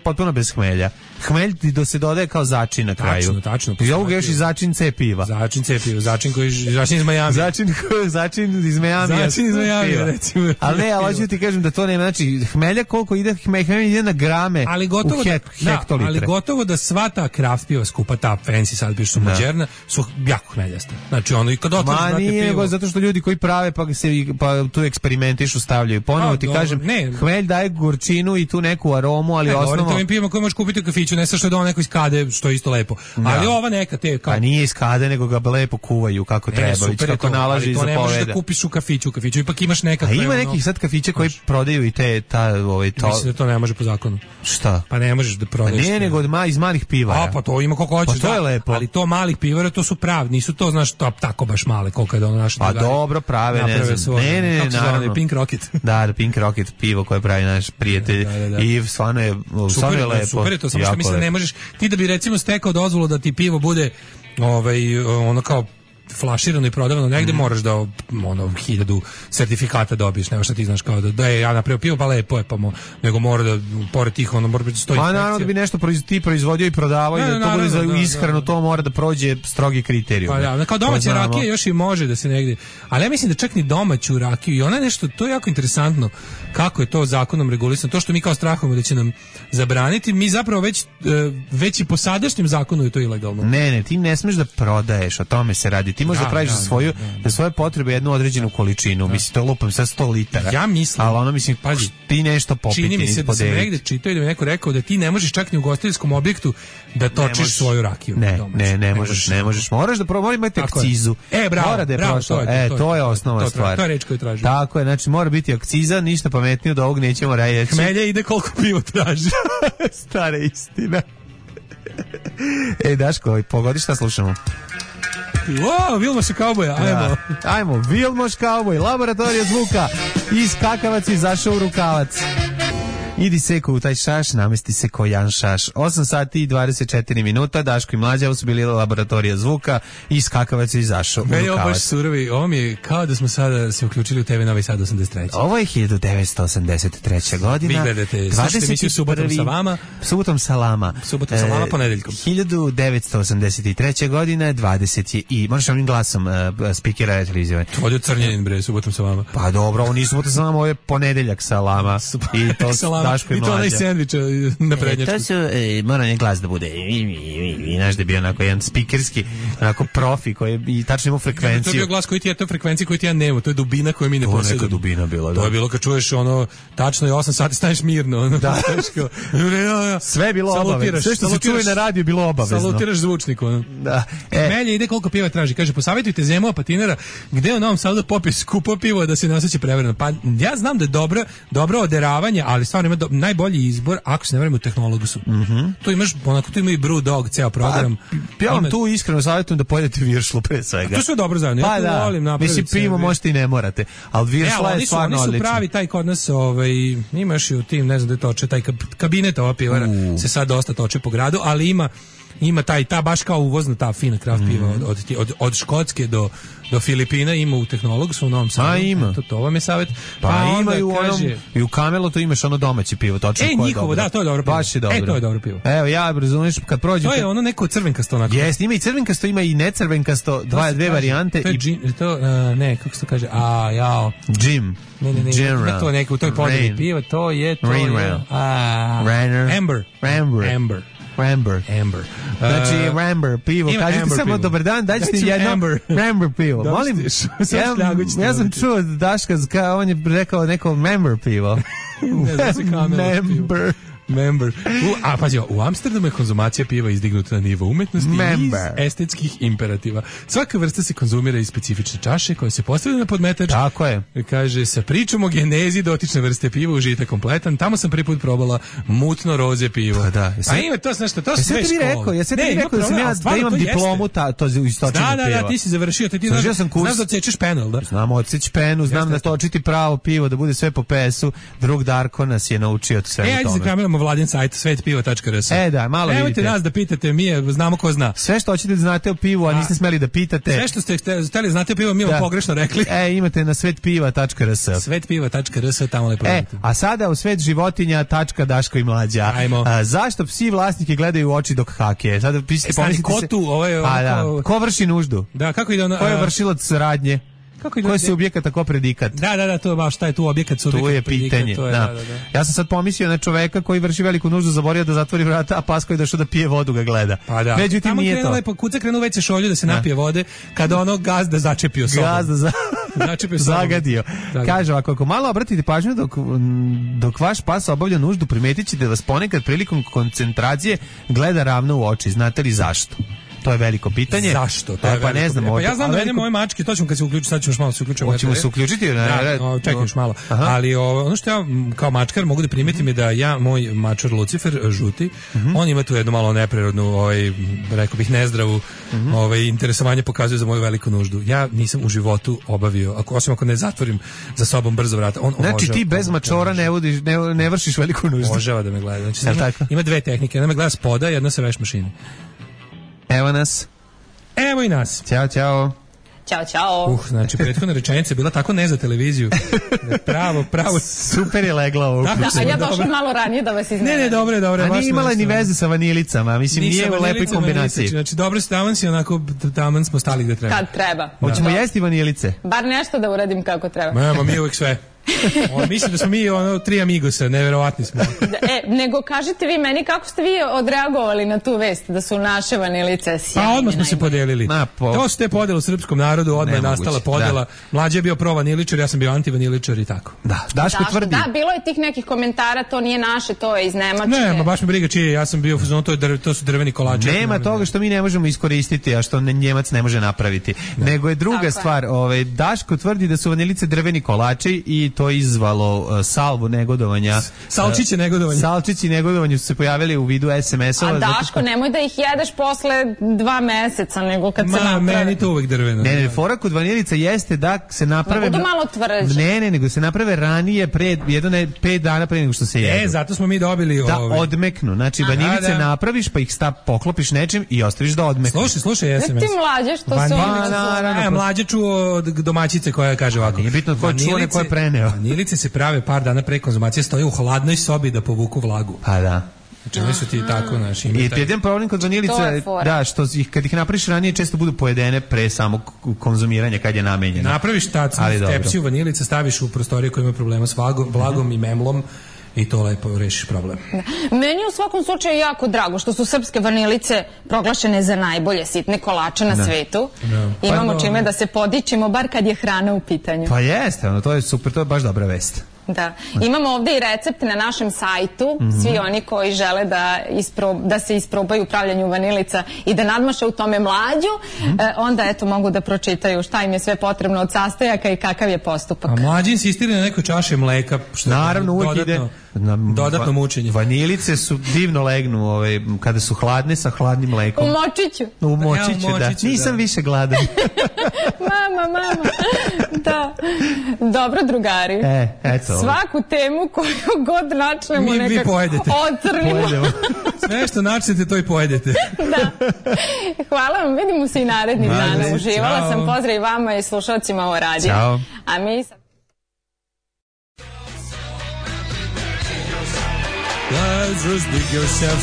potpuno bez hmelja. Hmelj ti se dodaje kao začin na kraju. Tačno. I ovo ga još i začin C piva. Začin iz Miami. Začin iz Miami, recimo. Ali ne, ali hoću ti kažem da to nema, znači hmelja koliko ide, hmelja ide na grame u hektolitre. Ali gotovo da sva ta kraft piva skupa, ta fancy sad biš su moderna, su jako hmeljaste. Znači ono i kad otvoriš nije, zato što ljudi koji prave pa tu eksperimentišu, stavljaju. Ponovo ti kažem, hmelj daje gorčinu i tu neku aromu, ali osnovno... Govorim to ovim pivima koje možeš kupiti u kafiću, ne sa što je donao neko iz kade, što je isto lepo. Ali ova neka te... Pa nije iz kade, nego ga lepo kuvaju kako treba, kako nalaži i zapoveda. Ali to ne možeš da kupiš u kafiću ipak imaš neka... A ima nekih sad kafića koji prodaju i to... Mislim da to ne može po zakonu. Šta? Pa ne možeš da prodaješ. Ne, nego iz malih pivara. Pa to ima koliko hoćeš. Pa to je lepo. Ali to malih pivara, to su pravi, nisu to, znaš, tako baš male, koliko je da ono naše drugari. Pa dobro, prave, ne znam. Ne, naravno. Pink Rocket. Da, Pink Rocket pivo koje pravi naš prijatelj. I stvarno je lepo. Super je to, samo što mislim da ne možeš, ti da bi recimo stekao dozvolu da ti pivo bude ono kao flaširano i prodavano negde, moraš da 1000 sertifikata dobiješ, nema šta ti znaš kao da je ja napravio pivo, pa lepo je, nego mora da, pored tih, mora biti stoji. Pa naravno da bi nešto ti proizvodio i prodavao i da to bude za ishranu, to mora da prođe strogi kriterijum. Pa da, kao domaća rakija još i može da se negde, ali ja mislim da čak ni domaću rakiju, i ona nešto, to je jako interesantno kako je to zakonom regulisano, to što mi kao strahujemo da će nam zabraniti, mi zapravo već i po sadašnjem zakonu je to ilegalno. Ne, ti ne smeš da prodaješ, o tome se radi. Ti možeš da praviš za svoje potrebe jednu određenu količinu, mislim, to lupam sa 100 litara. Ja mislim, ali ono, mislim, pazi, ti nešto popiti. Čini mi se da sam negde čitao i da mi neko rekao da ti ne možeš čak ni u ugostiteljskom objektu da točiš svoju rakiju. Ne možeš. Moraš da mora imati akcizu. Bravo, to je osnova stvar. To je reč koju tražim. Tako je, znači mora biti akciza, ništa pametnije od ovog nećemo reći. Hmelja ide koliko pivo traži. Stara istina. Daško, pogodi šta slušamo. Vilmoš Kauboja, ajmo, Vilmoš Kauboj, Laboratorija zvuka, iz kakavaca izašao u rukavac. Idi seko u taj šaš, namesti se ko Jan Šaš. 8 sati i 24 minuta, Daško i Mlađa, ovo su bili Laboratorija zvuka, iz kakavaca izašao u rukavac. Ovo baš surovi, ovo mi je kao da smo sada se uključili u TV Novi Sad 83. Ovo je 1983. godina. Vi gledate, slušajte emisiju Subotom sa vama. Subotom sa lama. Subotom sa lama, ponedeljkom. 1983. godina, 20 je i, možeš ovim glasom spikera televizije. To je Crnjenin, bre, Subotom sa vama. Pa dobro, ovo nije Subotom sa vama, ovo je ponedeljak sa lama. I to Daško i to onaj sendvič na prednjačku. To su, mora ne glas da bude, i naš da je bio onako jedan spikerski, onako profi koji i tačno imao frekvenciju. To je bio glas koji ti je, to frekvencija koju ti ja nemam, to je dubina koju mi ne posjedujemo. To je neka dubina bila, da. To je bilo kad čuješ ono, tačno je 8 sati staješ mirno. Da. Sve je bilo obavezno. Sve što se čuje na radiju je bilo obavezno. Salutiraš zvučniku. Da. Melje ide koliko piva traži. Kaže, posavjetujte Zemova patinara gde u Novom Sadu da popije skupo pivo da se ne osjeća prevareno. Pa ja znam da je dobro oderavanje, ali stvarno ima najbolji izbor, ako se ne vreme u tehnologusu. To imaš, onako, tu ima i Brew ceo program. Ja vam tu iskreno savjetujem da pojedete viršlu pre svega. To sve dobro zajedno. Pa ja volim napraviti. Mislim, pivo možete i ne morate, ali viršla je stvarno odlično. Oni su pravi taj kod nas, imaš i u tim, ne znam da je toče, taj kabinet ova pivara se sad dosta toče po gradu, ali ima ta baš kao uvozna ta fina kraft piva od Škotske do Filipina ima u Tehnologu u Novom Sadu. Pa ima. To vam je savjet. Pa ima i u onom, i u Camelotu imaš ono domaće pivo, točno koje je njihovo, dobro. Da, to je dobro pivo. Baš je dobro. To je dobro pivo. Evo, ja razumiješ, kad prođu... To je ono neko crvenkasto onako. Jeste, ima i crvenkasto, ima i necrvenkasto, dve varijante. To je kako se to kaže? Jim. Ne, to je neko, to je podeli pivo, to je... Amber. Znači, Ramber pivo. Kažete samo dobar dan, dajte ti jedno Ramber pivo. Molim, ja sam čuo Daška, on je rekao neko Ramber pivo. Member. Pazi, u Amsterdamu je konzumacija piva izdignuta na nivo umetnosti i iz estetskih imperativa. Svaka vrsta se konzumira iz specifične čaše koja se postavlja na podmetač. Tako je. Kaže, sa pričom o genezi dotične vrste piva užitak kompletan. Tamo sam prvi put probala mutno roze pivo. Pa da. A ima to nešto, to sve škola. Ja sam ti rekao da sam ja da imam diplomu to iz točenja piva. Da, ti si završio. Ti znaš da odsečeš penal, da? Znam odseć penu, znam da točiti pravo pivo, da bude sve po PS-u. Drug Darko nas je naučio sve o tome. Vladin sajt svetpivo.rs. Da, malo vidite. Nemojte nas da pitate, mi znamo ko zna. Sve što hoćete da znate o pivu, a niste smeli da pitate. Sve što ste hteli znate o pivu, mi vam pogrešno rekli. Imate na svetpiva.rs. Svetpiva.rs, tamo lepo vidite. A sada u svet životinja Daško i Mlađa. Zašto psi vlasnike gledaju u oči dok hake? Sada pomislite ko tu? Ko vrši nuždu? Da, kako ide ono? Ko je vršilac radnje? Koji su objekat, tako predikat? Da, to je baš, šta je tu objekat, su tu je pitanje. Ja sam sad pomislio na čoveka koji vrši veliku nuždu, zaboravio da zatvori vrata, a pas koji došao da pije vodu ga gleda. Pa da. Međutim, nije to. Lepo, kuca krenu već se šolju da se napije vode, kada ono gazda začepio sobom. Zagadio. Kaže ovako, ako malo obratite pažnju dok vaš pas obavlja nuždu, primetit ćete da vas ponekad prilikom koncentracije gleda ravno u oči. Znate li zašto? To je veliko pitanje. Zašto? To je pa ne znam. Ja znam da mene moje mačke, to ćemo kad se uključi, sad ćemo još malo se uključiti. Hoćemo se uključiti? Čekaj još malo. Ali ono što ja kao mačkar mogu da primetim je da moj mačar Lucifer, žuti, on ima tu jednu malo neprirodnu, rekao bih nezdravu, interesovanje pokazuje za moju veliku nuždu. Ja nisam u životu obavio, osim ako ne zatvorim za sobom brzo vrata. Znači ti bez mačora ne vršiš veliku nuždu. Obožava da me gleda. Znači, ima dve tehnike. Jedna me gleda spoda, jedna sa veš mašine. Evo nas. Evo i nas. Ćao. Ćao. Znači, prethodna rečenica je bila tako ne za televiziju. Pravo. Super je legla ovo. A ja došla malo ranije da vas iznenam. Ne, dobro. A nije imala ni veze sa vanilicama. Mislim, nije u lepoj kombinaciji. Znači, dobro se taman si, onako, taman smo stali gde treba. Kad treba. Hoćemo jesti vanilice? Bar nešto da uradim kako treba. Nema, mi uvijek sve. Mislim da smo mi tri amigosa, neverovatni smo. Nego kažite vi meni kako ste vi odreagovali na tu vest da su naše vanilice sjajne. Pa odmah smo se podelili. To su te podele u srpskom narodu, odmah je nastala podela. Mlađe je bio pro-vaniličar, ja sam bio anti-vaniličar i tako. Daško tvrdi. Da, bilo je tih nekih komentara, to nije naše, to je iz Nemačke. Ne, ma baš me briga čije, ja sam bio to su drveni kolači. Nema toga što mi ne možemo iskoristiti, a što Njemac ne može napraviti. Nego je druga stvar, Daško tvrdi da su vanilice drveni kolači i to izvalo salvu negodovanja. Salčići negodovanja su se pojavili u vidu SMS-ova. A Daško, nemoj da ih jedeš posle 2 meseca, nego kad se naprave. Meni to uvek drveno. Ne, fora kod vanilica jeste da se naprave... Budu malo tvrđe. Ne, nego se naprave ranije, 5 dana pre nego što se jedu. Zato smo mi dobili... Da odmeknu. Znači, vanilice napraviš, pa ih poklopiš nečim i ostaviš da odmeknu. Slušaj SMS. Ti mlađe, što se oni... Mlađe čuo od domaćice koja kaže ovako. Nije bitno ko čuo, neko je preneo. Vanilice se prave par dana pre konzumacije, stoje u hladnoj sobi da povuku vlagu. Pa da. Znači, oni su ti tako naši. I jedan problem kod vanilice, da, što kad ih napraviš ranije, često budu pojedene pre samog konzumiranja kad je namenjeno. Napraviš tepsiju vanilice, staviš u prostorije koje imaju problema s vlagom i memlom, i to lepo rešiš problem. Meni je u svakom slučaju jako drago što su srpske vanilice proglašene za najbolje sitne kolače na svetu. Imamo čime da se podičimo, bar kad je hrana u pitanju. Pa jeste, to je super, to je baš dobra vest. Da. Imamo ovdje i recept na našem sajtu, svi oni koji žele da se isprobaju u pravljanju vanilica i da nadmaše u tome Mlađu, onda eto mogu da pročitaju šta im je sve potrebno od sastojaka i kakav je postupak. A Mlađi insistira na nekoj čaši mleka, što naravno uvijek ide dodatno mučenje. Vanilice su divno legnu kada su hladne sa hladnim mlekom. U močiću, da. Nisam više gladan. Mama. Da. Dobro, drugari. Eto. Svaku temu koju god načnemo nekako ocrnimo. Sve što načnete, to i pojedete. Da. Hvala vam, vidimo se i narednih dana. Uživala sam, pozdrav i vama i slušalcima o radiju. Ćao. A mi sad...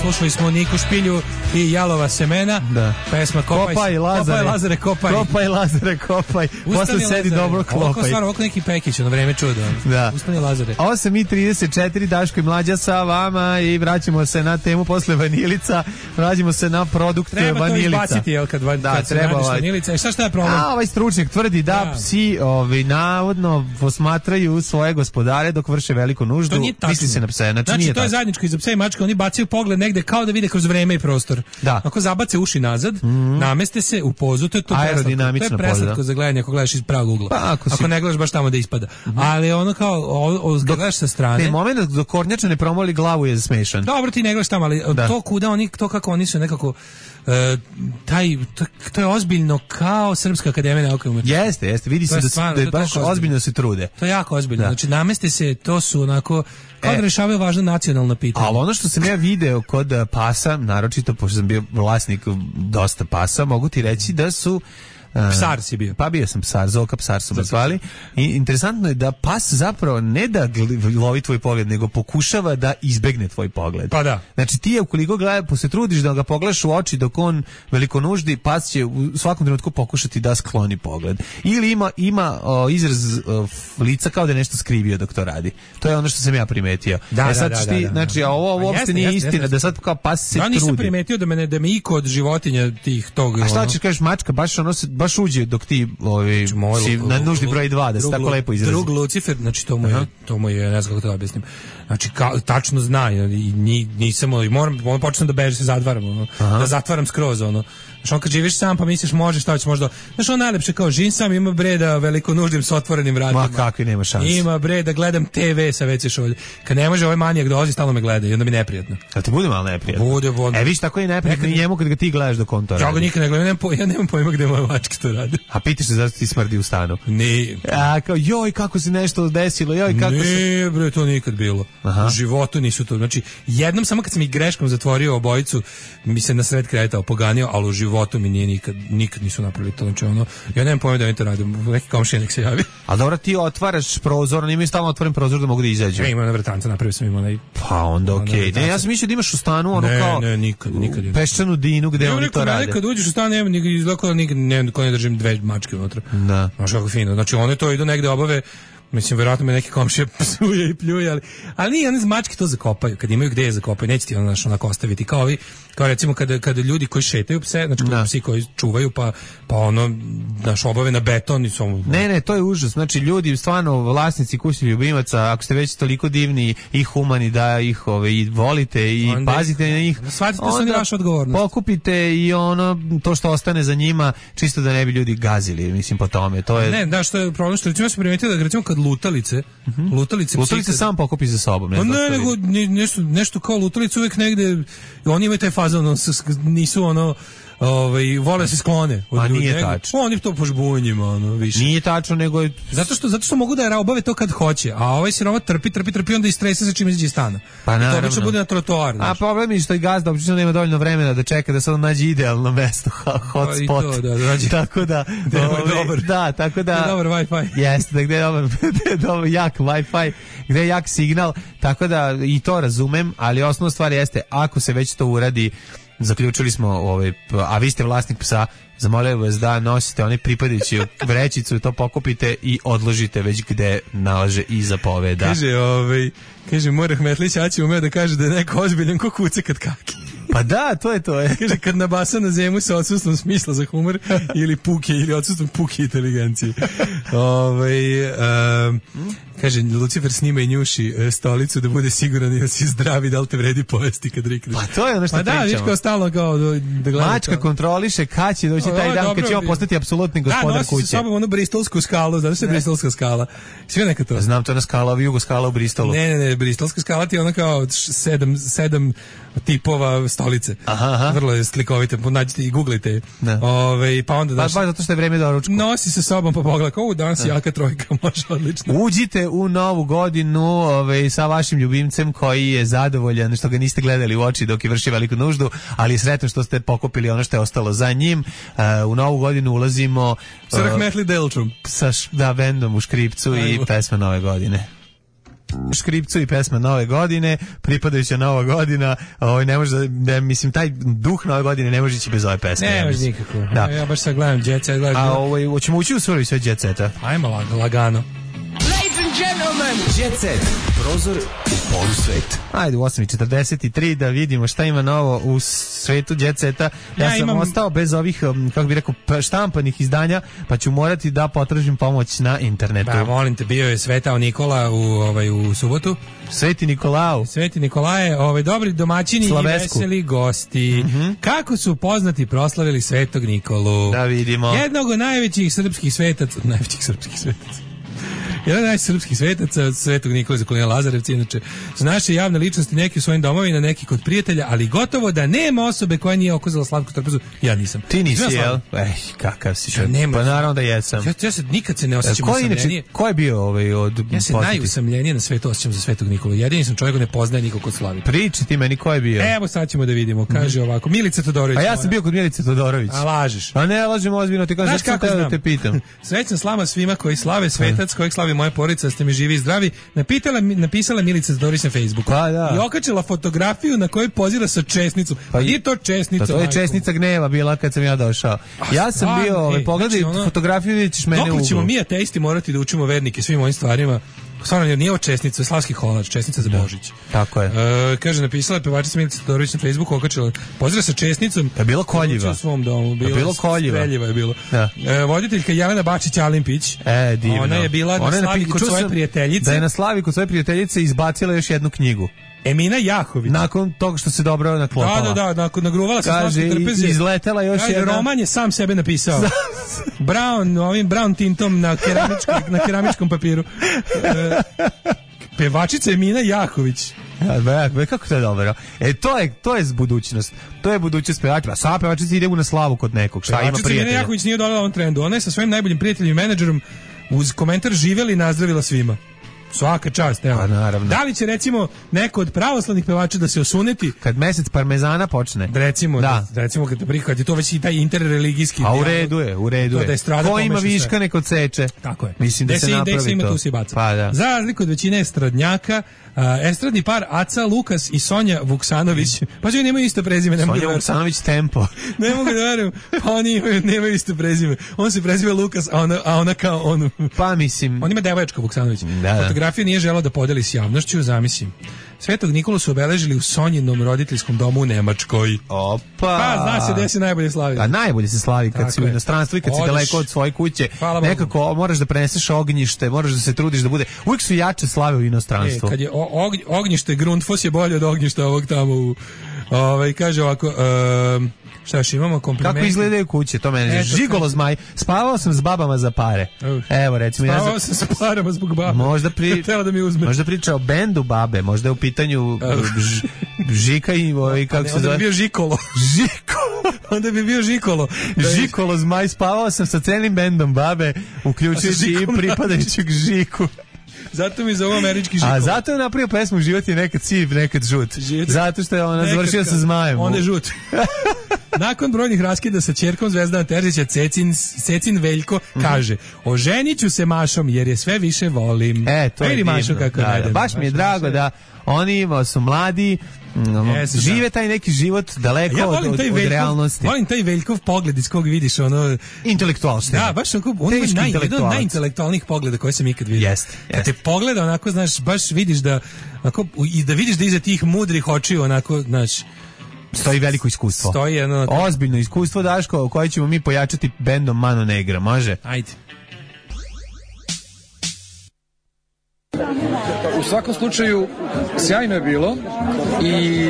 Slušali smo Niku Špilju i Jalova semena. Da. Pesma Kopaj Lazare, kopaj. Kopaj Lazare, kopaj. Posle sedi dobro klopaj. Ovako neki Pekić, ono vreme čudo. Da. Ustani Lazare. 8:34, Daško i Mlađa sa vama i vraćamo se na temu posle vanilica. Vraćamo se na produkt vanilica. Treba to izbaciti, jel, kad se radiš vanilica. Šta je problem? Ovaj stručnjak tvrdi da psi navodno posmatraju svoje gospodare dok vrše veliku nuždu. Misli se na pse. Znači, to je zajedničko i za pse i mačke. Oni bacaju pogled negde kao da vide kroz vreme i prostor. Da. Ako zabace uši nazad, nameste se u pozu, to je to aerodinamična poza. To je preslatko za gledanje ako gledaš iz pravog ugla. Pa, ako ne gledaš baš tamo da ispada. Ali ono kao, gledaš sa strane. Ne, moment dok kornjača ne promoli glavu je smešan. Dobro, ti ne gledaš tamo, ali to kuda oni, to kako oni su nekako, to je ozbiljno kao Srpska akademija nauke i umetnosti. Jeste, vidi se da baš ozbiljno se trude. To je jako ozbiljno. Znači, nameste se, to su onako, kao da rešavaju važno nacionalno pitanje. Ali ono što sam ja video kod pasa, naročito pošto sam bio vlasnik dosta pasa, mogu ti reći da su psar si bio. Pa bio sam psar, Zoka psar su me zvali. I interesantno je da pas zapravo ne da lovi tvoj pogled, nego pokušava da izbegne tvoj pogled. Pa da. Znači ti je ukoliko se trudiš da ga pogledaš u oči dok on veliko nuždi, pas će u svakom trenutku pokušati da skloni pogled. Ili ima izraz lica kao da je nešto skrivio dok to radi. To je ono što sam ja primetio. Znači, a ovo uopšte nije istina, da sad kao pas se trudi. Ja nisam primetio da me iko od životinja tog... A šta ćeš kažeš, mačka baš uđe dok ti si na nuždi broj 2, da se tako lepo izrazi. Drug Lucifer, znači to mu je, ne znam kako to objasnim. Znači, tačno zna, i nisam, moram počnem da bežem, se zatvaram, da zatvaram skroz, Znaš, on kad živiš sam pa misliš može, šta ćeš možda... Znaš, on najlepše kao živim sam, ima bre da veliko nuždim s otvorenim vratima. Ma kakvi, nema šanse. Ima bre da gledam TV sa WC šolje. Kad ne može ovaj manijak dolazi, stalno me gleda i onda mi neprijatno. A ti bude malo neprijatno? Bude. Viš, tako je neprijatno i njemu kad ga ti gledaš dok on to radi. Ja ga nikad ne gledam, ja nemam pojma gde moje mačke to rade. A pitaš se zašto ti smrdi u stanu? Ne. A kao, joj, kako se nešto desilo, Ne, bre, to nikad bilo. U životu nisu to. Znači, jednom samo kad sam ih greškom zatvorio obojicu, mi se na sred kreta opoganio, ali u životu mi nije nikad nisu napravili to. Znači, ja nemam pojma da oni to rade. Neki komšija nek se javi. A dobro, ti otvaraš prozor, oni imaju stalno otvoren prozor da mogu da izađu. Ima na vratanca, napravio sam im onaj... Pa onda okej. Ne, ja sam mišljio da imaš u stanu kao... Ne, nikad. Peščanu dinu gde oni to rade. Kad uđeš u stan, niko ne držim dve mačke unutra. Da. Znaš kako fino. Znači, one to idu negde obave. Mislim, verovatno me neki komšije psuje i pljuje, ali nije, one mačke to zakopaju, kad imaju gde je zakopaju, neće ti onako ostaviti, kao recimo kada ljudi koji šetaju pse, znači psi koji čuvaju, pa obave na beton i su... Ne, to je užas, znači ljudi, stvarno vlasnici kućnih ljubimaca, ako ste već toliko divni i humani da ih i volite i onda, pazite na njih, shvatite da su oni vaša odgovornost. Pokupite i to što ostane za njima, čisto da ne bi ljudi gazili, mislim, po tome, to je... Ne, da, što je problem, što recimo ja sam primetio da recimo kad lutalice sam pokupi za sobom. Ne, nego nešto kao lutalice uvek negde, oni imaju taj fazon, nisu vole se sklone. A nije tačno. Oni to po žbunjima, više. Nije tačno, nego je... Zato što mogu da obave to kad hoće, a ovaj siroma trpi, onda istrese se čim izađe iz stana. Pa naravno. To obično bude na trotoar. A problem je što i gazda obično nema dovoljno vremena da čeka da se on nađe idealno mesto, hotspot. Tako da... Da, tako da... Dobar Wi-Fi. Jeste, da gde je dobar jak Wi-Fi, gde je jak signal, tako da i to razumem, ali osnovna stvar jeste, ako se već to uradi, zaključili smo, a vi ste vlasnik psa, zamolio vas da nosite onaj pripadajući vrećicu, to pokupite i odložite već gde nalaže i zapoveda. Kaže Mora Hmetlić, Aći umeo da kaže da je neko ozbiljan ko kuce kad kaki. Pa da, to je. Kaže, kad nabasa na zemlju sa odsustvom smisla za humor ili odsustvom puke inteligencije. Kaže, Lucifer snima i njuši stolicu da bude siguran da si zdravi, da li te vredi pojesti kad rikneš. Pa to je ono što pričamo. Pa da, viš kao stalno kao da gleda. Mačka kontroliše kad će doći taj dan kad će on postati apsolutni gospodar kuće. Da, nosi sa sobom onu bristolsku skalu, znaš se bristolska skala. Sve neka to. Znam, to je ona skala, jugo skala u Bristolu. Ne, bristolska skala ti je ona kao sedam tipova stolice. Vrlo je slikovite, nađite i googlite. Pa onda baš zato što je vreme doručku. Nosi sa sobom pa pogleda, danas jaka trojka, može odlično. Uđite u novu godinu sa vašim ljubimcem koji je zadovoljan što ga niste gledali u oči dok je vršio veliku nuždu, ali je sretan što ste pokupili ono što je ostalo za njim. U novu godinu ulazimo sa Rahmetli Delčom. Sa bendom u Škripcu i pesma Nove godine. Škripcu i pesma Nove godine, pripadajuća Nova godina, ne može mislim taj duh Nove godine ne može ići bez ove pesme. Ne može nikako. Da. Ja baš sad gledam Jet Set, hoćemo ući u sve Jet Seta. Ajmo lagano. Ladies and gentlemen, Jet Set, prozor polusvet. Ajde u 8:43 da vidimo šta ima novo u svetu Jet Seta. Ja sam ostao bez ovih, kako bih rekao, štampanih izdanja, pa ću morati da potražim pomoć na internetu. Pa molim te, bio je Svetao Nikola u subotu. Sveti Nikolao. Sveti Nikolaje, dobri domaćini Slavesku. I veseli gosti. Kako su poznati proslavili Svetog Nikolu? Da vidimo. Jednog od najvećih srpskih svetaca. Jedan od najsrpskih svetaca, Svetog Nikola Zakolina Lazarevca, inače su naše javne ličnosti, neki u svojim domovima, neki kod prijatelja, ali gotovo da nema osobe koja nije okuzala slatku trpezu. Ja nisam. Ti nisi, jel? Kakav si što? Pa naravno da jesam. Ja se nikad se ne osjećam usamljenije. Ko je bio od... Ja se najusamljenije na svetu osjećam za Svetog Nikolu. Jedini sam čovjek koji ne poznaje nikog kod slavi. Priči ti meni ko je bio. Evo sad ćemo da vidimo. Kaže ovako, Milica Todorović. A ja sam bio kod Milice Todorović. A lažeš. A ne lažem ozbiljno, ti kažeš kako da te pitam. Srećna slava svima koji slave svetac, kojeg slavi moja porodica, ste mi živi i zdravi. Napisala Milica Todorović na Facebooku. Pa da. I okačila fotografiju na kojoj pozira sa česnicom. Pa nije to česnica. To je česnica gneva bila kad sam ja došao. Ja sam bio, pogledaj fotografiju, vidjet ćeš mene u uglu. Dok ćemo mi ateisti morati da učimo vernike svim ovim stvarima. Stvarno, jer nije ovo česnica, slavski holač, česnica za Božić. Tako je. Kaže, napisala pevačica Milica Todorović na Facebooku, okačila, pozdrav sa česnicom. Je bilo koljiva. U svom domu. Bilo koljiva. Streljiva je bilo. Voditeljka Jelena Bačić-Alimpić. Divno. Ona je bila na slavi kod svoje prijateljice. Da je na slavi kod svoje prijateljice izbacila još jednu knjigu. Emina Jahović. Nakon toga što se dobro naklopala. Da, nagruvala se slavske trpeze. Izletela još jedna. Roman je sam sebe napisao. Brown tintom na keramičkom papiru. Pevačica Emina Jahović. Kako to je dobro? To je budućnost. To je budućnost pevačica. Sva pevačica ide na slavu kod nekog. Šta ima prijatelja? Emina Jahović nije dodala ovom trendu. Ona je sa svojim najboljim prijateljem i menadžerom uz komentar živjeli i nazdravila svima. Svaka čast, evo. Pa naravno. Da li će recimo neko od pravoslavnih pevača da se osuneti kad mesec parmezana počne? Recimo kad je to već i taj interreligijski. A u redu je. Ko ima viška neko seče. Tako je. Mislim da se napravi ima to. Tu se baca. Pa da. Za razliku od većine estradnjaka, estradni par Aca Lukas i Sonja Vuksanović. Pa oni nemaju isto prezime, ne mogu da verujem. Sonja Vuksanović Tempo. Ne mogu da verujem. Pa oni nemaju isto prezime. On se preziva Lukas, a ona kao on. Pa mislim. On ima devojčka Vuksanović. Fotografiju nije želeo da podeli s javnošću, zamislim. Svetog Nikolu su obeležili u Sonjinom roditeljskom domu u Nemačkoj. Opa! Pa, zna se gde se najbolje slavi. A najbolje se slavi kad si u inostranstvu i kad si daleko od svoje kuće. Nekako moraš da preneseš ognjište, moraš da se trudiš da bude. Uvijek su jače slave u inostranstvu. Kad je ognjište, Grundfos je bolje od ognjišta ovog tamo u... kaže ovako... Šta još imamo komplimente? Kako izgledaju kuće, to mene žigolo zmaj. Spavao sam s babama za pare. Evo recimo spavao sam s parama zbog baba. Možda da mi uzme. Možda priča o bendu babe, možda je u pitanju Žika i kako se zove? Onda bi bio Žikolo. Onda bi bio Žikolo. Žikolo zmaj, spavao sam sa celim bendom babe, uključujući i pripadajućeg Žiku. Zato mi zove američki Žikolo. A zato je napravio pesmu Život je nekad siv, nekad žut. Zato što je ona završila sa zmajem. On je žut. Nakon brojnih raskida sa ćerkom Zvezdana Terzića, Cecin Veljko kaže: oženit ću se Mašom jer je sve više volim. To je Mašo kako da. Baš mi je drago da oni su mladi, žive taj neki život daleko od realnosti. Volim taj Veljkov pogled iz kog vidiš ono... Intelektualštine. Da, baš on je jedan od najintelektualnijih pogleda koje sam ikad vidio. Kad te pogleda onako, znaš, baš vidiš da vidiš da iza tih mudrih očiju onako, znaš, stoji veliko iskustvo. Ozbiljno iskustvo, Daško, koje ćemo mi pojačati bendom Mano Negra, može? Ajde. U svakom slučaju sjajno je bilo i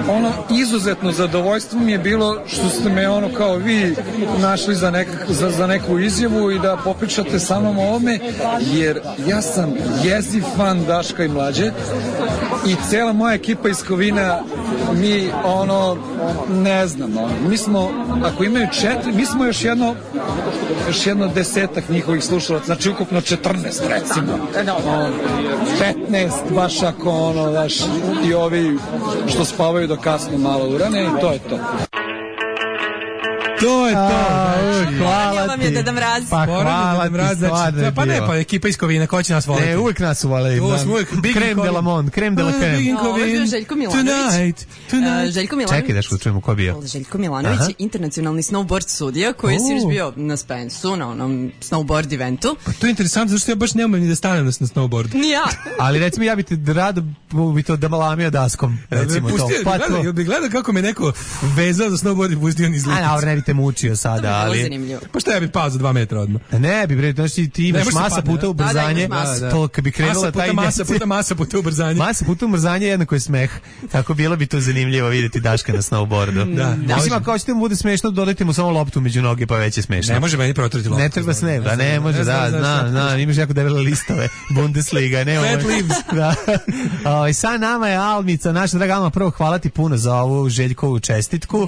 ono izuzetno zadovoljstvo mi je bilo što ste me ono kao vi našli za neku izjavu i da popričate sa mnom o ovome, jer ja sam jeziv fan Daška i Mlađe i cela moja ekipa iz Kovina mi ne znam, mi smo, ako imaju 4, mi smo još jedno 10 njihovih slušalaca, znači ukupno 14 recimo, 15 baš ako daš, i ovi što spavaju do kasno malo urane, i to je to. To je to. Hvala vam je Deda Mraz. Pa hvala ti, stvarno je pa ne, pa ekipa iz Kovina, ko će nas voliti? Ne, uvijek nas uvali. Krem de la Monde, krem de la krem. Ovo je bio Željko Milanović. Željko Milanović. Čekaj, daš učujemo ko bio. Željko Milanović je internacionalni snowboard sudija koji je sinoć bio na Spensu, na onom snowboard eventu. Pa to je interesantno, zato što ja baš ne umem ni da stanem na snowboard. Ni ja. Ali recimo ja bi te rado bi to dalamio daskom, recimo to. Jel bi gledao kako me neko vezao za snowboard i pustio niz lipicu? A ne bi te mučio sada, ali... Pa šta ja bi pao za 2 metra odmah? Ne bi, znači ti imaš masa puta ubrzanje, to kad bi krenula taj masa puta ubrzanje. Masa puta ubrzanje jednako je smeh. Tako bilo bi to zanimljivo vidjeti Daška na snowboardu. Da. Mislim, ako hoćete mu bude smešno, dodajte mu samo loptu među noge, pa već je smešno. Ne može meni protrati loptu. Ne treba se ne može, da, imaš jako debele listove, Bundesliga, ne ovo. Fat leaves. Da. I sad nama je Almica, naša draga Alma, prvo hvala ti puno za ovu Željkovu čestitku.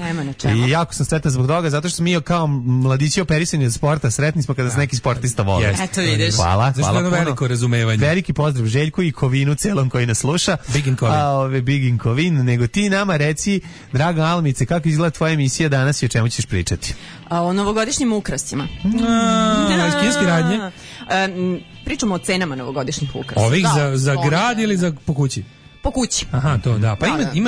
I jako sam sretan zbog toga, zato što smo mi kao mladići operisani od sporta, sretni smo kada se neki sportista voli. Eto vidiš. Hvala puno. Veliko razumevanje. Veliki pozdrav Željku i Kovinu celom koji nas sluša. Big in Kovin. Big in Kovin. Nego ti nama reci, draga Almice, kako izgleda tvoja emisija danas i o čemu ćeš pričati? O novogodišnjim ukrasima. Iz kineske radnje? Pričamo o cenama novogodišnjih ukrasa. Ovih za grad ili za po kući? Po kući. Aha, to da. Pa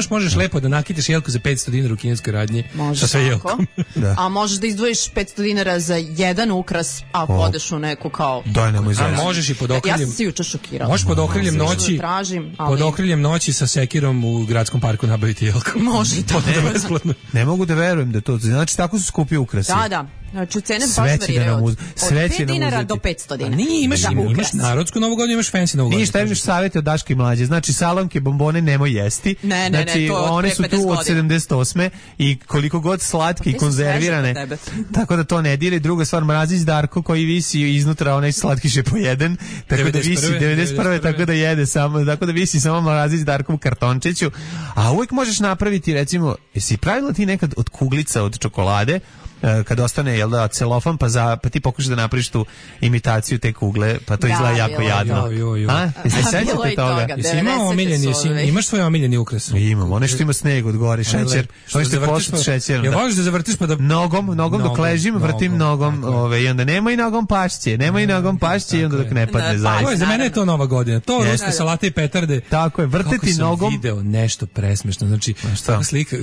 možeš lepo da nakitiš jelku za 500 dinara u kineskoj radnji sa sve jelkom. Da. A možeš da izdvojiš 500 dinara za jedan ukras, ako odeš u neku kao... Daj nemoj zajedno. A možeš i pod okriljem... Ja sam se juče šokirala. Možeš pod okriljem noći... Pod okriljem noći sa sekirom u gradskom parku nabaviti jelku. Može i to. Ne mogu da verujem da to... Znači, tako su skupi ukrasi. Da. Znači, cene baš variraju. Od 5 dinara do 500 dinara. Nije, imaš narodsku novu godinu, imaš fancy novu godinu. Ništa, imaš savjeti od Daške i Mlađe. Znači, salonke, bombone nemoj jesti. Ne, to one su tu od 78. I koliko god slatke i konzervirane. Tako da to ne dire. Druga stvar, Mrazić Darko koji visi iznutra, onaj slatkiš je po jedan. Tako da visi 91. Tako da jede samo. Tako da visi samo Mrazić Darko u kartončiću. A uvijek možeš napraviti, recimo, jesi pravila ti nekad od kuglica od čokolade, kad ostane celofan, pa ti pokušaš da napraviš tu imitaciju te kugle, pa to izgleda jako jadno. Jesi sećate toga? Imaš svoj omiljeni ukras? Imam, one što ima sneg od gore, šećer. Što ste pošli šećerom. Ja voliš da zavrtiš pa da... Nogom dok ležim, vrtim nogom, i onda nema i nogom pašće, i onda dok ne padne zaista. Za mene je to nova godina. To ruske salate i petarde. Tako je, vrteti nogom. Kako sam video nešto presmešno. Znači, slika...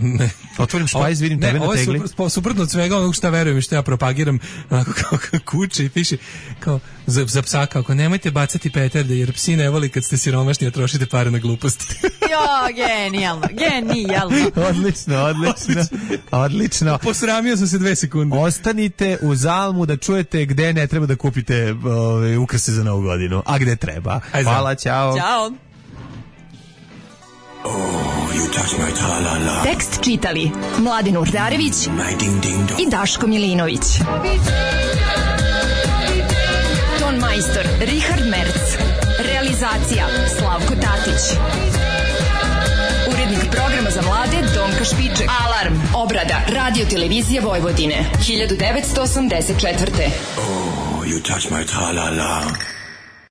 Otvorim špajz, vidim tebe na tegli. Suprotno od svega što verujem i što ja propagiram, onako kao kuće i piše kao za psa, kako nemojte bacati petarde jer psi ne voli kad ste siromašni, a trošite pare na gluposti. Jo, genijalno. Odlično. Posramio sam se 2 sekunde. Ostanite u Zalmu da čujete gde ne treba da kupite ukrase za novu godinu, a gde treba. Hvala, ćao. Tekst čitali Mladin Urdarević i Daško Milinović. Ton majstor Richard Merc. Realizacija Slavko Tatić. Urednik programa za mlade Donka Špiček. Alarm, obrada, radio televizija Vojvodine, 1984. Oh, you touch my tra-la-la.